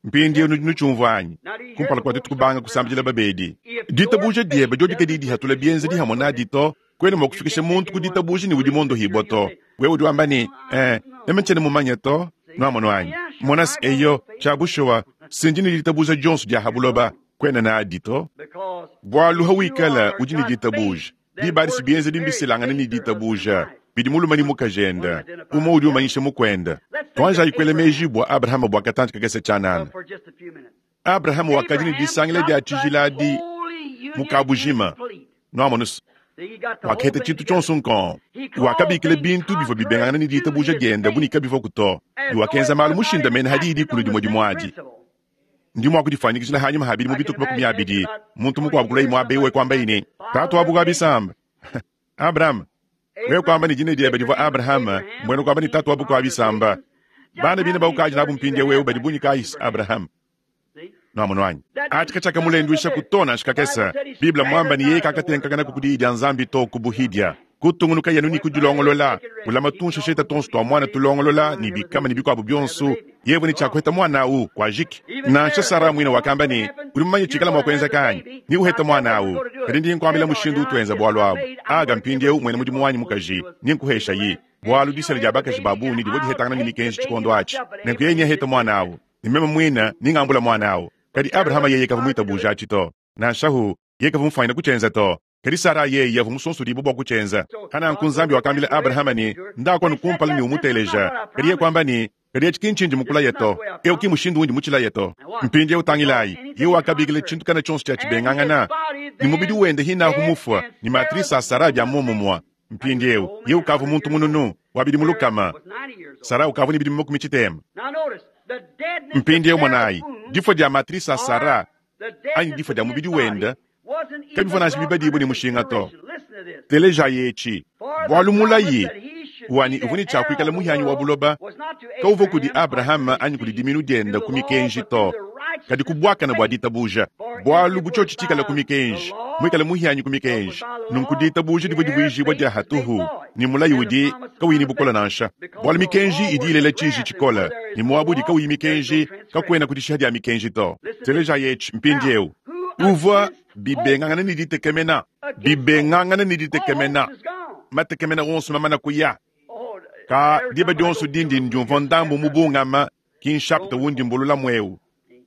Mpindieu nudi nutshiumvua anyi? Kumpala kua tuetu kubanga kusambidila babedi, ditabuja diebe diodi kadiyi dihatula bienzedi hamue nadi to, kuena mua kufikisha muntu ku ditabuja ne udi mondohibua to. Wewe udi wamba ne, Eh, meme tshiena mumanye to. Nuamonu anyi? Mona se, eyo, tshia bushuwa, si ndi ne ditabuja dionso dia ha buloba. Kuena nadi to. Bualu hawikala udi ne ditabuja, diba adi si bienzedi mbiselangane ne ditabuja bidi mulume ne mukajende, umue udi umanyisha mukuende. Tuanjayi kuela meji bua Abrahama bua katantshi kakese tshianana. Abrahama wakadi ne disangila dia tshijila adi mu kabujima. Nuamonu se, wakaheta tshintu tshionso nkong. Wakabikila bintu bivua bibengangana ne ditabuja diende bu ne kabivuaku to, ne wakenza malu mushindamene ha diyi dikulu dimue dimue adi. Ndi mua kudifuanyikijila hanyima ha bidimu bitue ku 20, muntu mukuabu kulayi muaba eu e kuambaye ne, Tatu wa bukua bisamba, Abrahama. Wewe kuamba ne dina diebe divua Abrahama, mbuena kuamba ne tatu wa bukua bisamba. Bana bine baukadi nabu mpindieu eu badi bungi kayi, Abrahama? Nuamonu anyi? Atshi katshiakamulenduishaku to nansha kakese. Bible mmuamba ne yeye kakatenkakanaku ku diyi dia Nzambi to ku buhidia. Kutungunukaye anu ne kudilongolola, ulama tunshesheta tuonso tua muana tulongolola ne bikama ne bikuabu bionso, yeye ne tshia kuheta muana au, kuajiki. Nansha Sara muine wakamba ne, Udi mumanye tshikala mua kuenzeka anyi? Neuhete muana au. Kadi ndi nkuambila mushindu utuenza bualu abu. Aga mpindieu muena mudimu wanyi mukaji, ninkuheshayi, bualu disela dia bakaji ba bungi divua dihetangana ne mikenji tshikondo atshi. Nenku yeye neahete muana au, ne meme muine ningambula muana au. Kadi Abrahama yeye kavua muitabuje atshi to. Nansha hu, yeye kavua mufuanyine kutshienza to. Kadi Sara yeye uvua musonsodibue bua kutshienza. Pa nanku Nzambi wakambila Abrahama ne, Ndaku anu kumpala ne umuteleja. Kadi yeye kuamba ne, Kadi etshi ki ntshindi mukulaye to. Eu ki mushindu undi mutshilaye to. Mpindieu tangilayi, yeye wakabikila tshintu kana tshionso tshia tshibengangana ne mubidi wende hinahu mufua ne matrice a Sara bia muomumue. Mpindieu yeye ukavua muntu mununu, wa bidimu 100. Sara ukavua ne bidimu 60. Mpindieu monayi, difua dia matrice a Sara anyi difua dia mubidi wende kabivua nansha bibadibue ne mushinga to. Telejayi etshi, bualu mulayi wanyi uvua ne tshia kuikala muhianyi wa buloba kauvua kudi Abrahama anyi kudi diminu diende ku mikenji to, kadi ku buakane bua ditabuja. Bualu bu tshiotshi tshikale ku mikenji, muikale muhianyi ku mikenji, nunku ditabuja divua divuijibua dia hatuhu, ne mulayi udi kauyi ne bukole nansha. Bualu mikenji idi ilela tshiji tshikole, ne muaba udi kauyi mikenji, kakuena kudishiha dia mikenji to. Telejayi etshi mpindieu. Uvua bibengangana ne ditekemena, bibengangana ne ditekemena, matekemena onso mamana kuya. Ka diba dionso dindi ndiumvua ndambu mubungama, ki nshapita undi mbululamu eu.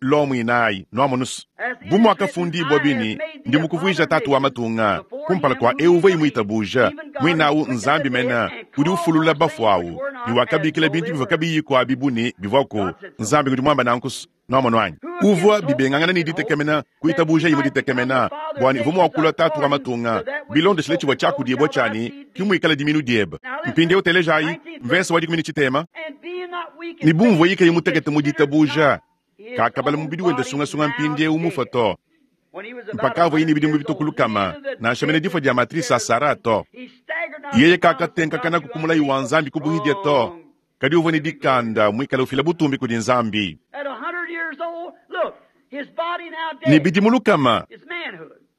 Lomo inayi, nuamonus. Bu muakafundibua bini, Ndi mukuvuija tatu wa matunga, kumpala kua eu uvua muitabuja, muine au Nzambi mene, udi ufulula bafue au, ne wakabikila bintu bivua kabiyiku abi bu ne bivuaku. Nzambi ngudi muamba nanku. Nuamonu anyi? Uvua bibengangana ne ditekemena, kuitabujaye mu ditekemena, bua ne uvua mua kulua tatu wa matunga, bilondeshile tshivua tshiakudibua tshia ne, Ke muikala diminu diebe. Mpindieu telejayi mvese wa 13. Ne bu muvuaye kayi mutekete mu ditabuja, kakabala mubidi wende sungasunga mpindieu mufue to, mpakavuaye ne bidimu bitue ku 100, nansha mene difua dia matrice a Sara to. Yeye kakatenkakanaku ku mulayi wa Nzambi ku buhidia to, kadi uvua ne dikanda, muikale ufila butumbi kudi Nzambi. Ne bidimu 100,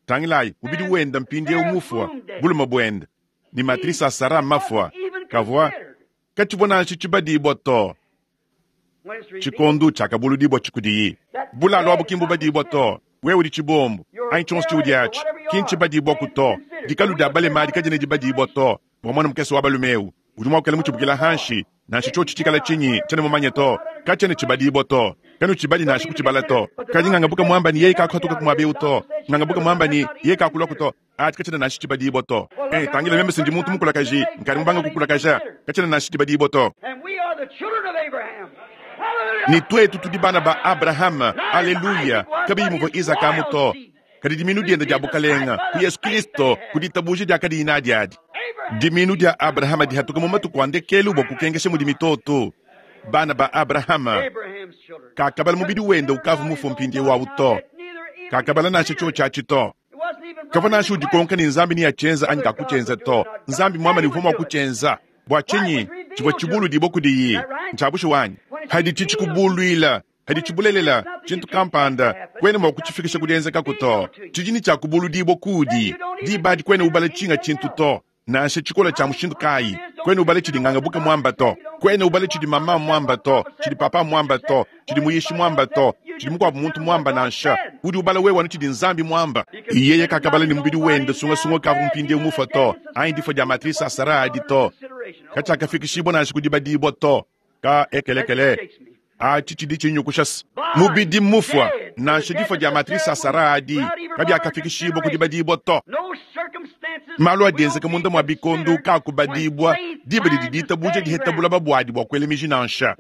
tangilayi, mubidi wende mpindieu mufua, bulume buende, ne matrice a Sara mafua, kavua katshivua nansha tshibadibua to. Tshikondo tshiakabuludibua tshikudiyi. Bulalu abu ki mbubadibua to. Wewe udi tshibombu, anyi tshionso tshiudi atshi, ki ntshibadibuaku to. Dikalu dia balema adi kadiena dibadibua to. Bua muana mukese wa balume eu, udi mua kuikala mutshibukila hanshi, nansha tshiotshi tshikala tshinyi, tshiena mumanye to. Katshiena tshibadibua to. Kanutshibadi nansha kutshibala to. Kadi ngangabuka muamba ne yeye kakuhatuka ku muaba eu to. Ngangabuka muamba ne yeye kakuluaku to. Atshi katshiena nansha tshibadibua to. Eh, tangila meme se ndi muntu mukulakaji, nkadi mubanga kukulakaja. Katshiena nansha tshibadibua to. Ne tuetu tudi bana ba Abrahama, aleluya, kabiyi muvua Izaka amu to, kadi dimiinu diende dia bukalenga ku Yesu Kristo ku ditabuja diakadiyi nadi adi. Dimiinu dia Abrahama dihatuka mu matuku a ndekelu bua kukenkesha mudi mitoto. Bana ba Abrahama kakabala mubidi wende ukavua mufue mpindieu au to, kakabala nansha tshiotshi atshi to. Kavua nansha udikonka ne Nzambi neatshienza anyi kakutshienza to. Nzambi muamba ne uvua mua kutshienza. Bua tshinyi tshivua tshibuludibua kudiyi? Ntshia bushuwa anyi? Haditshi tshikubuluila, haditshi bulelela, tshintu kampanda, kuena mua kutshifikisha ku dienzekaku to. Tshidi ne tshia kubuludibua kuudi. Diba adi kuena ubala tshinga tshintu to, nansha tshikola tshia mushindu kayi. Kuena ubala tshidi ngangabuka muamba to. Kuena ubala tshidi mama muamba to, tshidi papa muamba to, tshidi muyishi muamba to, tshidi mukuabu muntu muamba nansha. Udi ubala wewe anu tshidi Nzambi muamba. Yeye kakabala ne mubidi wende sungasunga ukavua mpindieu mufue to, anyi difua dia matrise a Sara adi to. Katshiakafikishibua nansha ku dibadibua to. Ka ekelekele. Atshi tshidi tshinyukusha se mubidi mmufua. Nansha difua dia matrise a Sara adi kabiakafikishibua ku dibadibua to. Malu adi enzeka munda mua bikondo kaakubadibua diba didi ditabuja diheta bulaba buadi bua kuela miji nansha.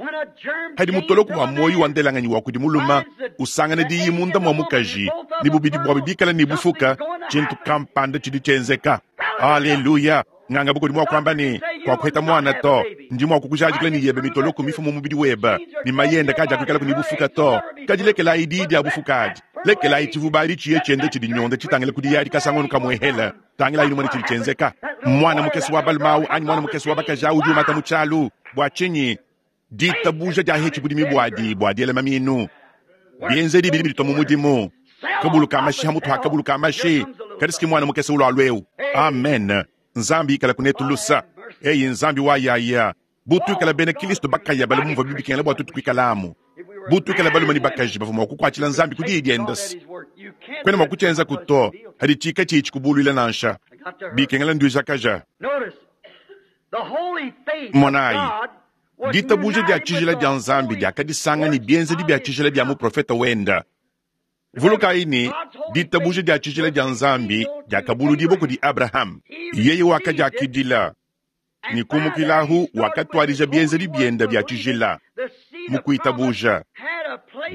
Padi mutoloko wa muoyo wa ndelanganyi wa kudi mulume usangana diyi munda mua mukaji ne bubidi buabu bikale ne bufuka, tshintu kampanda tshidi tshienzeka. Aleluya! Nganga bukudi mua kuamba ne, Kuakuheta muana to. Ndi mua kukujadikila ne yebe mitoloko mifu mu mubidi webe, ne mayenda kadiakuikalaku ne bufuka to. Kadi lekelayi diyi dia bufuka adi. Lekelayi tshivuba adi tshiye tshienda tshidinyonda tshitangila ku diyi adi kasangu kamuehela. Tangilayi numone tshidi tshienzeka. Muana mukese wa balume au anyi muana mukese wa bakaji au udi umata mu tshialu. Bua tshinyi? Ditabuja diahetshi budimi buadi bua diela maminu. Bienzedi bidi biditua mu mudimu. Kabulu ka mashi ha mutu ha kabulu ka mashi. Kadi siki muana mukese ulualua eu. Amen. Nzambi ikalaku netu lusa. Eyi Nzambi wa yaya. Bu tuikala bena Kilisto bakaya bala mumvua bibikengela bua tuetu kuikalamu. Bu tuikala balume ne bakaji bavua mua kukuatshila Nzambi ku diyi diende. Kuena mua kutshienzaku to, hadi tshika tshiyi tshikubuluila nansha. Bikengela nduijakaja. Monayi, ditabuja dia tshijila dia Nzambi diakadisanga ne bienzedi bia tshijila bia muprofete wenda. Vulukayi ne, ditabuja dia tshijila dia Nzambi diakabuludibua kudi Abrahame. Yeye wakadiakidila, ne kumukilahu wakatuadija bienzedi biende bia tshijila mu kuitabuja.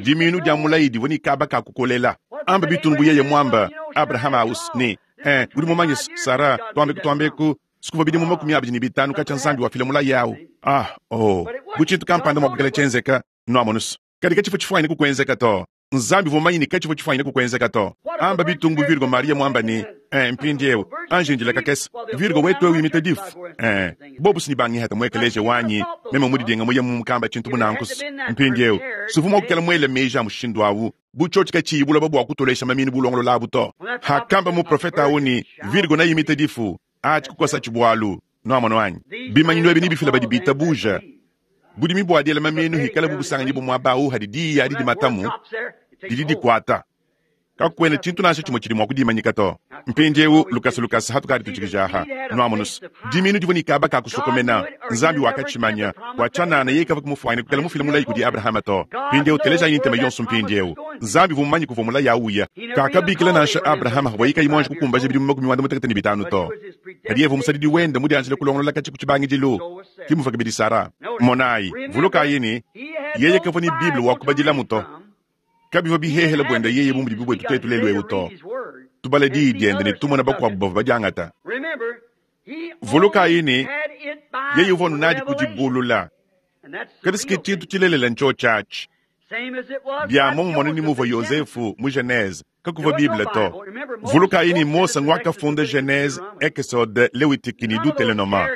Dimiinu dia mulayi divua ne kaba ka kukolela. Amba bitunu bu yeye muamba Abrahame aus ne, Eh, udi mumanye, Sara, tuambeku tuambeku, Sikuvua bidimu 25 katshia Nzambi wafila mulayi au. Ah, oh, bu tshintu kampanda mua kuikala tshienzeka, nuamonus. Kadi katshivua tshifuanyine kukuenzeka to. Nzambi uvua mumanye ne katshivua tshifuanyine kukuenzeka to. Amba bitungu bu Virgo Maria muamba ne, eh, mpindieu, anji indila kakese. Virgo wetu eu imita difu. Eh, bobu si ne bangihata mu ekeleziya wanyi, meme mudidinga muye mu mukamba tshintu bu nanku. Mpindieu, suvua mua kuikala muele meji a mushindu au. Bu tshiotshi katshiyi buloba bua kutolesha maminu bulongolola abu to. Hakamba muprofete au ne, Virgo neimite difu. Atshi kukosatshi bualu. Nuamono anyi? Bimanyinu ebi nebifile badi bitabuja. Budimi bua diela maminu hikala bu busanganyibua muaba au hadi diyi adi dimatamu, didi dikuata. Kakuena tshintu nansha tshimue tshidi mua kudimanyika to. Mpindieu lukasa lukasa hatukadi tutshikija aha. Nuamonus, diminu divua ne kaba ka kusokomena. Nzambi wakatshimanya. Bua tshianana yeye kavua kumufuanyine kuikala mufile mulayi kudi Abrahama to. Mpindieu telejayi ntema yonso mpindieu. Nzambi uvua mumanye kuvua mulayi au uya. Kakabikila nansha Abrahama pavuaye kayi muanji kukumbaja bidimu 55 to. Kadi yeye uvua musadidi wende mudianjile kulongolola katshia ku tshibangidilu. Ke muvua kabidi Sara. Monayi, vulukayi ne, yeye kavua ne Bible wa kubadilamu to. Kabivua bihehele buende yeye bu mudibi buetu tuetu lelu'eu to. Tubala Diyi diende ne tumona bakuabu bavua badiangata. Vulukayi ne, yeye uvua anu nadi ku dibulula. Kadi si ke tshintu tshilelela ntshiotshi atshi. Bia muomumue ne muvua Yozefu mu Genese, kakuvua Bible to. Vulukayi ne, Mose nguakafunda Genese, Ekesode, Lewitiki ne Dutelenoma.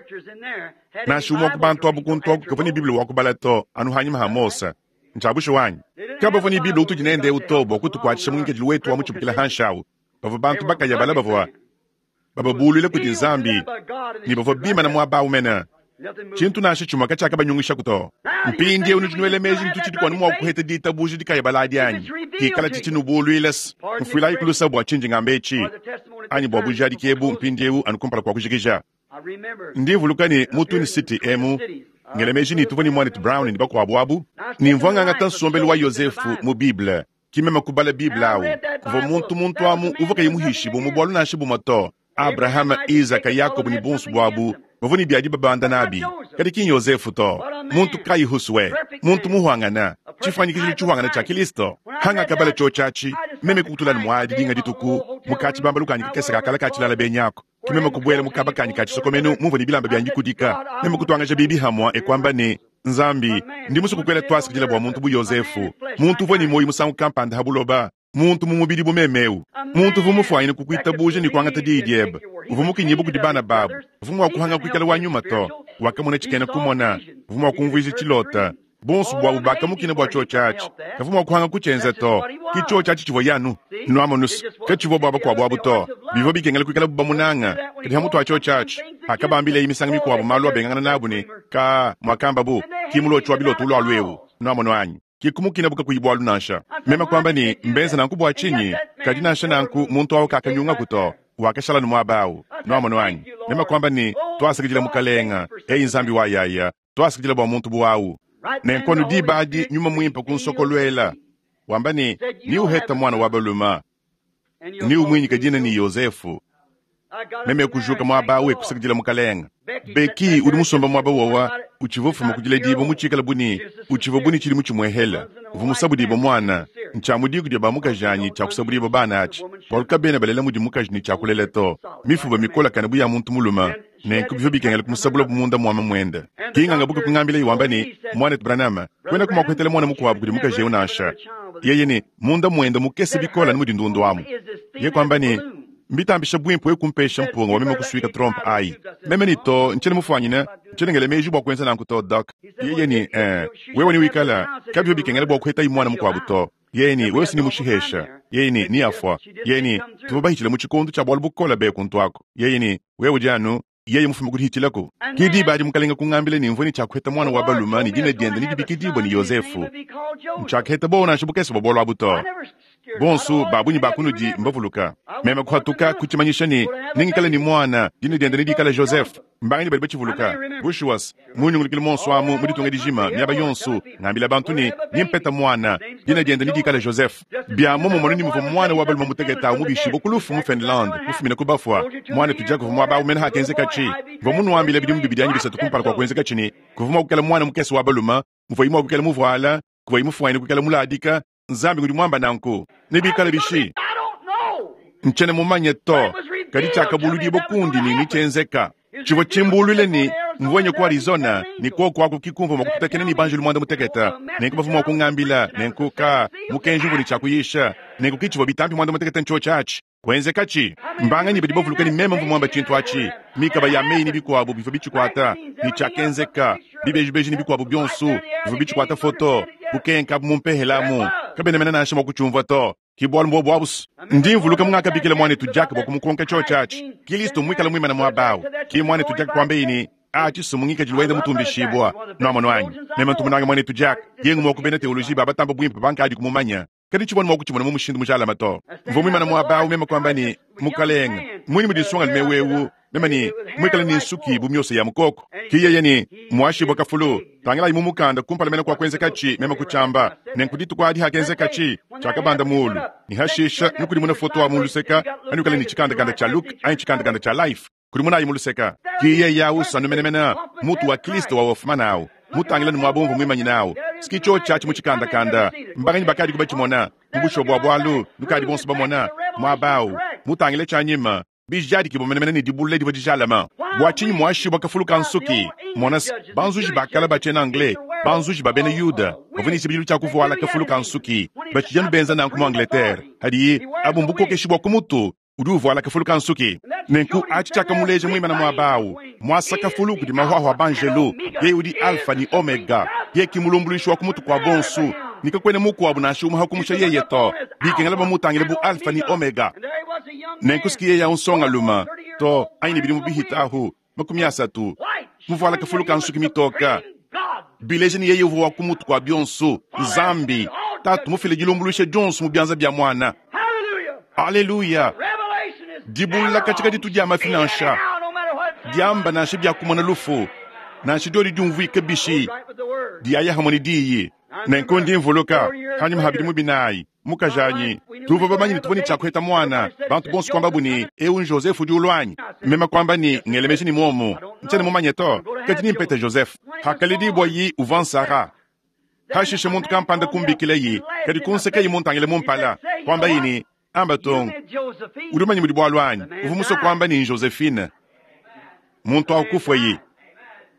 Nansha umue wa ku bantu abu kuntu aku kavua ne Bible wa kubala to, anu hanyima ha Mose. Ntshia bushuwa anyi? Kabavua ne Bible utudi nende eu to bua kutukuatshisha mu ngikadilu wetu wa mutshibukila hanshi au. Bavua bantu bakaya bala bavua bababuluila kudi Nzambi ne bavua bimana muaba au mene. Tshintu nansha tshimue katshiakabanyungishaku to. Mpindieu nudi nuela meji ne tutshidi kuanu mua kuheta ditabuja dikayabala adi anyi? Hikala tshitshinubuluila, mfuilayi ku lusa bua tshindi ngamba etshi anyi bua bujadiki ebu mpindieu anu kumpala kua kujikija. Ndi mvuluka ne mu Twin City emu, Ngela meji ne tuvua ne Muanetu Brown ne bakuabu abu. Ne mvua ngangata nsombelu wa Yozefu mu Bible. Ki meme kubala Bible awu. Kuvua muntu muntu amu uvua kayi muhishibue mu bualu nansha bumue to. Abrahama, Izaka, Yakobo ne bonso buabu bavua ne bia dibabanda nabi, kadi ki n'Yozefu to. Muntu kayi huswe, muntu muhuangana, tshifuanyikijilu tshihuangana tshia Kilisto. Hangakabala tshiotshi atshi, meme kukutula ne muadi dinga dituku mu katshibambalu kanyi kakese ka kala ka tshilala benyi aku. Ke meme kubuela mu kaba kanyi ka tshisokomenu mumvua ne bilamba bianyi bikudika. Meme kutuangaja bibi hamua e kuamba ne, Nzambi, ndi musue kukuela tuasakidila bua muntu bu Yozefu, muntu uvua ne muoyo musangu kampanda ha buloba, muntu mu mubidi bu meme eu, muntu uvua mufuanyine kukuitabuja ne kuangata diyi diebe, uvua mukinyibue kudi bana babu, uvua mua kuhanga kuikala wa nyuma to, wakamona tshikena kumona, uvua mua kumvuija tshilota. Bonso buabu bakamukina bua tshiotshi atshi, kavua mua kuhanga kutshienza to. Ki tshiotshi atshi tshivua yanu nuamonus, katshivua bua bakuabu abu to. Bivua bikengela kuikalabu bamunanga. Kadi hamutu a tshiotshi atshi, hakabambileyi misangu mikuabu malu abengangana nabu ne ka muakambabu, ki mulotshi wa biloto ulualu eu, nuamonu anyi? Ki kumukinabu kakuyi bualu nansha. Meme kuamba ne, Mbenza nanku bua tshinyi? Kadi nansha nanku muntu au kakanyungaku to, wakashala anu muaba au. Nuamonu anyi? Meme kuamba ne, Tuasakidila Mukalenga, eyi Nzambi wa yaya, tuasakidila bua muntu bu au. Nenku anu diba adi Nyuma Muimpe kunsokoluela, wamba ne, Niuheta muana wa balume, niumuinyike dina ne Yozefu. Meme kujuka muaba au e kusakidila Mukalenga. Becky udi musomba muaba wowa utshivua ufuma ku diledibua mutshikale bu ne utshivua bu ne tshidimu tshimuehele. Uvua musabudibue muana. Ntshia mu diku dia ba mukajanyi tshia kusabudibua bana atshi, bualu kabena balela mudi mukaji ne tshia kulela to. Mifuba mikolakane bu ya muntu mulume, nenku bivua bikengela kumusabulabu munda mua mamuende. Ki ngangabuka kungambilaye wamba ne, Muanetu Branham, kuenaku mua kuhetela muana mukuabu kudi mukaji eu nansha. Yeye ne, Munda muende mukese bikole anu mudi ndundu amu. Yeye kuamba ne, Mbitambisha buimpe wewe kumpesha mpunga wa meme kusuika trompe ayi. Meme ne, To, ntshiena mufuanyine, ntshiena ngela meji bua kuenza nanku to, Doc. Yeye ne, Ee, wewe newikala, kabivua bikengela bua kuhetayi muana mukuabu to. Yeye ne, Wewe si ne mushihesha. Yeye ne, Neafua. Yeye ne, Tuvua bahitshile mu tshikondo tshia bualu bukole be kuntu aku. Yeye ne, Wewe udi anu, yeye mufume ku dihitshilaku. Ke diba adi Mukalenga kungambila ne mvua ne tshia kuheta muana wa balume ne dina diende nedibikidibue ne Yozefu. Ntshiakaheta buowa nansha bukese bua bualu abu to. Bonso ba bungi ba kunudi mbavuluka. Meme kuhatuka kutshimanyisha ne, Nengikale ne muana, dina diende nedikale Joseph. Mbanganyi badi batshivuluka? Bushuwa-s, mu nyungulukilu muonso amu, mu ditunga dijima, miaba yonso, ngambila bantu ne, Nempete muana, dina diende nedikale Joseph. Bia muomumue ne muvua muana wa balume mutekete au mubishibue ku lufu mu Finlande, mufumine ku bafua, muanetu Jack uvua muaba au mene hakenzekatshi. Mvua munuambile bidimu bibidi anyi bisatu kumpala kua kuenzekatshi ne, kuvua mua kuikala muana mukese wa balume, muvuaye mua kuikala muvuala, kuvuaye mufuanyine kuikala muladika, Nzambi ngudi muamba nanku. Nebikale bishi? Ntshiena mumanye to, kadi tshiakabuludibua kundi ne netshienzeka. Tshivua tshimbuluile ne, mvua nya ku Arizona, ne kuoku aku ki kumvua mua kututakena ne banjelu muanda mutekete. Nenku bavua mua kungambila, nenku ka, mukenji umvua ne tshia kuyisha. Nenku ki tshivua bitampi muanda mutekete ntshiotshi atshi. Kuenzekatshi. Mbanganyi badi bavuluka ne meme mvua muamba tshintu atshi? Mikaba ya meyi ne bikuabu bivua bitshikuata, ne tshiakenzeka. Bibejibeji ne bikuabu bionso bivua bitshikuata foto. Bukenka abu mu mpehela amu, kabena mene nansha mua kutshiumvua to. Ki bualu mbuobu abu's. Ndi mvuluka mungakabikila muanetu Jack bua kumukonka tshiotshi atshi. Kilisto mmuikale muimane muaba awu. Ki muanetu Jack kuambaye ne, Atshi s'mmu ngikadilu wende mutumbishibua. Nuamonu anyi? Meme ntu munange muanetu Jack. Yeye ngumue wa ku bena teoloji ba batamba buimpe bankadi kumumanya. Kadi tshivua mua kutshimona mu mushindu mujalame to. Mvua muimane muaba au, meme kuamba ne, Mukalenge, mmunyi mudi nsongalume eu eu, meme ne, muikale ne nsuki bu miosa ya mukoko? Ke yeye ne, Muashibue kafulu. Tangilayi mu mukanda kumpala mene kua kuenzekatshi, meme kutshiamba. Nenku dituku adi hakenzekatshi, tshiakabanda muulu, ne hashisha nukudimune foto wa mu luseka, anuikale ne tshikandakanda tshia Look anyi tshikandakanda tshia Life. Kudimunayi mu luseka. Ki yeye awu sanu menemene, mutu wa Kristo wa Hoffman awu, mutangila ne muaba umvua muimanyine awu. Ski tshiotshi atshi mu tshikandakanda. Mbanganyi bakadiku batshimona? Mu bushuwa bua bualu, nukadi bonso bamona, muaba awu, mutangile tshianyima, bijadikibua menemene ne dibulula divua dijalama. Bua tshinyi muashibua kafulu ka nsuki? Mona-s, banzuji ba kale ba tshiena-Anglais, banzuji ba bena Yuda, bavua ne tshibidilu tshia kuvuala kafulu ka nsuki. Batshidi anu benza nanku mu Angleterre. Hadiyi, abu mbukokeshi bua ku mutu. Udi uvuala kafulu ka nsuki. Nenku atshi tshiakamuleja muimana muaba awu, muasa kafulu kudi mahuahua a banjelu. Yeye udi Alfa ne Omega. Yeye ki mulumbuluishi wa ku mutu kua bonsu, ne kakuena mukuabu nansha umue ha kumusha yeye to. Bikengela bamutangile bu Alfa ne Omega. Nenku si ki yeye awu nsongalume to, anyi ne bidimu bihita ahu 30, muvuala kafulu ka nsuki mitoka, bileja ne yeye uvua wa ku mutu kua bionsu, Nzambi Tatu mufile dilumbuluisha dionsu mu bianza bia Muana. Aleluya! Dibulula katshia kaditu dia mafi nansha diamba nansha bia kumona lufu. Nansha dyodi dyumvwika bishi, diyaya hamwe ne Diyi. Nenku ndi mvuluka, panyima pa bidimu binayi, mukajanyi, tuvua bamanye ne tuvua ne tshia kuheta muana. Bantu bonso kuambabu ne, Eu n'Joseph udi ulua anyi? Meme kuamba ne, Ngela meji ne muomu. Ntshiena mumanye to, kadi nempete Joseph. Pakaledibuayi, uvua n'Sarah. Pashishe muntu kampanda kumbikilaye, kadi kunsekaye muntangile mu mpala, kuambaye ne, Amba tung, udi mumanye mudi bualu anyi? Uvua musue kuamba ne, Josephine. Muntu au kufuaye.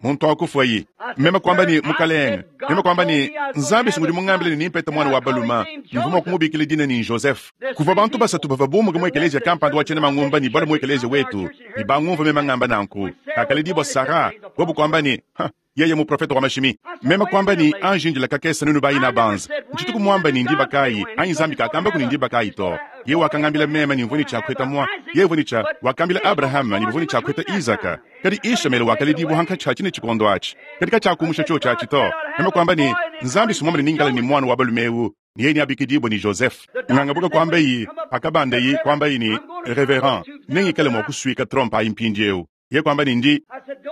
Muntu au kufuaye. Meme kuamba ne, Mukalenge, meme kuamba ne, Nzambi si ngudi mungambile ne nimpete muana wa balume, mvua mua kumubikila dina ne Joseph. Kuvua bantu basatu bavua bumuke mu ekeleziya kampanda wa tshiena mangumba ne balue mu ekeleziya wetu, ne bangumvua meme ngamba nanku. Pakaledibua Sarah, bobu kuamba ne, Ha, Yeye muprofete wa mashimi. Meme kuamba ne, Anji indila kakese nuenu bayina banza. Ntshituku muamba ne ndiba kayi, anyi Nzambi kakambaku ne ndiba kayi to. Yeye wakangambila meme ne mvua ne tshia kuheta mua, yeye uvua ne tshia, wakambila Abrahama ne bavua ne tshia kuheta Isaka. Kadi Ishamaele wakaledibua hankatshi ha tshine tshikondo atshi. Kadi katshiakumusha tshiotshi atshi to. Meme kuamba ne, Nzambi si muambe ne ningikala ne muana wa balume eu, ne yeye neabikidibue ne Joseph. Ngangabuka kuambayi, pakabandayi, kuambayi ne, Reverend, nengikale mua kusuika trompe ayi mpindieu. Ye kuamba ne ndi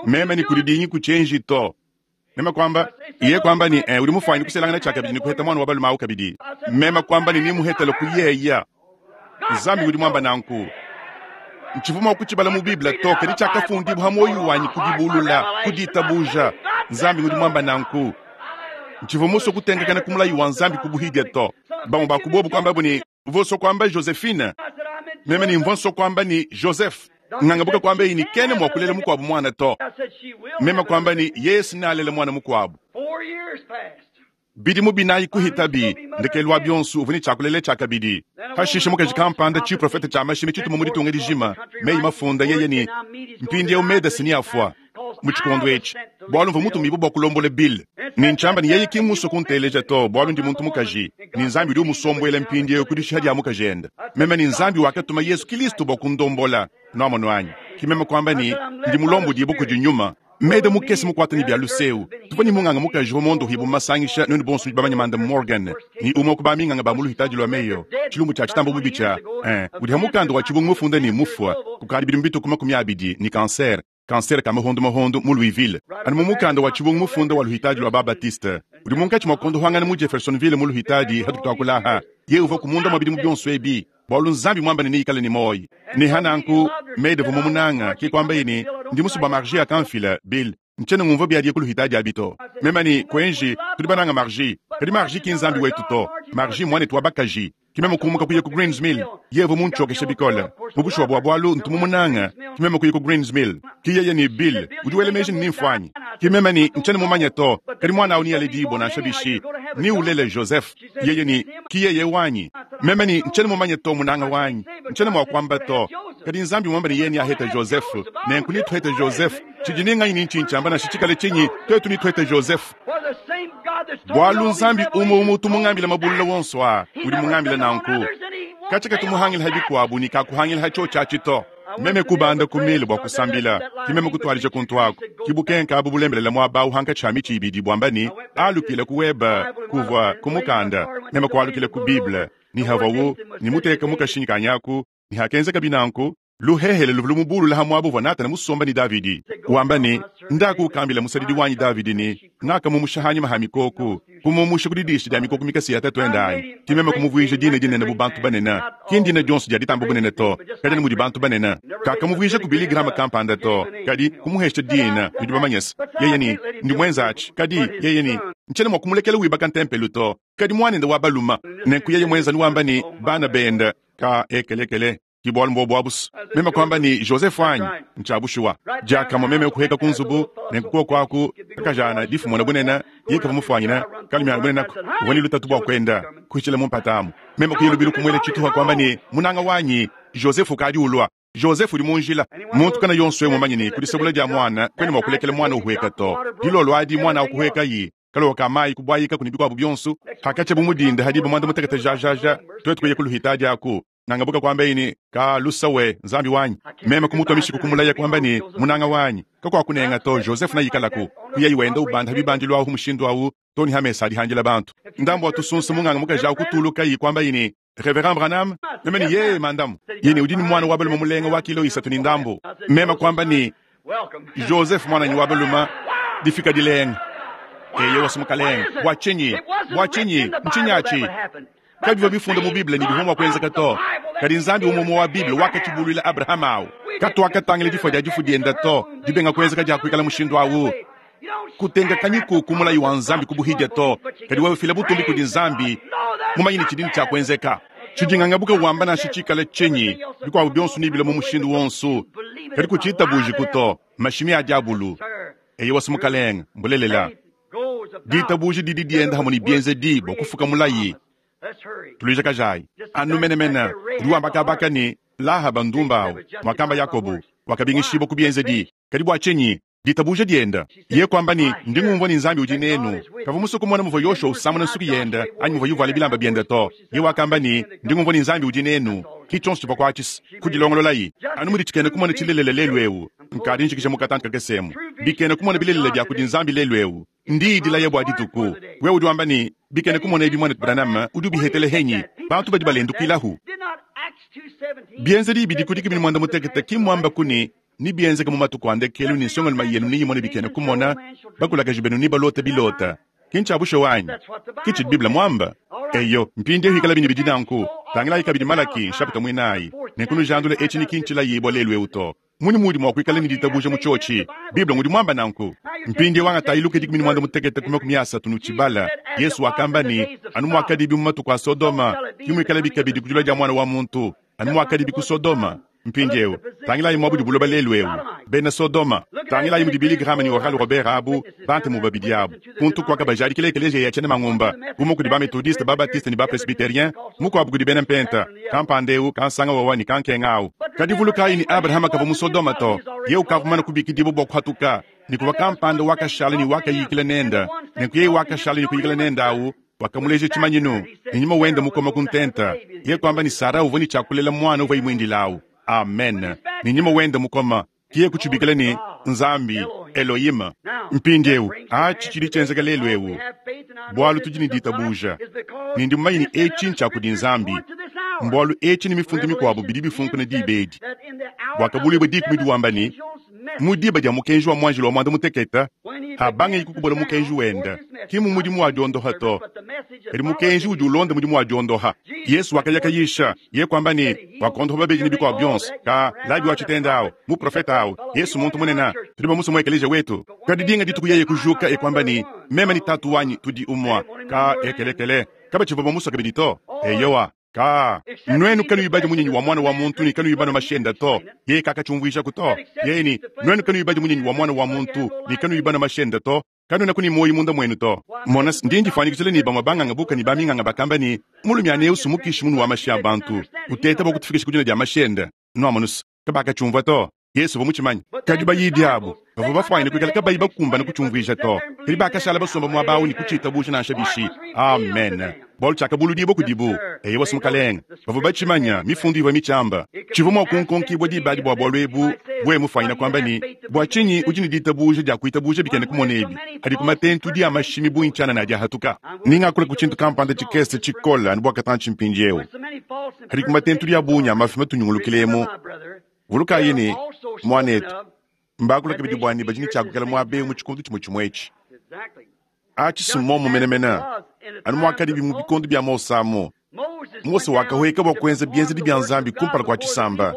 meme ne kudi dingi ku tshienji to. Meme kuamba, ye kuamba ne eh, udi mufuanyine kuselangana tshia kabidi ne kuheta muana wa balume awu kabidi. Meme kuamba ne nimuhetele ku yeya. Nzambi udi muamba nanku. Ntshivua mua kutshibala mu Bible to, kadi tshiakafundibua ha muoyo wanyi ku dibulula, ku ditabuja. Nzambi udi muamba nanku. Ntshivua musue kutenkakana ku mulayi wa Nzambi ku buhidia to. Bamue ba ku bobu kuambabu ne, Uvua usua kuamba Josephine. Meme ne mvua nsua kuamba ne Joseph. Ngangabuka kuamba ne kena mua kulela mukuabu muana to. Meme kuamba ne Yesu nealele muana mukuabu. Bidimu binayi kuhitabi, ndekelu wa bionso uvua ne tshia kulela tshia kabidi. Pashishe mukaji kampanda tshiprofete tshia mashimi tshituma mu ditunga dijima meyi mafunda yeye ne mpindieu Medase neafua. mu tshikondo etshi, bualu mvua mutumibue bua kulombola Bill, ne ntshiamba ne yeye ki mmusue kunteleja to, bualu ndi muntu mukaji, ne Nzambi udi umusombuela mpindieu ku dishiha dia mukajende. Meme ne Nzambi wakatuma Yezu Kilisto bua kundombola. Nuamonu anyi? Ke meme kuamba ne, Ndi mulombodibue kudi Nyuma. Meda mukese mukuate ne bia luseu. Tuvua ne munganga mukaji uvua mondohibue mu masangisha, nuenu bonso nudi bamanye Manda Morgan, ne umue wa ku baminganga ba mu luhitadi lua Mayo, tshilumbu tshia tshitamba bubi tshia, eh, udi ha mukanda wa tshibungu mufunda ne mufua kukadi bidimu bitue ku 20 ne kansere. Kansere ka mahondu-mahondu mu Louisville, anu mu mukanda wa tshibungu mufunda wa luhitadi lua ba-Baptiste, udi munkatshi mua kuondohangana mu Jeffersonville mu luhitadi hatudi tuakula aha. Yeye uvuaku munda mua bidimu bionso ebi, bualu Nzambi muamba ne neikale ne muoyo. Ne ha nanku, Meda uvua mumunanga, ke kuambaye ne, Ndi musue bua Margie akamfila, Bill. Ntshiena ngumvua biadiye ku luhitadi abi to. Meme ne, Kuenji, tudi bananga Margie, kadi Margie ki Nzambi wetu to. Margie mmuanetu wa bakaji. Ke meme kumuka kuya ku Greens Mill. Yeye uvua muntshiokeshe bikole. Mu bushuwa bua bualu, ntu mumunange. Ke meme kuya ku Greens Mill. Ke yeye ne, Bill, udi wela meji ne nimfuanyi? Ke meme ne, Ntshiena mumanye to, kadi muana au nealedibue nansha bishi. Neulele Joseph. Yeye ne, Ki yeye wanyi. Meme ne, Ntshiena mumanye to, munanga wanyi. Ntshiena mua kuamba to. Kadi Nzambi muambe ne yeye neahete Joseph. Nenku netuhete Joseph. Tshidi ne nganyi ne ntshinyi tshiamba nansha tshikale tshinyi, tuetu netuhete Joseph. Bualu Nzambi umue umue utu mungambila mabulula wonso aa, udi mungambila nanku. Katshia katumuhangila ha bikuabu ne kakuhangila ha tshiotshi atshi to. Meme kubanda ku mile bua kusambila, ke meme kutuadija kuntu aku. Ke bukenka abu bulembelela muaba au hankatshi ha mitshi ibidi buamba ne, Alukila ku webe kuvua ku mukanda. Meme kualukila ku Bible, ne havuawu ne muteka mu kashinyi kanyi aku, ne hakenzekabi nanku, Luhehele luvua lumubulula ha muaba uvua Natana musombe ne Davidi, wamba ne, Ndaku ukambile musadidi wanyi Davidi ne, Ngakamumusha ha nyima ha mikoko, kumumusha ku didisha dia mikoko mikese ya tatuende anyi? Ke meme kumuvuija dina dinene bu bantu banene. Ki ndina dionso dia ditamba bunene to, kadi anu mudi bantu banene. Kakamuvuija ku Billy Graham kampanda to, kadi kumuhesha dina, nudi bamanye se, yeye ne, Ndi muenza atshi. Kadi, yeye ne, Ntshiena mua kumulekela wibaka ntempelo to, kadi muanende wa balume. Nenku yeye muenza anu wamba ne, Bana bende, ka ekelekele. Ki bualu mbuobu abu's. Meme kuamba ne, Joseph wanyi, ntshia bushuwa. Diakamue meme kuheka ku nzubu, nenku kuoku aku kakajana difumona bunene, yeye kavua mufuanyine kalumiana bunene aku, uvua ne lutatu bua kuenda kuhitshila mu mpata amu. Meme kuya lubilu kumuela tshituha kuamba ne, Munanga wanyi, Joseph ukadi ulua. Joseph udi mu njila. Muntu kana yonso eu mumanye ne, ku disabula dia muana kuena mua kulekela muana uhueka to. Dilolo adi muana au kuhuekayi, kalowa ka mayi kubuayikaku ne bikuabu bionso. Hakatshia bu mu dinda ha diba muanda mutekete jajaja, tuetu kuya ku luhitadi aku. Nangabuka kuambaye ne, Ka lusa we, Nzambi wanyi. Meme kumutua mishiku kumulaya kuamba ne, Munanga wanyi, kakuakunenga to, Joseph neikalaku. Kuyayi wenda ubanda ha bibandilu ahu mushindu awu to ne ha mesa adi handila bantu. Ndambu wa tusunsa munganga mukaji awu kutulukayi kuambaye ne, Reverend Branham? Meme ne, Yee, mandamu. Yeye ne, Udi ne muana wa balume mulenga wa kilo isatu ne ndambu. Meme kuamba ne, Joseph muananyi wa balume. Difika dilenga. Eyowa, Mukalenge. Bua tshinyi? Bua tshinyi? Ntshinyi atshi? Kabivua bifunda mu Bible ne bivua mua kuenzeka to. Kadi Nzambi umue umue wa Bible wakatshibuluila Abrahama au. Katuakatangila difua dia difu diende to, dibenga kuenzeka dia kuikala mushindu au. Kutenkakanyiku ku mulayi wa Nzambi ku buhidia to, kadi wewe fila butumbi kudi Nzambi, mumanye ne tshidi ne tshia kuenzeka. Tshidi ngangabuka wamba nansha tshikale tshinyi, bikuabu bionso nebilue mu mushindu wonso, kadi kutshitabujiku to. Mashimi a diabulu. Eyowa, Mukalenge, mbulelela. Ditabuja didi dienda hamue ne bienzedi bua kufuka mulayi. Tuluijakajayi anu menemene. Udi wamba kabaka ne, Lahaba ndumba au, muakamba Yakobo, wakabingishibua ku bienzedi. Kadi bua tshinyi? Ditabuja dienda. Yeye kuamba ne, Ndi ngumvua ne Nzambi udi nenu. Kavua musue kumona muvua Yoshua usamuna nsuki yende anyi muvua uvuala bilamba biende to. Yeye wakamba ne, Ndi ngumvua ne Nzambi udi nenu. Ki tshionso tshivua kuatshisa. Kudilongololayi. Anu mudi tshikena kumona tshilelela lelu eu. Nkadi njikija mu katanta kakese emu. Bikena kumona bilelela bia kudi Nzambi lelu eu. Ndiyi dilaya bua dituku. Wewe udi wamba ne, Bikena kumona ebi muanetu Branham udi ubihetela henyi? Bantu badi balendukilahu. Bienzedi bidi ku dikumi ne muanda mutekete ki mmuambaku ne, Nebienzeke mu matuku a ndekelu ne nsongalume yenu neyimone bikena kumona, bakulakaje benu nebalote bilota. Ki ntshia bushuwa anyi? Ke tshidi Bible muamba. Eyo, mpindieu ikalabi ne bidi nanku, tangilayi kabidi Malaki, nshapita muinayi. Nenku nujandule etshi ne ki ntshilayibua lelu eu to. Mmunyi muudi mua kuikala ne ditabuja mu tshiotshi? Bible ngudi muamba nanku. Mpindieu angatayi Luka 13 ku 30 nutshibala. Yezu wakamba ne, Anu muakadibi mu matuku a Sodoma, ke muikalabi kabidi ku dilua dia Muana wa muntu. Anu muakadibi ku Sodoma. Mpindieu, tangilayi muaba udi buloba lelu eu, bena Sodoma. Tangilayi mudi Billy Graham ne Oral Roberts abu, bantemu babidi abu, kuntu kuakabajadikila ekeleziya ya tshiena mangumba, umue kudi ba-Methodiste, ba-Baptiste ne ba-Presbyterien, mukuabu kudi bena Mpenta, kampanda eu, kansanga wawa ne kankenga au. Kadi vulukayi ne, Abrahama kavua mu Sodoma to. Yeye ukavua mumane kubikidibua bua kuhatuka, ne kuvua kampanda wakashala ne wakayikila nende. Nenku yeye wakashala ne kuyikila nende au Wakamuleja tshimanyinu, ne nyuma wende mukoma ku ntenta. Yeye kuamba ne Sara uvua ne tshia kulela muana uvuaye muindile au. Amen. Ne nyuma wende mukoma, ke yeye kutshibikila ne, Nzambi, Elohim. Mpindieu, atshi tshidi tshienzeka lelu eu, bualu tudi ne ditabuja. Ne ndi mumanye ne etshi ntshia kudi Nzambi, mbualu etshi ne mifundu mikuabu bidi bifunkuna diba edi. Buakabuluibua dikumi udi wamba ne, Mu diba dia mukenji wa muanjelu wa muanda mutekete, habangaye kukubola mukenji wende, ki mu mudimu wa diondoha to, kadi mukenji udi ulonda mudimu wa diondoha. Yesu wakaya kayisha, ye kuamba ne, wakondoha babedi ne bikuabu bionso. Ka Labi wa tshitenda au, muprofete au, Yesu muntu munene, tudi bamusue mu ekeleziya wetu. Kadi dinga dituku yeye kujuka e kuamba ne, meme ne Tatu wanyi tudi umue. Ka ekelekele, kabatshivua bamusue kabidi to. Eyowa. Ka, nuenu kanuyi badia munyinyi wa Muana wa muntu ne kanuyi banua mashi ende to. Yeye kakatshiumvuijaku to. Yeye ne, Nuenu kanuyi badia munyinyi wa Muana wa muntu ne kanuyi banua mashi ende to, kanuenaku ne muoyo munda muenu to. Mona, ndi ndifuanyikijila ne bamue banganga buka ne baminganga bakamba ne, Mulumiana eu sumukishi munu wa mashi a bantu, uteta bua kutufikisha ku dinua dia mashi ende. Nuamonus, kabakatshiumvua to. Yezu uvua mutshimanye. Kadi bayidi abu bavua bafuanyine kuikala kabayi bakumbane kutshiumvuija to, kadi bakashala basomba muaba au ne kutshitabuja nansha bishi. Amen. Bualu tshiakabuludibua kudibu. Eyowa, Mukalenge. Bavua batshimanya, Mifundu ivua mitshiamba. Tshivua mua kunkonkibua diba adi bua bualu ebu, wewe mufuanyine kuamba ne, Bua tshinyi udi ne ditabuja dia kuitabuja bikena kumona ebi? Adi ku matentudi a mashimi bungi tshianana adi ahatuka. Ne ngakula ku tshintu kampanda tshikese tshikole anu bua katantshi mpindieu. Adi ku matentudi a bungi a mafi matunyungulukilemu. Vulukayi ne, muanetu, mbakula kabidi bua ne badi ne tshia kuikala muaba eu mu tshikondo tshimue tshimue etshi. Atshi si mmuomu menemene, anu muakadibi mu bikondo bia Mose amu. Mose wakahueka bua kuenza bienzedi bia Nzambi kumpala kua tshisamba,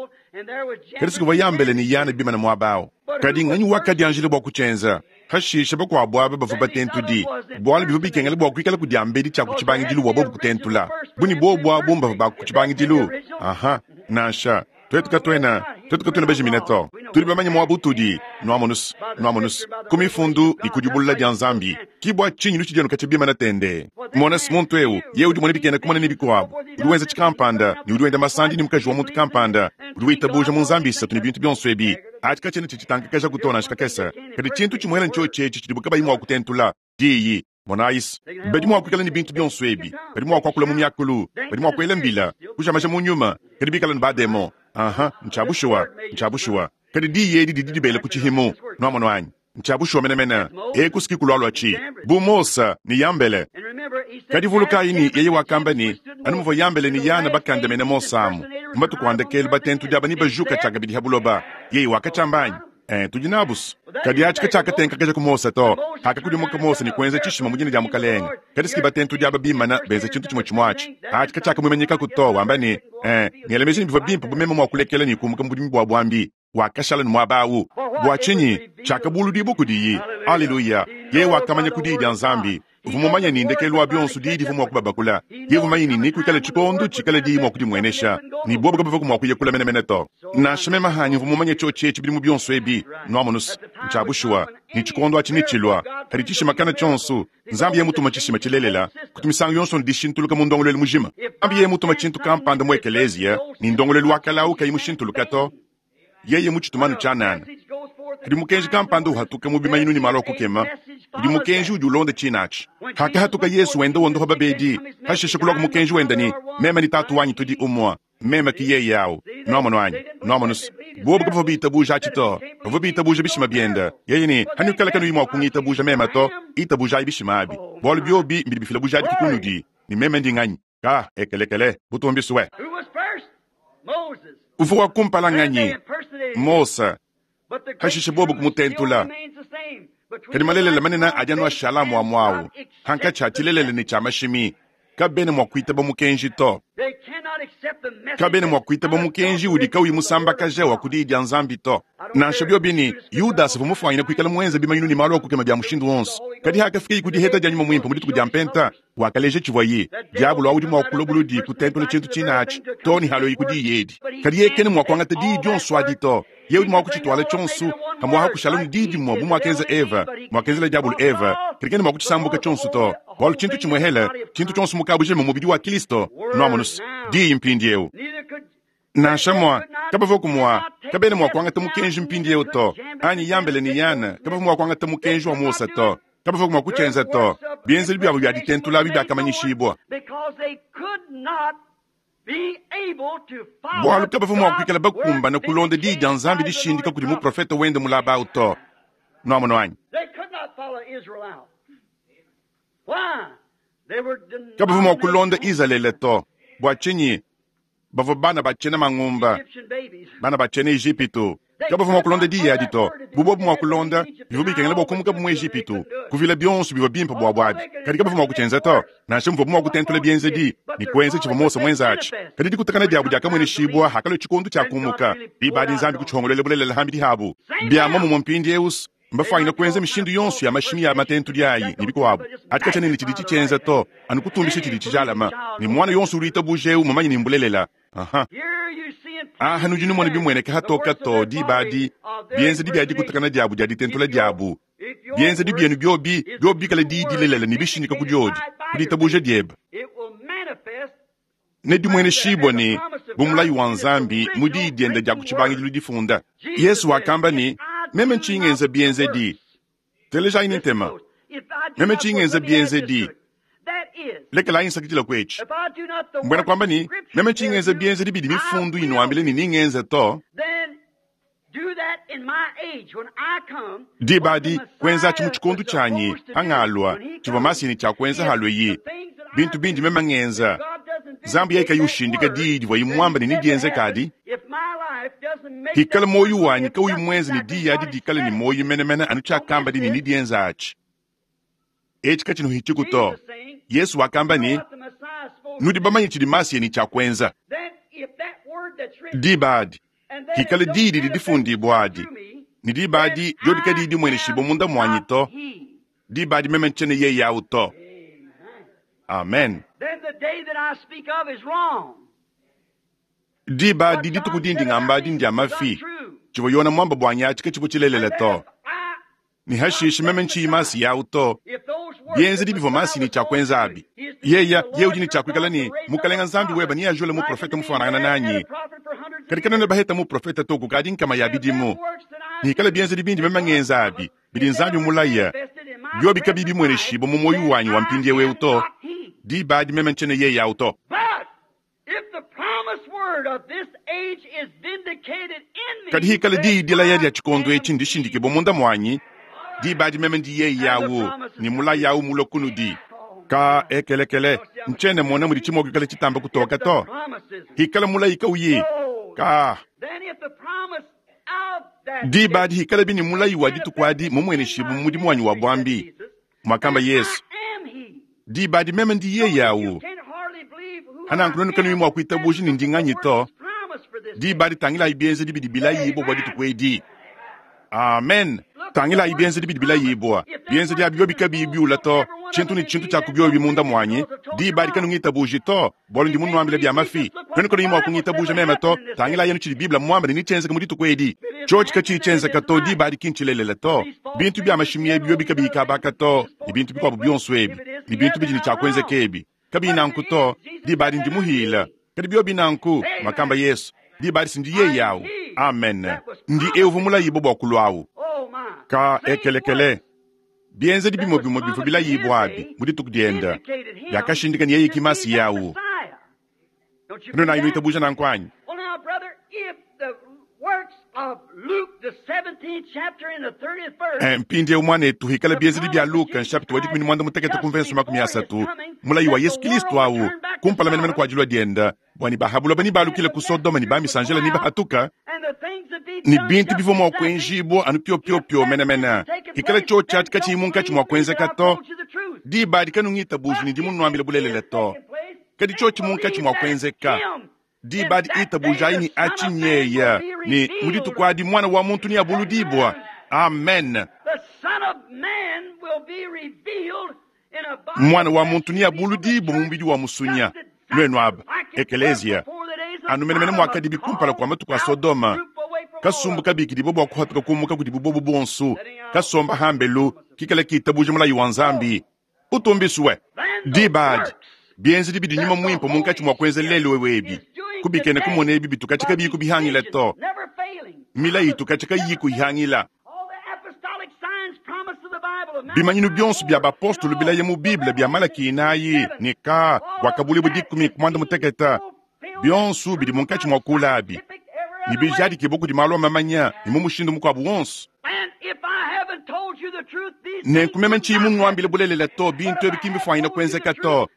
kadi sikuvua Yambele ne Yane bimane muaba au. Kadi nganyi wakadianjila bua kutshienza? Pashishe bakuabu aba bavua batentudi, bualu bivua bikengela bua kuikala ku diambedi tshia ku tshibangidilu bua bobu kutentula. Bu ne buobu abu mbavua ba ku tshibangidilu? Aha, nansha. Tuetu katuena, tuetu katuena bajimine to. Tudi bamanye muaba utudi, nuamonus, nuamonus, ku Mifundu ne ku dibulula dia Nzambi. Ki bua tshinyi nutshidi anu katshia bimana tendee. Mona-s, muntu eu, yeye udi umona bikena kumona ne bikuabu, udi wenza tshikampanda, ne udi wenda masandi ne mukaji wa muntu kampanda, udi witabuja mu nzambi isatu ne bintu bionso ebi. Atshi katshiena tshitshitankakejaku to nansha kakese. Kadi tshintu tshimuela ntshiotshi etshi tshidibu kabayi mua kutentula, Diyi. Monayi-s, badi mua kuikala ne bintu bionso ebi, badi mua kuakula mu miakulu, badi mua kuela mbila, kuja maja mu nyuma, kadi bikala ne bademon. Aha, ntshia bushuwa, ntshia bushuwa. Kadi diyi edi didi dibela ku tshihimu. Nuamonu anyi? Ntshia bushuwa menemene. Eku si ki kulualua tshi bu Mose ne Yambele. Kadi vulukayi ne, yeye wakamba ne, anu muvua Yambele ne Yana bakandamena Mose amu, mu matuku a ndekelu batentudi aba nebajuka tshiakabidi ha buloba. Yeye wakatshiamba anyi? Ee, tudi nabu's. Kadi aci kacyakatenkakaja ku Mose to. Paakakudimuka Mose ne kwenza cishima mu dina dya Mukalenge, kadi s'ki batentudi aba biimana benza cintu cimwecimwe aci. Aci kacyakamwimanyikaku to, wamba ne, Ee, ngela meji ne bivwa bimpe bu meme mwa kulekela ne kuumuka mu budimi bwa bwambi. Wakashala ne mwaba awu. Bwa cinyi? Cyakabuludiibwa kudiyi. Aleluya! Yeye wakamanya ku Diyi dya Nzambi. Uvua mumanye ne, ndekelu wa bionso Diyi divua mua kubabakula. Yeye uvua mumanye ne, nekuikale tshikondo tshikala Diyi mua kudimuenesha, ne buobu kabavuaku mua kuya kule menemene to. Nansha meme hanyi mvua mumanye tshiotshi etshi bidimu bionso ebi. Nuamonu's, ntshia bushuwa ne, tshikondo atshi netshilua. Kadi tshishima kana tshionso, Nzambi yeye mutuma tshishima tshilelela, kutu misangu yonso ne dishintuluka mu ndongoluelu mujima. Nzambi yeye mutuma tshintu kampanda mu ekeleziya, ne ndongoluelu wa kale au kayi mushintuluka to, Yeye mutshituma anu tshianana. Kadi mukenji kampanda uhatuka mu bimanyinu ne malu a kukema, udi mukenji udi ulonda tshina atshi. Hakahatuka Yesu wenda wondopa babedi, hashishe kuluaku mukenji wenda ne, Meme ne Tatu wanyi tudi umue, meme ke yeye au. Nuamonu anyi? Nuamonu's, bobo kabavua bitabuja atshi to, bavua bitabuja bishima biende. Yeye ne, Hanuikala kanuyi mua kungitabuja meme to, itabujayi bishima abi, bualu biobi mbidi bifila bujadiki kunudi ne meme ndi nganyi. Ka ekelekele, butumbi sue. Uvua wa kumpala nganyi? Mose. Hashishe bobo kumutentula. Kadi malelela manene adi anu ashala muamua au, hankatshi ha tshilelela ne tshia mashimi. Kabena mua kuitaba mukenji to. Kabena mua kuitaba mukenji udi kauyi musambakaja wa ku Diyi dia Nzambi to. Nansha biobi ne, Yudasa uvua mufuanyine kuikala muenze bimanyinu ne malu a kukema bia mushindu wonso, kadi hakafikaye ku diheta dia Nyuma Muimpe mu dituku dia Mpenta, Wakaleja tshivuaye. Diabolo awu udi mua kulua buludi kutentula tshintu tshine atshi too ne haluaye ku diyi edi. Kadi yeye kena mua kuangata diyi dionso adi to. Yeye udi mua kutshituala tshionso, pamu'apa kushala ne diyi dimue bu muakenza Eva, muakenzela Diabolo Eva, kadi kena mua kutshisambuka tshionso to, bualu tshintu tshimuehele, tshintu tshionso mu kabujima mmubidi wa Kristo. Nuamonu's? Diyi mpindieu. Nansha mua, kabavuaku mua, kabena mua kuangata mukenji mpindieu to, anyi Yambele ne Yane kabavua mua kuangata mukenji wa Mose to, kabavuaku mua kutshienza to. Bienzedi biabu bia ditentula abi biakamanyishibua. Bualu kabavua mua kuikala bakumbana kulonda diyi dia Nzambi dishindika kudi muprofete wende mulaba au to. Nuamonu anyi? Kabavua mua kulonda Izalele to. Bua tshinyi? Bavua bana ba tshiena mangumba, bana ba tshiena Ejipitu. Kabavua mua kulonda diyi adi to. Bu bobu mua kulonda, bivua bikengela bua kumukabu mu Ejipitu, kuvila bionso bivua bimpe buabu abi. Kadi kabavua mua kutshienza to, nansha muvuabu mua kutentula bienzedi ne kuenza tshivua Mose muenze atshi. Kadi dikutakana diabu diakamueneshibua hakalua tshikondo tshia kumuka. Diba adi Nzambi kutshihongoluela bulelela ham'bidi habu. Bia muomumue mpindieu, Mbafuanyine kuenza mishindu yonso ya mashimi ya matentudi ayi ne bikuabu. Adi katshiena ne tshidi tshitshienza to, anu kutumbisha tshidi tshijalama. Ne muana yonso udi witabuja eu mmumanye ne mbulelela. Aha. Aha nudi numona bimueneka hatoka to diba adi, bienzedi bia dikutakana diabu dia ditentula diabu. Bienzedi bienu biobi, biobi bikale diyi dilelela ne bishindika ku diodi, ku ditabuja diebe. Nedimueneshibue ne, bu mulayi wa Nzambi mu Diyi diende dia ku tshibangidilu difunda. Yesu wakamba ne, Meme ntshiyi ngenza bienzedi. Telejayi ne ntema. Meme ntshiyi ngenza bienzedi. Lekelayi nsakidila ku etshi. Mbuena kuamba ne, meme ntshiyi ngenza bienzedi bidi Mifundu inuambila ne ningenze to. Diba adi, kuenzatshi mu tshikondo tshianyi, hangalua, tshivua Masiya ne tshia kuenza halueyi, bintu bindi meme ngenza. Nzambi yeye kayi ushindika diyi divuaye muambe ne nedienzeke adi, hikala muoyo wanyi kauyi muenze ne diyi adi dikale ne muoyo menemene anu tshiakambadi ne nedienze atshi, etshi katshinuhitshiku to. Yesu wakamba ne, Nudi bamanye tshidi Masiya ne tshia kuenza. Diba adi, hikala diyi didi difundibua adi, ne diba adi diodi kadiyi dimueneshibua munda muanyi to, diba adi meme ntshiena yeye au to. Amen. Diba adi dituku dindi ngamba adi ndia mafi. Tshivua Yona muamba buanyi atshi katshivua tshilelela to. Ne hashishe meme ntshiyi Masiya au to. Bienzedi bivua Masiya ne tshia kuenza abi. Yeya, ye udi ne tshia kuikala ne, Mukalenga Nzambi weba neajule muprofete mufuanangana nanyi. Kadi kanuena baheta muprofete to kukadi nkama ya bidimu. Hikala bienzedi bindi meme ngenza abi, bidi Nzambi mulaya, biobi kabiyi bimueneshibua mu muoyo wanyi wa mpindieu eu to, diba adi meme ntshiena yeye au to. Kadi hikala diyi dilaya dia tshikondo etshi ndishindikibue munda muanyi, diba adi meme ndi yeye au, ne mulayi au mulue kunudi. Ka ekelekele, ntshiena mmona mudi tshimua kuikala tshitamba kutoka to. Hikala mulayi kauyi ka. Diba adi hikalabi ne mulayi wa dituku adi mumueneshibue mu mudimu wanyi wa buambi, muakamba Yesu. Diba adi meme ndi yeye awu. Hananku nuenu kanuyi mua kuitabuja ne ndi nganyi to. Diba adi tangilayi bienzedi bidi bilayibua bua dituku edi. Amen. Tangilayi bienzedi bidi bilayibua. Bienzedi abi biobi kabiyi biula to, tshintu ne tshintu tshia ku biobi munda muanyi, diba adi kanungitabuji to, bualu ndi munuambile bia mafi. Nuenu kanuyi mua kungitabuja meme to, tangilayi anu tshidi Bible muambe ne netshienzeke mu dituku edi. Tshiotshi katshiyi tshienzeka to, diba adi ki ntshilelela to. Bintu bia mashimi ebi biobi kabiyi kabaka to, ne bintu bikuabu bionso ebi, ne bintu bidi ne tshia kuenzeka ebi kabiyi nanku to, diba adi ndi muhila. Kadi biobi nanku, muakamba Yesu, diba adi si ndi yeye awu. Amen. Ndi eu uvua mulayibue bua kulua awu. Ka ekelekele. Bienzedi bimue bimue bivua bilayibue abi mu dituku diende biakashindika ne yeye ki Masiya awu. Kanuena nuitabuja nanku anyi? Mpindieu muanetu, hikala bienzedi bia Luka nshapita wa 16 ku mvenso 30, mulayi wa Yesu Kristo awu kumpala menemene kua dilua diende, bua ne ba ha buloba nebalukile ku Sodoma ne ba misanjela nebahatuka, ne bintu bivua mua kuenjibua anu piopiopio menemene, hikala tshiotshi atshi katshiyi munkatshi mua kuenzeka to, diba adi kanungitabuji ne ndi munuambile bulelela to. Kadi tshiotshi munkatshi mua kuenzeka, diba adi itabujayi ne atshi nyeya, ne mu dituku adi Muana wa muntu neabuludibua. Amen. Muana wa muntu neabuludibue mu mubidi wa musunya. Nuenu aba, ekeleziya, anu menemene muakadibi kumpala kua matuku a Sodoma, kasumbu kabikidibue bua kuhatuka kumuka kudibu bobu bonso, kasomba hambelu, kikala kitabuja mulayi wa Nzambi. Utumbisue. Diba adi, bienzedi bidi Nyuma Muimpe munkatshi mua kuenza lelu eu ebi, kubikena kumona ebi bitu katshia kabiyi kubihangila to, milayi itu katshia kayiyi kuyihangila. Bimanyinu bionso bia bapostolo bilaya mu Bible bia Malaki inayi ne ka Buakabuluibua dikumi ku muanda mutekete, bionso bidi munkatshi mua kula abi ne bijadikibua kudi malu a mamanya ne mu mushindu mukuabu wonso. Nenku meme ntshiyi munuambile bulelela to, bintu ebi ki mbifuanyine kuenzeka to.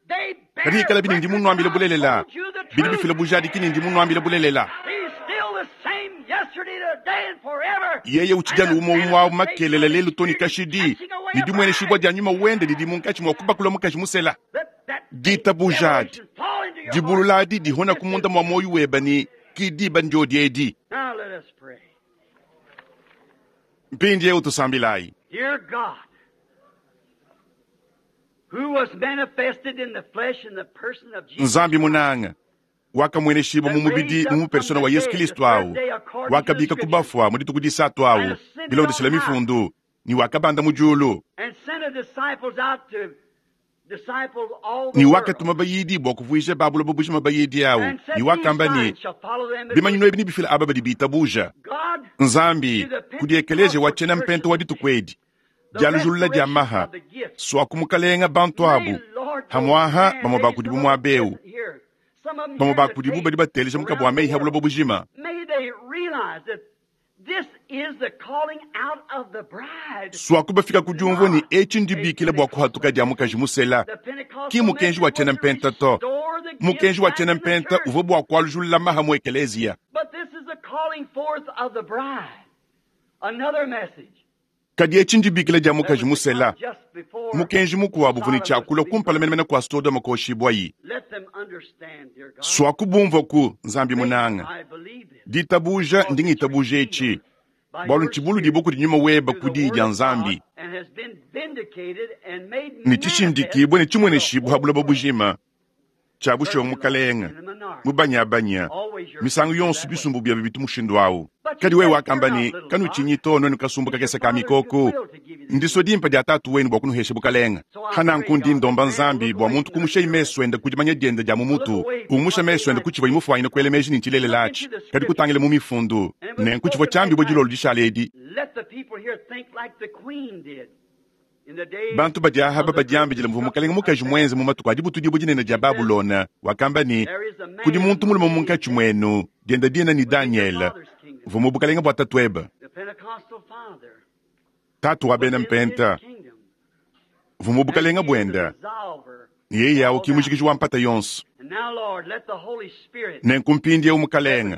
Kadi ikalabi ne ndi munuambile bulelela, bidi bifila bujadiki ne ndi munuambile bulelela. Yeye utshidi anu umue umue awu makelela, lelu to ne kashidi, ne dimueneshibua dia nyuma wende didi munkatshi mua kubakula mukaji musela. Ditabuja adi, dibulula adi dihona ku munda mua muoyo webe ne ki diba ndiodi edi. Mpindieu tusambilayi. Nzambi munanga, wakamueneshibua mu mubidi mu mupersona wa Yesu Kristo awu, wakabika ku bafua mu dituku disatu awu, bilondeshila mifundu, ne wakabanda mu diulu, ne wakatuma bayidi bua kuvuija ba buloba bujima bayidi awu, ne wakamba ne, Bimanyinu ebi nebifile aba badi bitabuja. Nzambi, kudi ekeleziya wa tshiena mpenta wa dituku edi, dialujulula dia maha, suaku Mukalenga bantu abu, hamuaha bamue ba kudibu muaba eu, bamue ba kudibu badi bateleja mukabu wa meyi ha buloba bujima. Suaku bafika ku diumvua ne etshi ndibikila bua kuhatuka dia mukaji musela, ki mukenji wa tshiena mpenta to. Mukenji wa tshiena mpenta uvua bua kualujulula maha mu ekeleziya. Kadi etshi ndibikila dia mukaji musela. Mukenji mukuabu uvua ne tshia kulua kumpala menemene kua Sodoma kuoshibuayi. Suaku bumvuaku, Nzambi munanga. Ditabuja, ndi ngitabuja etshi, bualu ntshibuludibue kudi Nyuma webe ku Diyi dia Nzambi, ne tshishindikibue ne tshimueneshibue ha buloba bujima. Tshia bushuwa Mukalenge, mubanyabanya, misangu yonso bisumbu biebe bitu mushindu au. Kadi wewe wakamba ne, Kanutshinyi to, nuenu kasumbu kakese ka mikoko, ndisua dimpe dia Tatu wenu bua kunuhesha bukalenge. Hananku ndi ndomba Nzambi bua muntu kumushayi mesu ende ku dimanya diende dia mu mutu, umusha mesu ende ku tshivuaye mufuanyine kuela meji ne ntshilelela atshi, kadi kutangila mu Mifundu. Nenku tshivua tshiambibue dilolo dishale edi. Bantu badi Ahaba badiambidila muvua mukalenge mukaji muenze mu matuku a dibutudibua dinene dia Babulona. Wakamba ne, Kudi muntu mulume munkatshi muenu, diende dina ne Danyele, uvua mu bukalenge bua tatuebe, tatu wa bena Mpenta, uvua mu bukalenge buende, ne yeye au ki mujikiji wa mpata yonso. Nenku mpindieu, Mukalenge,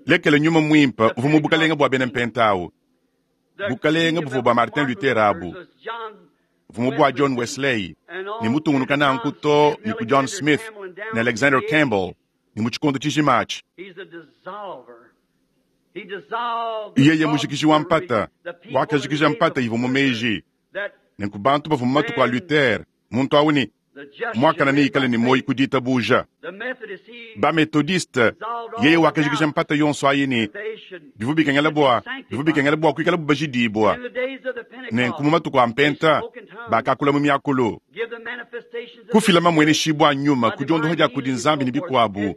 lekela nyuma muimpe uvua mu bukalenge bua bena Mpenta au. Bukalenge buvua bua Martin Luther abu, buvua bua John Wesley, ne mutungunuka nanku too ne ku John Smith ne Alexander Campbell, ne mu tshikondo tshijima atshi. Yeye mujikiji wa mpata, wakajikija mpata ivua mu meji. Nenku bantu bavua mu matuku a Luther, muntu au ne muakane neikale ne muoyo ku ditabuja. Ba-Methodiste, yeye wakajikija mpata yonso ayi ne bivua bikengela bua bivua bikengela bua kuikalabu bajidibua. Nenku mu matuku a Mpenta, bakakula mu miakulu, kufila mamueneshibua a nyuma ku diondoha dia kudi Nzambi ne bikuabu.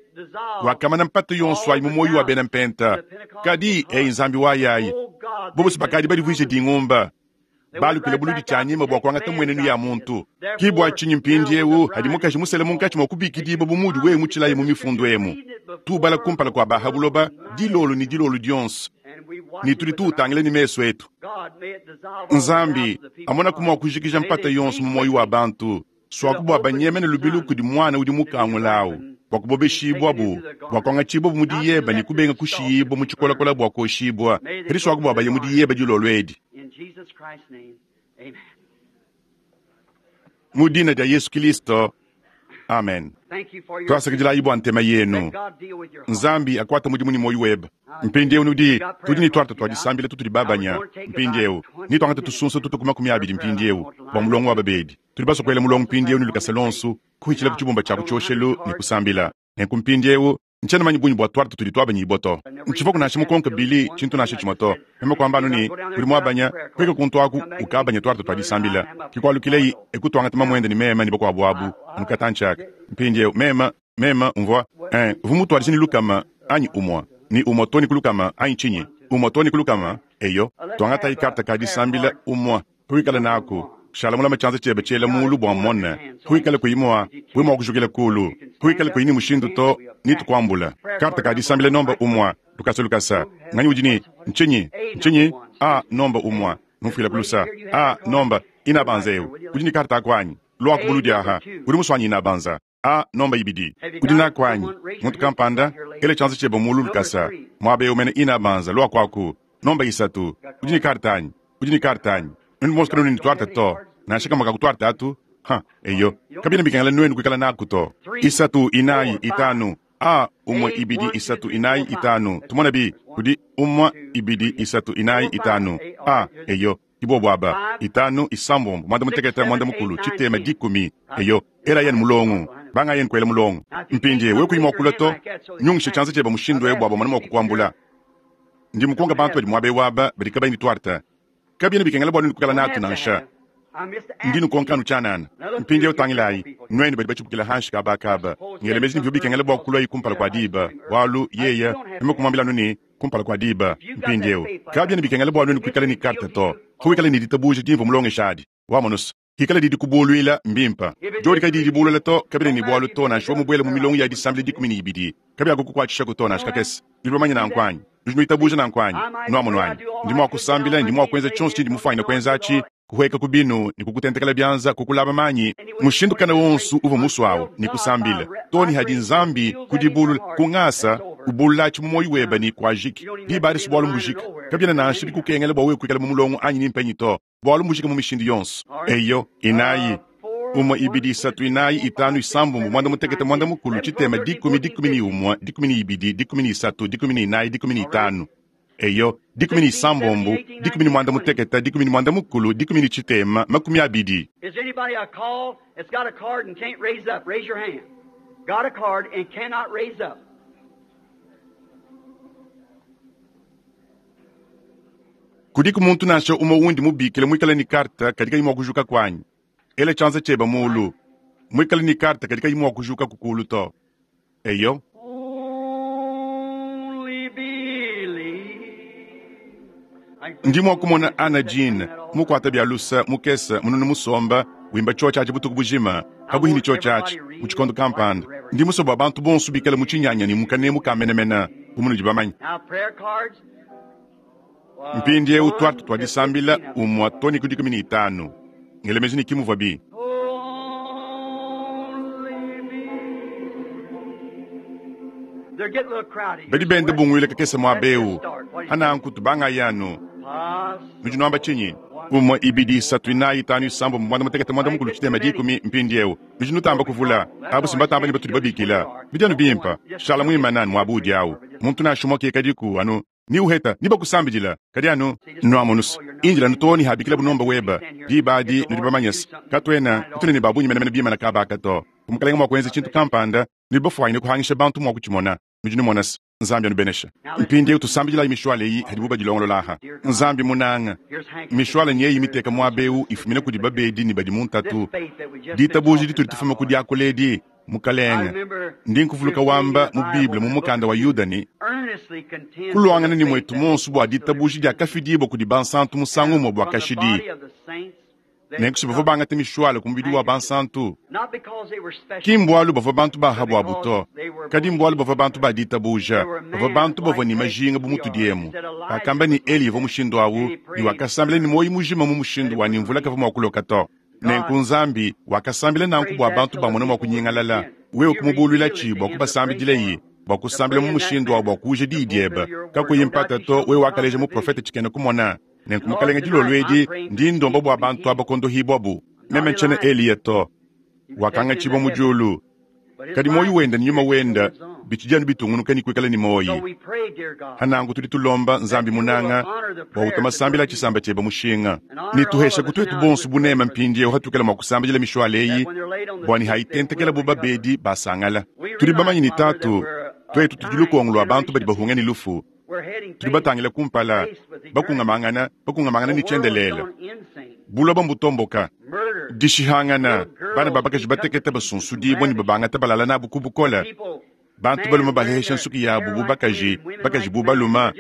Wakamana mpata yonso ayi mu muoyo wa bena Mpenta. Kadi, eyi Nzambi wayayi, bobo si bakadi badivuije dingumba. Balukile buludi tshia nyima bua kuangata mmuenenu ya muntu. Ke bua tshinyi mpindieu hadi mukaji musele munkatshi mua kubikidibua bu muudi wewe mutshilaye mu mifundu emu. Tuubala kumpala kua ba ha buloba dilolo ne dilolo dionso, ne tudi tuutangila ne mesu etu. Nzambi, amonaku mua kujikija mpata yonso mu muoyo wa bantu. Suaku bua banyemene lubilu kudi muana udi mukangula au, bua kubobeshibuabu, bua kuangatshibuabu mu diyeba ne kubenga kushiyibua mu tshikolakola bua kuoshibua, kadi suaku bua baye mu diyeba dilolo edi. Mu dina dia Yesu Kilisto, amen. Tuasakidilayi bua ntema yenu. Nzambi akuate mudimu ne muoyo webe. Mpindieu nudi, tudi ne tuarte tua disambila tutudi babanya mpindieu. Netuangate tusunsa tutue ku 20 mpindieu bua mulongo wa babedi. Tudi basue kuela mulongo mpindieu ne lukasa luonso, kuhitshila ku tshibumba tshia ku tshioshelu ne kusambila. Nenku mpindieu, ntshiena manye bungi bua tuarte tudi tuabanyibua to. Ntshivuaku nansha mukonke Billy tshintu nansha tshimue to. Meme kuamba anu ne, Udi muabanya, pueka kuntu aku ukabanye tuarte tua disambila. Ke kualukileyi e kutuangata mamuende ne meme ne bakuabu abu mu katantshi aka. Mpindieu, meme, meme mvua, eh, uvua mutuadije ne lukama anyi umue, ne umue too ne ku lukama anyi tshinyi? Umue too ne ku lukama, eyo. Tuangatayi karte ka disambila umue. Kuikala naku, shala mulame tshianza tshiebe tshiela muulu bua mmone. Kuikala kuyi mua, we mua kujukila kuulu. Kuikala kuyi ne mushindu to, ne tukuambula. Karte ka disambila nomba umua, lukasa lukasa. Nganyi udi ne, ntshinyi? Ntshinyi? A, nomba umua. Numfuila ku lusa. A, nomba, inabanza eu. Udi ne karte aku anyi? Luaku buludi aha. Udi musua anyi inabanza? A, nomba ibidi. Udi naku anyi? Muntu kampanda, ela tshianza tshiebe muulu lukasa. Muaba eu mene inabanza, luaku aku. Nomba isatu. Udi ne karte anyi? Udi ne karte anyi? Nuenu bonso kanuena ne tuarte to. Nansha kamue ka ku tuarte atu. Ha, eyo. Kabiena bikengela nuenu kuikala naku to. Isatu, inayi, itanu. A, umue, ibidi, isatu, inayi, itanu. Tumone bi. Kudi umue, ibidi, isatu, inayi, itanu. A, eyo. Ke bobu aba, itanu, isambombo, muanda mutekete, muanda mukulu, tshitema, dikumi. Eyo, elayi anu mulongo. Bangayi anu kuela mulongo. Mpindieu, wewe kuyi mua kulua to, nyungisha tshianza tshiebe mushindu eu bua bamone mua kukuambula. Ndi mukonka bantu badi muaba eu aba badi kabayi ne tuarte. Kabiena bikengela bua nuenu kuikala natu nansha. Ndi nukonka anu tshianana. Mpindieu tangilayi, nuenu badi batshibukila hanshi kaba aka, ngela meji ne bivua bikengela bua kuluayi kumpala kua diba, bualu yeye, meme kumuambila anu ne, kumpala kua diba. Mpindieu, kabiena bikengela bua nuenu kuikala ne karte to. Kuikala ne ditabuja dimvua mulongesha adi. Wamonu's? Hikala didi kubuluila, mbimpe. Diodi kadiyi dibulula to, kabiena ne bualu to, nansha wewe mubuele mu milongo ya disambila 12, kabiakukukuatshishaku to nansha kakese. Nudi bamanye nanku anyi? Nudi nuitabuja nanku anyi? Nuamonu anyi? Ndi mua kusambila ne ndi mua kuenza tshionso tshindi mufuanyine kuenza atshi, kuhueka ku binu ne kukutentekela bianza, kukulaba manyi, mushindu kana wonso uvua musuawu, ne kusambila too ne hadi Nzambi ku dibulula, ku ngasa, ubululatshi mu muoyo webe ne kuajiki. Diba adi si bualu mbujika. Kabiena nansha bikukengela bua wewe kuikala mu mulongo anyi ni mpenyi to. Bualu mbujika mu mishindu yonso. Eyo, inayi, umue, ibidi, isatu, inayi, itanu, isambombo, muanda mutekete, muanda mukulu, tshitema, dikumi, 11, 12, 13, 14, 15. Eyo, 16, 18, 19, 40, 20. Is anybody I call that's got a card and can't raise up? Raise your hand. Got a card and cannot raise up. Kudiku muntu nansha umue undi mubikile muikale ne karte kadi kayi mua kujuka kuanyi? Ela tshianza tshiebe muulu. Muikale ne karte kadi kayi mua kujuka kulu to. Eyo. Only believe. Ndi mua kumona Anna Jean mukuate bia lusa mukese mununu musomba wimba tshiotshi atshi butuku bujima pabuihi ne tshiotshi atshi mu tshikondo kampanda. Ndi musue bua bantu bonso bikale mu tshinyanya ne mu kanemu ka menemene bu munudi bamanye. Now prayer cards. Mpindieu tuarte tua disambila umue too ne ku 15. Ngela meji ne ki muvua bi. Only believe. They're getting a little crowded here, Badi so benda let's bunguila kakese muaba let's just eu. start. What do you think? Ananku tubangayi anu. Nudi nuamba tshinyi? Umue, ibidi, isatu, inayi, itanu, isambombo, muanda mutekete, muanda mukulu, tshitema, dikumi. Mpindieu nudi nutamba kuvula. Abu si mbatamba ne batudi babikila. Bidi anu bimpe. Shala muimane anu muaba udi awu. Muntu nansha umue kikadiku anu ni uheta ni bakusambidila, kadi anu nuamonus indila anu too ne habikilabu nomba weba. Diba adi nudi bamanye se, katuena katuena ne ba bungi menemene bimana kaba aka to. Bu Mukalenge mua kuenza tshintu kampanda, nudi bafuanyine kuhangisha bantu mua kutshimona. Nudi numona se, Nzambi anubeneshe. Mpindieu tusambidilayi mishuale eyi hadibu badilongolola aha. Nzambi munanga, mishuale nyeyi miteka muaba eu ifumina kudi babedi ne badi mu ntatu. Ditabuja ditudi tufuma ku diakula edi, Mukalenge, ndi nkuvuluka wamba mu Bible mu mukanda wa Yuda ne, Kuluangana ne muetu muonso bua ditabuja diakafidibua kudi bansantu musangu umue bua kashidi. Nenku si bavua bangate mishuale ku mubidi wa bansantu, ki mbualu bavua bantu ba ha buabu to, kadi mbualu bavua bantu ba ditabuja, bavua bantu bavua ne majinga bu mutudi emu. Bakamba ne Eliya uvua mushindu au, ne wakasambila ne muoyo mujima mu mushindu wa ne mvula kavua mua kuloka to. Nenku Nzambi wakasambila nanku bua bantu bamone mua kunyingalala, wewe kumubuluilatshi bua kubasambidilaye, bua kusambila mu mushindu wa bua kuuja diyi diebe. Kakuyi mpata to, wewe wakaleja muprofete tshikena kumona. Nenku Mukalenge, dilolo edi ndi ndomba bua bantu aba kondohibuabu. Meme ntshiena Eliya to, wakangatshibua mu diulu, kadi muoyo wende ne nyuma wende bitshidi anu bitungunuka ne kuikala ne muoyo. Hananku tudi tulomba Nzambi munanga bua utue masambila a tshisamba tshiebe mushinga ne tuheshaku tuetu bonso buneme mpindieu hatuikala mua kusambidila mishuale eyi bua ne hayitentekela bu babedi basangala. Tudi bamanye ne Tatu, tuetu tudi lukongo lua bantu badi bahunga ne lufu. Tudi batangile kumpala, bakungamangana, bakungamangana ne tshiendelele. Buloba mbutomboka, dishihangana, bana ba bakaji batekete basunsudibua ne babangata balala nabu ku bukole, bantu balume balehesha nsuki yabu bu bakaji, bakaji bu balume,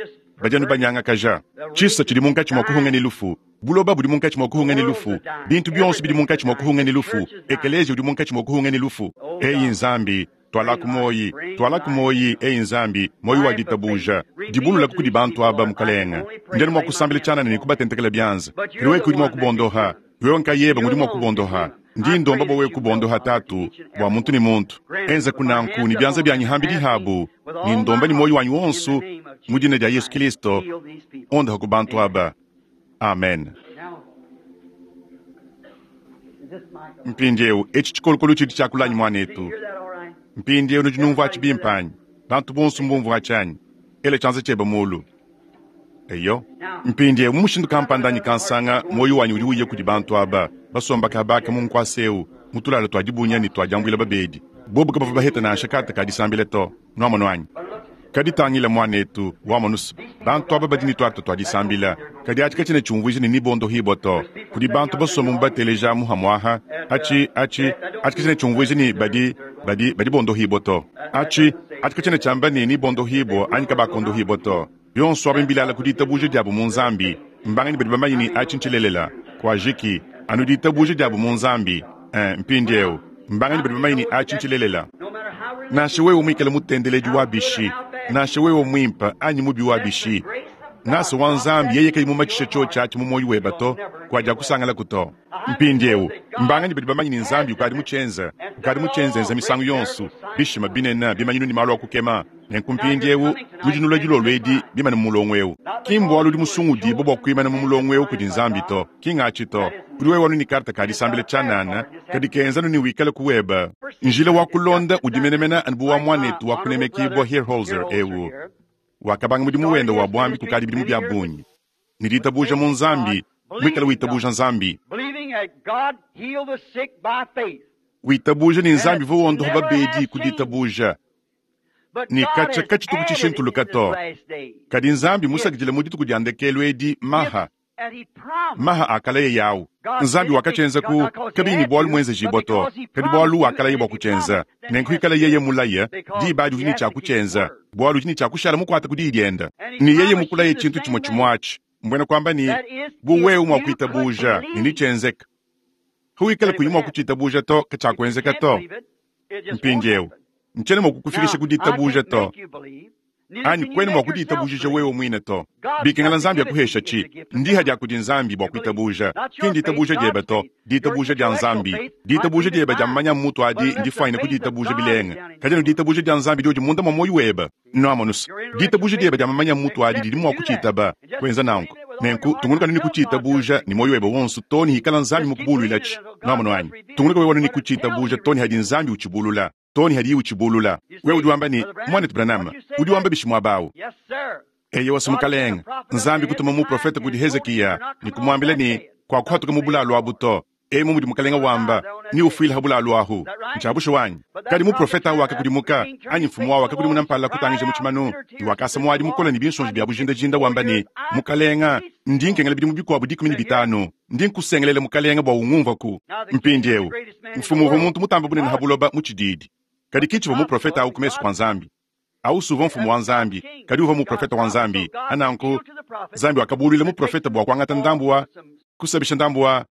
badi anu banyangakaja. Tshisa tshidi munkatshi mua kuhunga ne lufu, buloba budi munkatshi mua kuhunga ne lufu, bintu bionso bidi munkatshi mua kuhunga ne lufu, ekeleziya udi munkatshi mua kuhunga ne lufu. Eyi Nzambi, Tualaku muoyi, tualaku muoyi, eyi Nzambi, muoyi wa ditabuja. Dibululaku kudi bantu aba, Mukalenge. Ndi anu mua kusambila tshianana ne kubatentekela bianza. Kadi wewe ke udi mua kubondoha. Wewe nkayebe ngudi mua kubondoha. Ndi ndomba bua wewe kubondoha, Tatu, bua muntu ne muntu. Enzaku nanku ne bianza bianyi hambidi habu, ne ndomba ne muoyi wanyi wonso, mu dina dia Yesu Kilisto, ondohaku bantu aba. Amen. Mpindieu, etshi tshikolokolo tshidi tshiakula anyi, muanetu? Mpindieu nudi numvua atshi bimpe anyi? Bantu bonso mbumvua atshi anyi? Ela tshianza tshiebe muulu. Eyo. Mpindieu, mu mushindu kampanda anyi kansanga, muoyo wanyi udi uya kudi bantu aba basomba kaba aka mu nkuasa eu, mu tulala tua dibunya ne tua diambuila babedi. Bobu kabavua baheta nansha karte ka disambila to. Nuamonu anyi? Kadi tangila, muanetu, wamonus, bantu aba badi ne tuarte tua disambila, kadi atshi katshiena tshiumvuija ne nebondohibua to. Kudi bantu basomba mu bateleja amu hamuaha, atshi, atshi, atshi katshiena tshiumvuija ne badi, badi, badi bondohibua to. Atshi, atshi katshiena tshiamba ne nebondohibua anyi kabakondohibua to. Bionso abi mbilala ku ditabuja diabu mu Nzambi. Mbanganyi badi bamanye ne atshi ntshilelela? Kuajiki anu ditabuja diabu mu Nzambi. Eh, mpindieu, mbanganyi badi bamanye ne atshi ntshilelela? Nansha wewe muikale mutendeledi wa bishi, nansha wewe muimpe anyi mubi wa bishi, ngasa wa Nzambi yeye kayi mumatshishe tshiotshi atshi mu muoyo webe to, kuadiakusangalaku to. Mpindieu, mbanganyi badi bamanye ne Nzambi ukadi mutshienze, ukadi mutshienzenza misangu yonso, bishima binene, bimanyinu ne malu a kukema? Nenku mpindieu nudi nulua dilolo edi bimane mu mulongo eu. Ki mbualu udi musungudibue bua kuimana mu mulongo eu kudi Nzambi to, ki ngatshi to. Udi wewe anu ne karte ka disambila tshianana, kadi kenza anu ne wikale ku webe. Njila wa kulonda udi menemene anu bu wa muanetu wa kunemekibua Hierholzer eu, wakabanga mudimu wende wa buambi kukadi bidimu bia bungi, ne ditabuja mu Nzambi, muikale witabuja Nzambi. Witabuja ne Nzambi uvua wondopa babedi ku ditabuja. Ne katshia katshituku tshishintuluka to. Kadi Nzambi musakidile mu dituku dia ndekelu edi maha, maha a kalaya yawu. Nzambi wakatshienza ku kabiyi ne bualu muenzejibua to, kadi bualu wakalaya bua kutshienza. Nenku ikala yeye mulaya, diba adi udi ne tshia kutshienza, bualu udi ne tshia kushala mukuate ku diyi diende. Ne yeye mukulaye tshintu tshimue tshimue atshi, mbuena kuamba ne, bu wewe mua kuitabuja, ne netshienzeke. Wikala kuyi mua kutshitabuja to, katshiakuenzeka to. Mpindieu, ntshiena mua kukufikisha ku ditabuja to, anyi kuena mua kuditabujija wewe muine to. Bikengela Nzambi akuheshatshi, ndiha dia kudi Nzambi bua kuitabuja, ki nditabuja diebe to, ditabuja dia Nzambi. Ditabuja diebe dia mamanya mutu adi ndifuanyine ku ditabuja bilenga, kadi anu ditabuja dia Nzambi diodi munda mua muoyo webe. Nuamonus, ditabuja diebe dia mamanya mutu adi didi mua kutshitaba, kuenza nanku. Nenku tungunuka anu ne kutshiitabuuja ne mwoyi webe wonso too ne hikala Nzambi mukubulwilaci. Nwamonu anyi? Tungunuka wewe anu ne kutshiitabuuja too ne hadi Nzambi ucibulula, too ne hadiye ucibulula. Wewe udi wamba ne, Mwaneetu Branham, udi wamba bishi mwaba awu? Eyowa's, mukalenge. Nzambi kutuma muprofeta kudi Hezekiya ne kumwambila ne, Kwakuhatuka mu bulaalu abu to. Emu mudi Mukalenga wamba, Neufwile ha bulaalu ahu. Ncya bushuwa anyi? Kadi muprofeta awu wakakudimuka, anyi mfumu awu wakakudimuna mpala kutangija mu tshimanu, ne wakasa muadi mukole ne binsonji bya bujindajinda wamba ne, Mukalenga, ndi nkengela bidimu bikwabo 15. Ndi nkusengelela, Mukalenga, bwa ungumvwaku. Mpindyewu, mfumu uvwa muntu mutambe bunene ha buloba mu tshidiidi, kadi ki tshivwa muprofeta awu ku mesu kwa Nzambi. Awu's uvwa mfumu wa Nzambi, kadi uvwa muprofeta wa Nzambi. Nanku, Nzambi wakabulwila muprofeta bwa kwangata ndambu wa, kusabisha ndambu wa,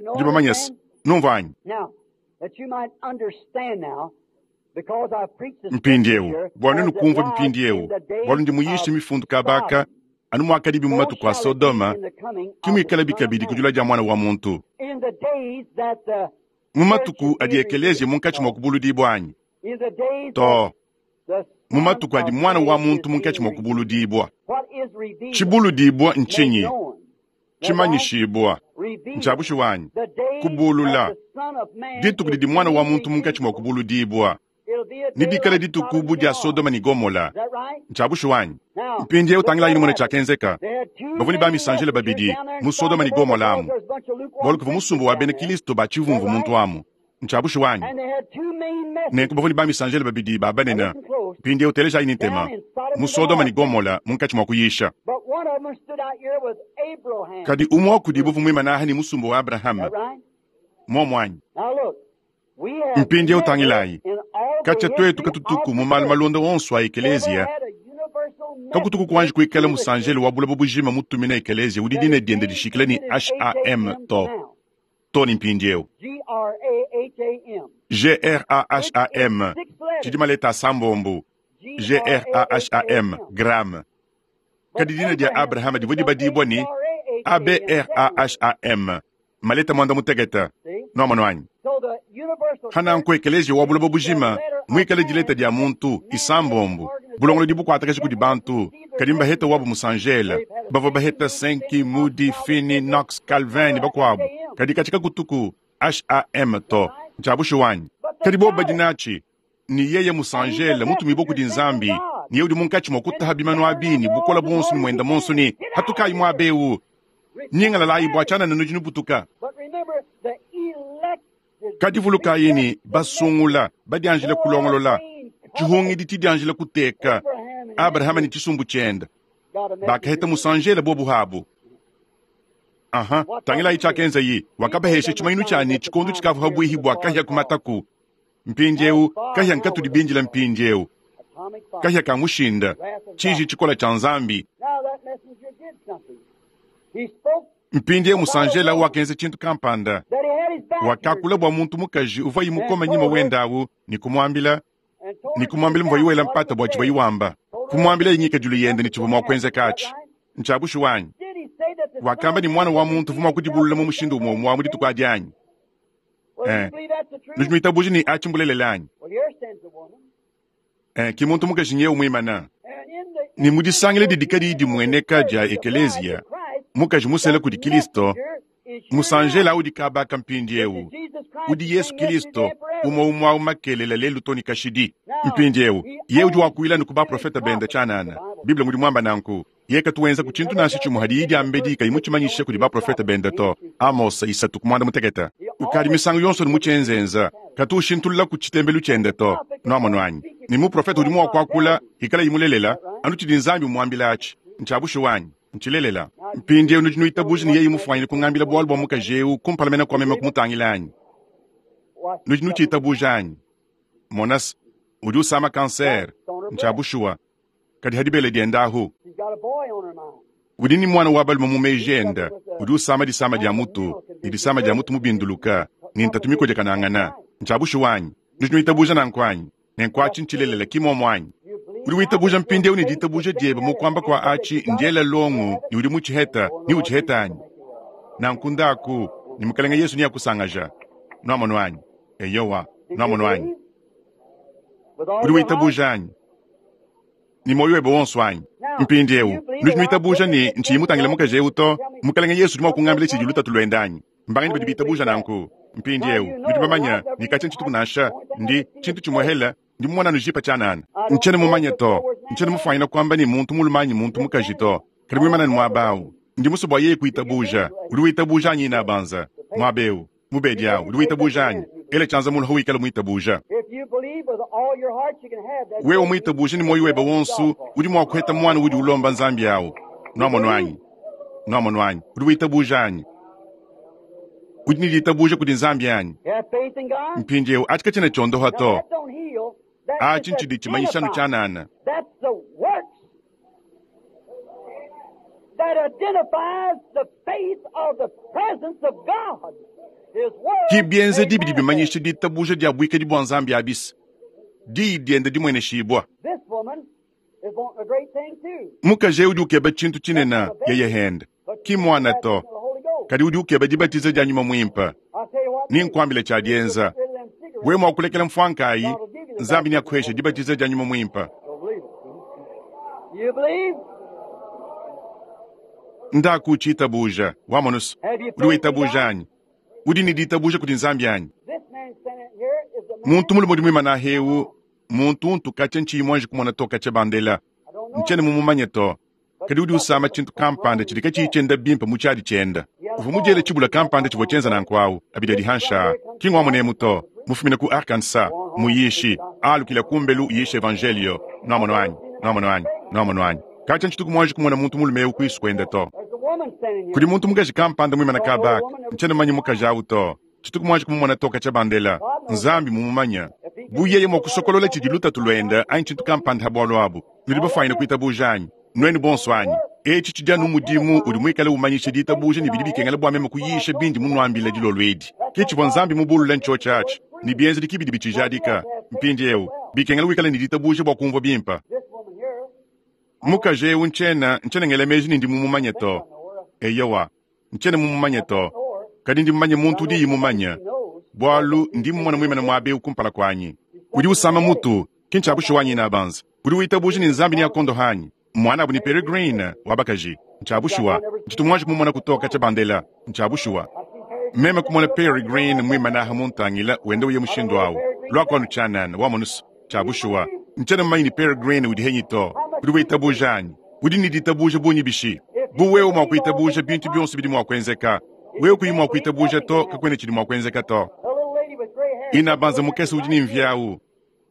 Nudi bamanye's, numvua anyi? Mpindiewu, bua nuenu kumvua mpindiewu, bualu ndi muyishe mifundu kaba aka, anu muakadibi mu matuku a Sodoma, ke muikalabi kabidi ku dilua dia Muana wa muntu. Mu matuku adi ekeleziya munkatshi mua kubuludibua anyi? Too. Mu matuku adi Muana wa muntu munkatshi mua kubuludibua. Tshibuludibua ntshinyi? Tshimanyishibua. Ntshia bushuwa anyi? Kubulula. Dituku didi Muana wa muntu munkatshi mua kubuludibua nedikale dituku bu dia Sodoma ne Gomola. Ntshia bushuwa anyi? Mpindieu tangilayi numone tshiakenzeka. Bavua ne bamisanjele babidi mu Sodoma ne Gomola amu, bualu kuvua musumba wa bena Kristo ba tshivumvu muntu amu. Ntshia bushuwa anyi? Nenku bavua ne bamisanjele babidi ba banene. Mpindieu telejayi ne ntema. Mu Sodoma ne Gomola munkatshi mua kuyisha. Kadi umue wa kudibu uvua muimane aha ne musumba wa Abrahama. Muomu anyi? Mpindieu tangilayi. Katshia tuetu katutuku mu malu malonda onso a ekeleziya, kakutuku kuanji kuikala musanjele wa buloba bujima mutumina ekeleziya udi dina diende dishikila ne HAM to. Too ne mpindieu. G-r-a-h-a-m, tshidi maleta asambombo, G-r-a-h-a-m, Graham. Kadi dina dia Abrahama divua dibadibua ne A-b-r-a-h-a-m, maleta muanda-mutekete. Nuamonu anyi? Pa nanku ekeleziya wa buloba bujima, muikale dileta dia muntu, isambombo, bulongolodi bukuatakaja kudi bantu, kadi mbaheta wabu musanjela. Bavua baheta Sankey, Moody, Finney, Knox, Calvin ne bakuabu, kadi katshia kakutuku HAM to. Ntshia bushuwa anyi? Kadi bobu badi natshi. Ne yeye musanjela, mutumibue kudi Nzambi, ne yeye udi munkatshi mua kutaha bimanu abi ne bukole buonso ne muenda muonso ne, Hatukayi muaba eu, nyingalalayi bua tshianana nudi nubutuka. Kadi vulukayi ne, basungula, badianjila kulongolola, tshihungidi tshidianjila kuteka, Abrahama ne tshisumbu tshiende bakaheta musanjela bobu habu. Aha, tangilayi tshiakenzayi, wakabahesha tshimanyinu tshia ne tshikondo tshikavua habuihi bua kahia kumataku. Mpindieu kahia nkatudi bindila mpindieu, kahia ka mushinda, tshiji tshikola tshia Nzambi. Mpindieu musanjela wakenza tshintu kampanda. Wakakula bua muntu mukaji uvuaye mukome nyima wende au ne kumuambila ne kumuambila muvuaye wela mpata bua tshivuaye wamba, kumuambilaye ngikadilu yende ne tshivua mua kuenzeka atshi. Ntshia bushuwa anyi? Wakamba ne, Muana wa muntu uvua mua kudibulula mu mushindu umue umue wa mu dituku adi anyi? Eh, nudi nuitabuja ne atshi mbulelela anyi? Eh, ki muntu mukaji nyewu muimana. Ne mu disangila didi kadiyi dimueneka dia ekeleziya, mukaji musela kudi Kilisto, musanjela udi kaba aka mpindiewu, udi Yesu Kilisto, umue umue awu makelela lelu to ne kashidi. Mpindiewu, yeye udi wakuila ne ku baprofete bende tshianana. Bible ngudi muamba nanku. Yeye katu wenzaku tshintu nansha tshimue hadiyi diambedi kayi mutshimanyishe kudi baprofete bende to. Amosa isatu ku muanda mutekete. Ukadi misangu yonso ne mu tshienzenza, katu ushintululaku tshitembelu tshiende to. Nuamonu anyi? Ne muprofete udi mua kuakula, ikalayi mulelela, anu tshidi Nzambi umuambila atshi. Ntshia bushuwa anyi? Ntshilelela. Mpindieu nudi nuitabuja ne yeye mufuanyine kungambila bualu bua mukaji eu kumpala mene kua meme kumutangila anyi? Nudi nutshitabuja anyi? Mona's, udi usama kansere. Ntshia bushuwa. Kadi ha dibele diende ahu, udi ne muana wa balume mu meji ende udi usama disama dia mutu, ne disama dia mutu mubinduluka, ne ntatu mikodiakanangana. Ntshia bushuwa anyi? Nudi nuitabuja nanku anyi? Nenku atshi ntshilelela, ki muomu anyi? Udi witabuja mpindieu ne ditabuja diebe mu kuamba kua atshi ndiela longo ne udi mutshiheta, ne utshiheta anyi? Nanku ndaku, ne Mukelenge Yesu neakusangaja. Nuamonu anyi? Eyowa. Nuamonu anyi? Udi witabuja anyi? Ne muoyo webe wonso anyi? Mpindiewu, nudi nuitabuja ne ntshiyi mutangile mukaji ewu to, Mukalenge Yesu udi mua kungambila tshidi lutatu luende anyi? Mbanganyi badi bitabuja nanku? Mpindiewu, nudi bamanye ne katshia ntshituku nansha. Ndi, tshintu tshimuehele, ndi mumone anu jipa tshianana. Ntshiena mumanye to. Ntshiena mufuanyine kuamba ne muntu mulume anyi muntu mukaji to. Kadi muimane anu muaba awu. Ndi musue bua yeye kuitabuja. Udi witabuja anyi, inabanza? Muaba ewu, mubedi awu, udi witabuja anyi? Ela tshianza mulu hawikala muitabuja. Wewe muitabuje ne muoyo webe wonso, udi mua kuheta muana udi ulomba Nzambi awu. Nuamonu anyi? Nuamonu anyi? Udi witabuja anyi? Udi ne ditabuja kudi Nzambi anyi? Mpindieu, atshi katshiena tshiondoha to. Atshi ntshidi tshimanyisha anu tshianana. Ki bienzedi bidi bimanyisha ditabuja dia buikadi bua Nzambi abis, Diyi diende dimueneshibua. Mukaji eu udi ukeba tshintu tshinene, yeye hende, ki muana to, kadi udi ukeba dibatiza dia Nyuma Muimpe. Ninkuambile tshia dienza, wewe mua kulekela mfuanka ayi, Nzambi neakuheshe dibatiza dia Nyuma Muimpe. Ndaku utshitabuja, wamonu's. Udi witabuja anyi? Udi ne ditabuja kudi Nzambi anyi? Muntu mulume udi muimane aha eu, muntu untu katshia ntshiyi muanji kumona to katshia bandela. Ntshiena mumumanye to. Kadi udi usama tshintu kampanda tshidi katshiyi tshienda bimpe mu tshiadi tshiende. Uvua mudiele tshibula kampanda tshivua tshienza nanku awu, abidi adi hanshi aa. Ki ngua munemu to. Mufumine ku Arkansas, muyishi, alukila kumbelu uyisha Evanjeliyo. Nuamonu anyi? Nuamonu anyi? Nuamonu anyi? Katshia ntshituku muanji kumona muntu mulume eu kuisu kuende to. Kudi muntu mukaji kampanda muimane kaba aka. Ntshiena mumanye mukaji awu to. Tshituku muanji kumumona to katshia bandela. Nzambi mmumumanye. Bu yeye mua kusokolola tshidi lutatu luende anyi tshintu kampanda ha bualu abu, nudi bafuanyine kuitabuja anyi? Nuenu bonso anyi? Etshi tshidi anu mudimu udi muikale umanyisha ditabuja ne bidi bikengela bua meme kuyisha bindi munuambile dilolo edi. Ke tshivua Nzambi mubulule ntshiotshi atshi, ne bienzedi ki bidi bitshijadika. Mpindieu, bikengela wikale ne ditabuja bua kumvua bimpe. Mukaji eu ntshiena, ntshiena ngela meji ne ndi mumumanye to. Eyowa, ntshiena mumumanye to, kadi ndi mumanye muntu udiyi mumanye, bualu ndi mmumona muimane muaba eu kumpala kuanyi. Udi usama mutu, ki ntshia bushuwa anyi inabanza? Udi witabuja ne Nzambi neakondoha anyi? Muanabu ne Peregrine wa bakaji. Ntshia bushuwa. Ntshitu muanji kumumona ku katshia bandela. Ntshia bushuwa. Meme kumona Peregrine muimane aha muntangila wenda uya mushindu awu. Luaku anu tshianana, wamonu's. Tshia bushuwa. Ntshiena mumanye ne Peregrine udi henyi to. Udi witabuja anyi? Udi ne ditabuja bungi bishi? Bu wewe mua kuitabuja, bintu bionso bidi mua kuenzeka. Wewe kuyi mua kuitabuja to, kakuena tshidi mua kuenzeka to. Inabanza mukese udi ne mvi awu.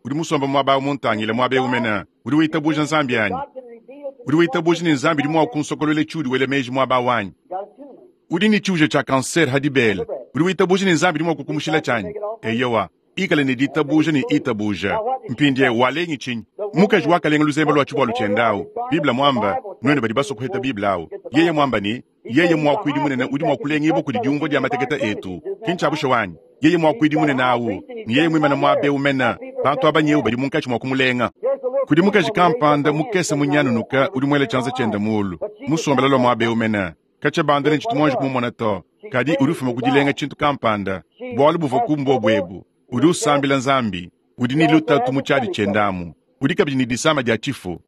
Udi musombe muaba awu muntangile, muaba eu mene. Udi witabuja Nzambi anyi? Udi witabuja ne Nzambi udi mua kunsokoluela tshiudi wela meji muaba awu anyi? Udi ne tshiuja tshia kansere ha dibele. Udi witabuja ne Nzambi udi mua kukumushila tshianyi? Eyowa. Ikale ne ditabuja ne itabuja. Mpindieu walengi tshinyi? Mukaji wakalenga luzembe lua tshivualu tshiende awu. Bible muamba, nuenu badi basue kuheta Bible awu, yeye muamba ne, Yeye muakuidi munene udi mua kulengibua kudi diumvua dia mateketa etu. Ki ntshia bushuwa anyi? Yeye muakuidi munene awu, ne yeye muimane muaba eu mene, bantu aba nyewu badi munkatshi mua kumulenga. Kudi mukaji kampanda mukese munyanunuka udi muele tshianza tshiende mulu, musombele lua muaba eu mene. Katshia banda ne ntshitu muanji kumumona to, kadi udi ufuma ku dilenga tshintu kampanda. Bualu buvua ku mbuobu ebu. Udi usambila Nzambi. Udi ne lutatu mu tshiadi tshiende amu. Udi kabidi ne disama dia tshifu.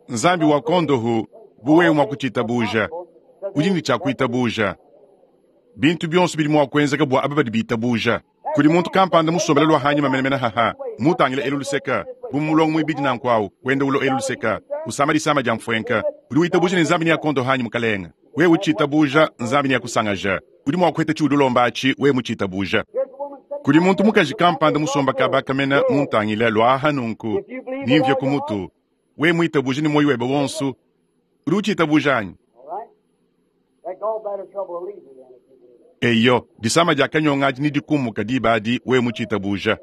Nzambi wa kondohu, bu wewe mua kutshitabuja. Udi ne tshia kuitabuja. Bintu bionso bidi mua kuenzeka bua aba badi bitabuja. Kudi muntu kampanda musombele lua hanyima menemene haha, mutangile elu luseka, bu mu mulongo muibidi nanku awu, wenda ulo elu luseka, usama disama dia mfuenka. Udi witabuja ne Nzambi neakondoha anyi, Mukalenga? Wewe utshitabuja, Nzambi neakusangaja. Udi mua kuheta tshiudi ulomba atshi, wewe mutshitabuja. Kudi muntu mukaji kampanda musomba kaba kamena muntangile lua aha nunku, nimvie ku mutu. Wewe muitabuje ne muoyo webe wonso, udi utshitabuja anyi? Eyo, disama dia kanyonga adi nedikumuka diba adi, wewe mutshitabuja.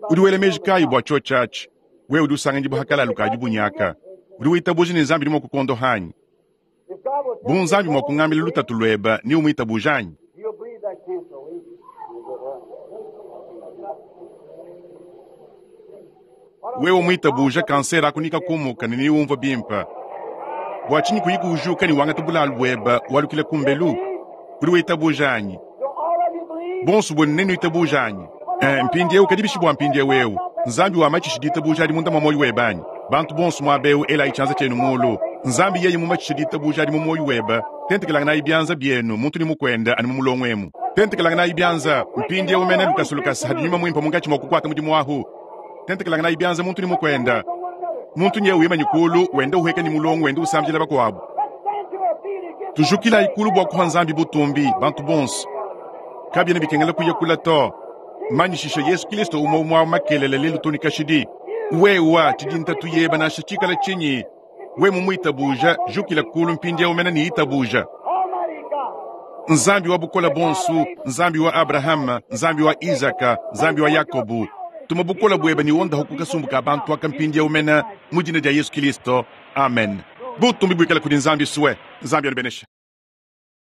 Udi wela meji kayi bua tshiotshi atshi? Wewe udi usanganyibua ha kalalu ka dibunyaka. Udi witabuja ne Nzambi udi mua kukuondoha anyi? Bu Nzambi mua kungambila lutatu luebe, neumuitabuje anyi? Wewe muitabuje, kansere aku nikakumuka ne neumvue bimpe. Bua tshinyi kuyi kujuka ne wangata bulalu buebe walukila kumbelu? Udi witabuja anyi? Bonso buenu nenuitabuje anyi? Eh, mpindieu kadi bishi bua mpindieu eu? Nzambi wamatshishi ditabuja adi munda mwa mwoyi webe anyi? Bantu bonso mwaba ewu elayi cyanza cyenu muulu. Nzambi yeye mumatshishe ditabuja adi mu mwoyi webe, tentekelanganayi byanza byenu muntu ne mukwende anu mu mulongo emu. Tentekelanganayi byanza mpindyewu mene lukasa lukasa hadi Nyuma Mwimpe munkaci mwa kukwata mudimu ahu. Tentekelanganayi byanza muntu ne mukwende. Muntu nyewu wimanyi kuulu wenda uheka ne mulongo wenda usambila bakuabu. Tujukilayi kuulu bua kuha Nzambi butumbi, bantu bonso. Kabiena bikengela kuya kula to. Manyishisha Yesu Kilisto umue umue wa makelela lelu to ne kashidi. Wewa tshidi ntatu yeba nansha tshikala tshinyi, we mumuitabuja, jukila kuulu mpindiewu mene ne itabuja. Nzambi wa bukole bonso, Nzambi wa Abrahama, Nzambi wa Isaka, Nzambi wa Yakobo, tuma bukole buebe ne wondaha ku kasumbu ka bantu aka mpindiewu mene mu dina dia Yesu Kilisto. Amen. Butumbi buikale kudi Nzambi sue. Nzambi anubeneshe.